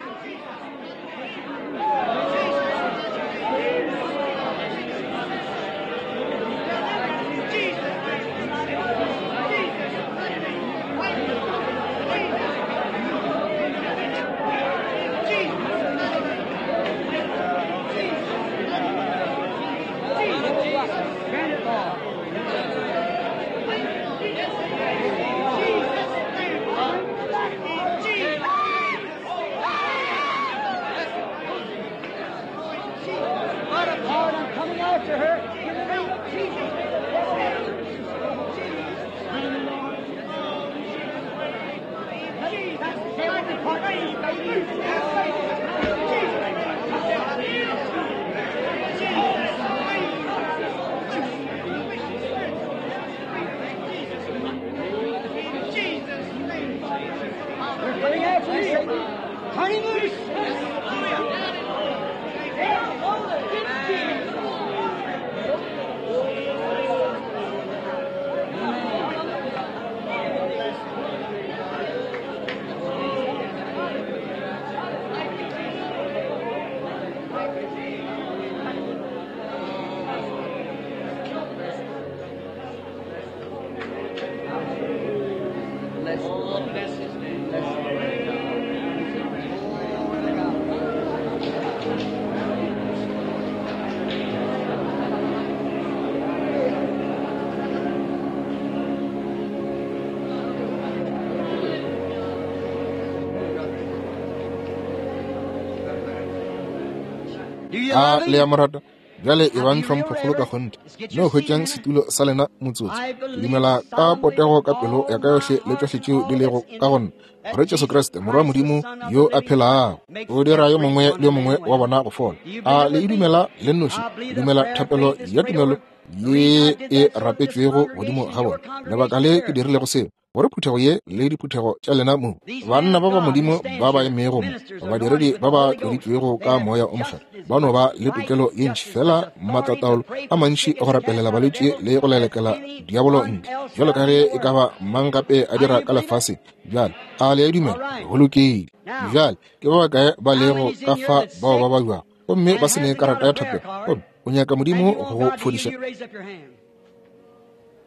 Speaker 1: A le ya morata? Bjale ebang tlhomphokgolo ka kgonthe. No hwetšang setulo sa lena motsotso. Ke dumela ka potego ka pelo ya ka yohle le tšohle tšeo di lego ka go nna, gore Jesu Kriste, Morwa wa Modimo yo a phelago, o dira yo mongwe le yo mongwe wa bona go fola. A le e dumela le nnoši? Ke dumela thapelo ya tumelo ye e rapetšwego godimo ga bona. Lebaka le ke dirilego seo, gore phuthego ye le diphuthego tša lena mo, banna ba ba Modimo ba ba emego mo, badiredi ba ba tloditšwego ka Moya o Mokgethwa, ba no ba le tokelo ye ntši fela, matlataolo a mantši go rapelela balwetši le go lelekela diabolo ntle, bjalo ka ge e ka ba mang gape a dira ka lefaseng. Bjale, a le a dumela? Go lokile. Bjale, ke ba bakae ba lego ka fa bao ba babjago gomme ba se ne karata ya thapelo, gomme o nyaka Modimo go go fodiša?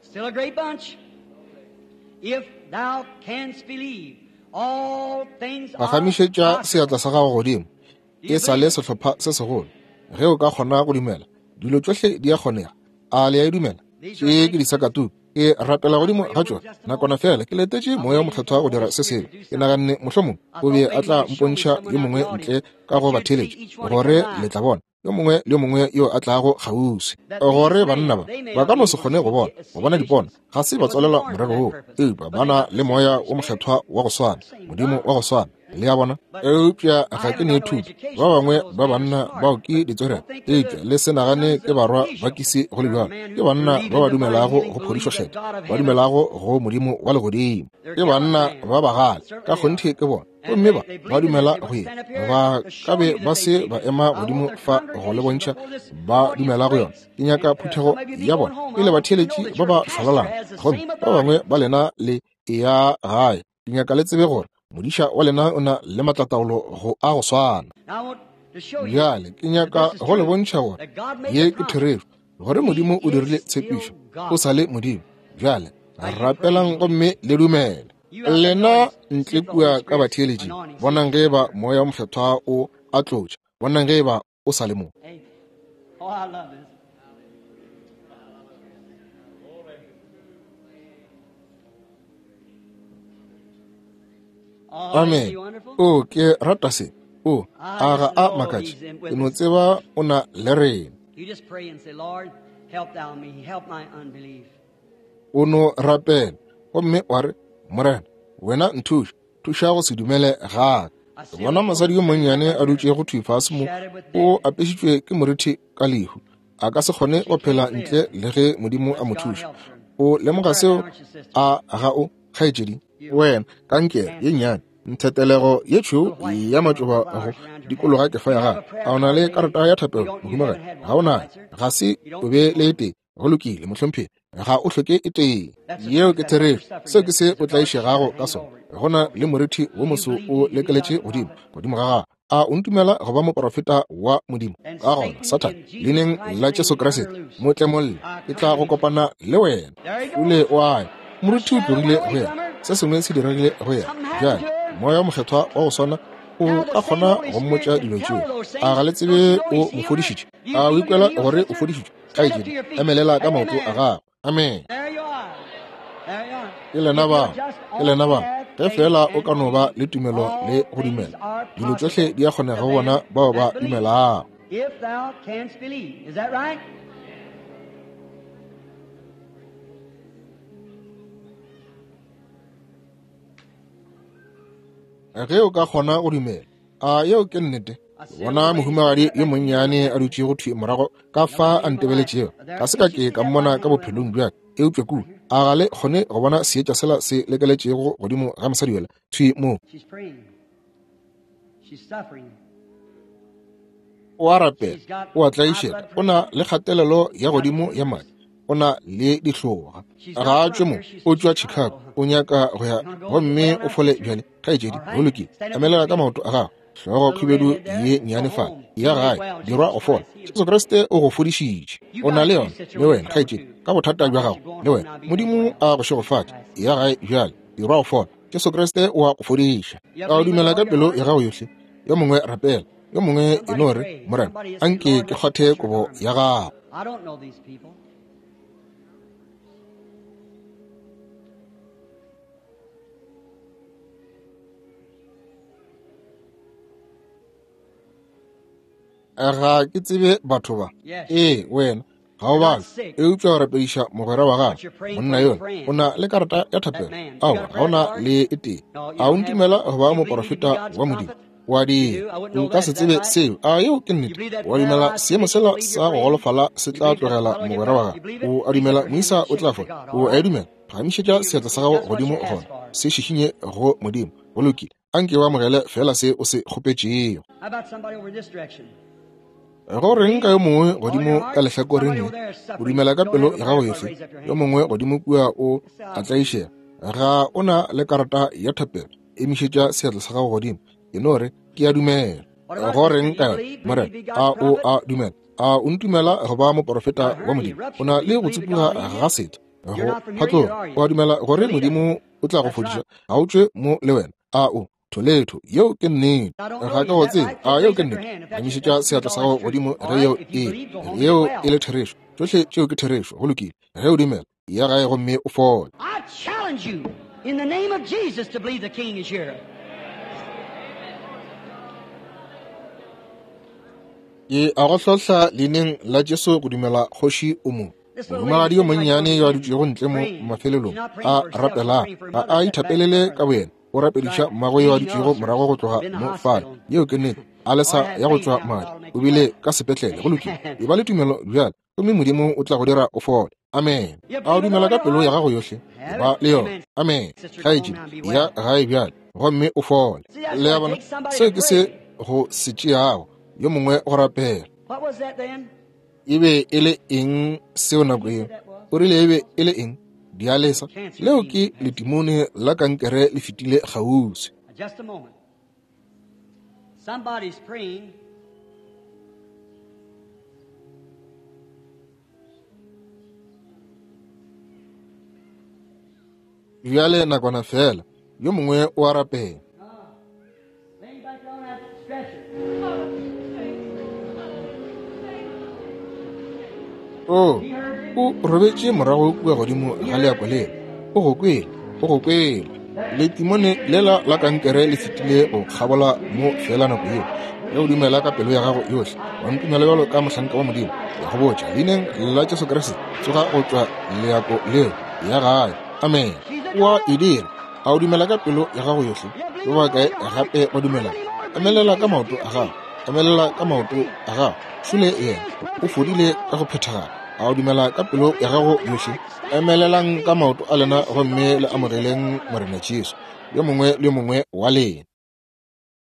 Speaker 2: Still a great bunch. If thou canst believe, all things are
Speaker 1: Phagamišetša seatla sa gago godimo.
Speaker 2: Do you
Speaker 1: E sa le
Speaker 2: believe it?
Speaker 1: sehlopha se segolo. Ge o ka kgona go dumela, dilo tšohle di a kgonega. A le a e dumela? Tše ke disakatuku. Ke rapela godimo ga tšona. Nakwana fela ke letetše Moya wo Mokgethwa go dira se sengwe. Ke naganne mohlomong o be a tla mpontšha yo mongwe ntle ka go batheeletši, gore le tla bona yo mongwe le yo mongwe yo a tlago kgauswi, gore banna ba ba ka no se kgone go bona, go bona dipono, ga se ba tswalelwa morero woo, eupša ba na le Moya wo Mokgethwa wa go swana, Modimo wa go swana. Le a bona? Eupša ga ke ne thuto. Ba bangwe ba banna bao ke ditswerere, eupša le se nagane ke barwa ba kisi go le bjalo. Ke banna ba ba dumelago go phodišo kgethwa, ba dumelago go Modimo wa legodimo. Ke banna ba bagale, ka kgonthe ke bona. Gomme ba, ba dumela go ye. Ba ka be ba se ba ema godimo fa go le bontšha ba dumela go yona. Ke nyaka phuthego ya bona e le batheeletši ba ba šwalalang. Gomme ba bangwe ba lena le eya gae. Ke nyaka le tsebe gore modiša wa lena o na le maatlataolo go a go swana. Bjale ke nyaka go le bontšha gore ye ke therešo, gore Modimo o dirile tshepišo, o sa le Modimo. Bjale rapelang gomme le dumele. Lena ntle kua ka batheeletšing, bonang ge eba Moya wo Mokgethwa o a tlotša, bonang ge eba o sa le mo. Amen. O, ke rata se. O, a ga a makatše. Ke no tseba o na le rena. O no rapela gomme wa re, Morena, wena nthuše, thuša go se dumele ga ka. Ke bona mosadi yo monnyane a dutšego thwi fase mo, o apešitšwe ke morithi ka lehu. A ka se kgone go phela ntle le ge Modimo a mo thuša. O lemoga seo, a ga o, kgaetšedi? Wena, kankere ye nnyane, nthetelego ye tšhweu ya matšoba go dikologa kefa ya gago. A o na le karata ya thapelo, mohumagadi? Ga o nayo. Ga se o be le e tee. Go lokile, mohlomphegi, ga o hloke e tee. Yeo ke therešo. Seo ke se o tlaišegago ka sona. Go na le morithi wo moso o lekeletše godimo, godimo ga gago. A o ntumela go ba moprofeta wa Modimo? Ka gona, Sathane, leineng la Jesu Kriste, mo tlemolle, ke tla go kopana le wena. Ule o a ya. Morithi o tlogile go yena. Se sengwe se diregile go yena. Bjale, Moya wo Mokgethwa wa go swana o ka kgona go mmotša dilo tšeo. A ga le tsebe o mo fodišitše? A o ikwela gore o fodišitšwe? Kgaetšedi, emelela ka maoto a gago. Amen. Ke lena ba, ke lena ba. Ge feela o ka no ba le tumelo le go dumela, dilo tšohle di a kgonega go bona bao ba dumelago.
Speaker 2: If thou canst believe. Is that right?
Speaker 1: Ge o ka kgona go dumela. A yeo ke nnete? Bona mohumagadi yo monnyane a dutšego thwi morago ka fa a ntebeletšego. Ga se ka ke ka mmona ka bophelong bja ka, eupša kua a ga le kgone go bona seetša sela se lekeletšego godimo ga mosadi yola thwi mo. O a rapela, o a tlaišega, o na le kgatelelo ya godimo ya madi, o na le dihloga. Ga a tšwe mo, o tšwa Chicago, o nyaka go ya gomme o fole bjale. Kgaetšedi, go lokile, emelela ka maoto a gago. Hlogo khubedu ye nnyane fale, ya gae, dirwa go fola. Jesu Kriste o go fodišitše. O na le yona, le wena, kgaetšedi, ka bothata bja gago, le wena. Modimo a go šegofatše. Ya gae bjale, dirwa go fola. Jesu Kriste o a go fodiša. A o dumela ka pelo ya gago yohle? Yo mongwe rapela, yo mongwe e no re, Morena, anke ke kgwathe kobo ya gago.
Speaker 2: I don't know these people.
Speaker 1: Ga ke tsebe batho ba. Ee, wena ga o bale, eupša o rapediša mogwera wa gago, monna yola. O na le karata ya thapelo? Aowa, ga o na le e tee. A o ntumela go ba moporofeta wa Modimo? O a dira. Nka se tsebe seo. A yeo ke nnete? O a dumela seemo sela sa go golofala se tla tlogela mogwera wa gago? O a dumela moisa o tla fola? O a e dumela? Phagamišetša seatla sa gago godimo gona, se šišinye go Modimo. Go lokile. Anke o amogele feela se o se kgopetšego.
Speaker 2: How about somebody over in this direction?
Speaker 1: Go reng ka yo mongwe godimo ka lehlakoreng le? O dumela ka pelo ya gago yohle. Yo mongwe godimo kua o a tlaišega. Ga o na le karata ya thapelo. Emišetša seatla sa gago godimo. E no re, ke a dumela. Go reng ka yona, Morena? A o a dumela? A o ntumela go ba moporofeta wa Modimo? O na le go tsupuga ga setho go phatloga. O a dumela gore Modimo o tla go fodiša? Ga o tšwe mo le wena. A o tholetho? Yeo ke nnete. Ga ke go tsebe. A yeo ke nnete? Emišetša seatla sa gago godimo ge yeo e yeo e le therešo. Tšohle tšeo ke therešo. Go lokile. Ge o dumela, ya gae gomme o fole.
Speaker 2: I challenge you in the name of Jesus to believe the King is here.
Speaker 1: Ke a go hlohla leineng la Jesu go dumela kgoši o mo. Mohumagadi yo monnyane yo a dutšego ntle mo mafelelong a rapelang, ga a ithapelele ka boyena, o rapediša mmagwe yo a dutšego morago go tloga mo fale. Yeo ke nnete. A lesa ya go tšwa madi, o bile ka sepetlele. Go lokile. E ba le tumelo bjale, gomme Modimo o tla go dira o fole. Amen. A o dumela ka pelo ya gago yohle? E ba le yona. Amen. Kgaetšedi, ya gae bjale, gomme o fole. Le a bona, seo ke se go se tšeago, yo mongwe go rapela.
Speaker 2: What was that then?
Speaker 1: E be e le eng seo nako yeo? O rile e be e le eng? Dialesa, leo ke letimone la kankere le fetile kgauswi.
Speaker 2: Just a moment. Somebody's praying.
Speaker 1: Bjale nakwana fela, yo mongwe o a rapela.
Speaker 2: Lean back on that stretcher.
Speaker 1: O, o robetše morago kua godimo ga leako lela. O go kwele, o go kwele. Letimone lela la kankere le fetile go kgabola mo fela nako yeo. Ge o dumela ka pelo ya gago yohle, wa ntumela bjalo ka mohlanka wa Modimo, ke a go botša, leineng la Jesu Kriste, tsoga go tšwa leako leo, ya gae. Amen. O a e dira. A o dumela ka pelo ya gago yohle? Ba bakae gape ba dumelago? Emelela ka maoto a gago. Emelela ka maoto a gago. Šole yena, o fodile ka go phethagala. A o dumela ka pelo ya gago yohle? Emelelang ka maoto a lena gomme le amogeleng Morena Jesu, yo mongwe le yo mongwe wa lena.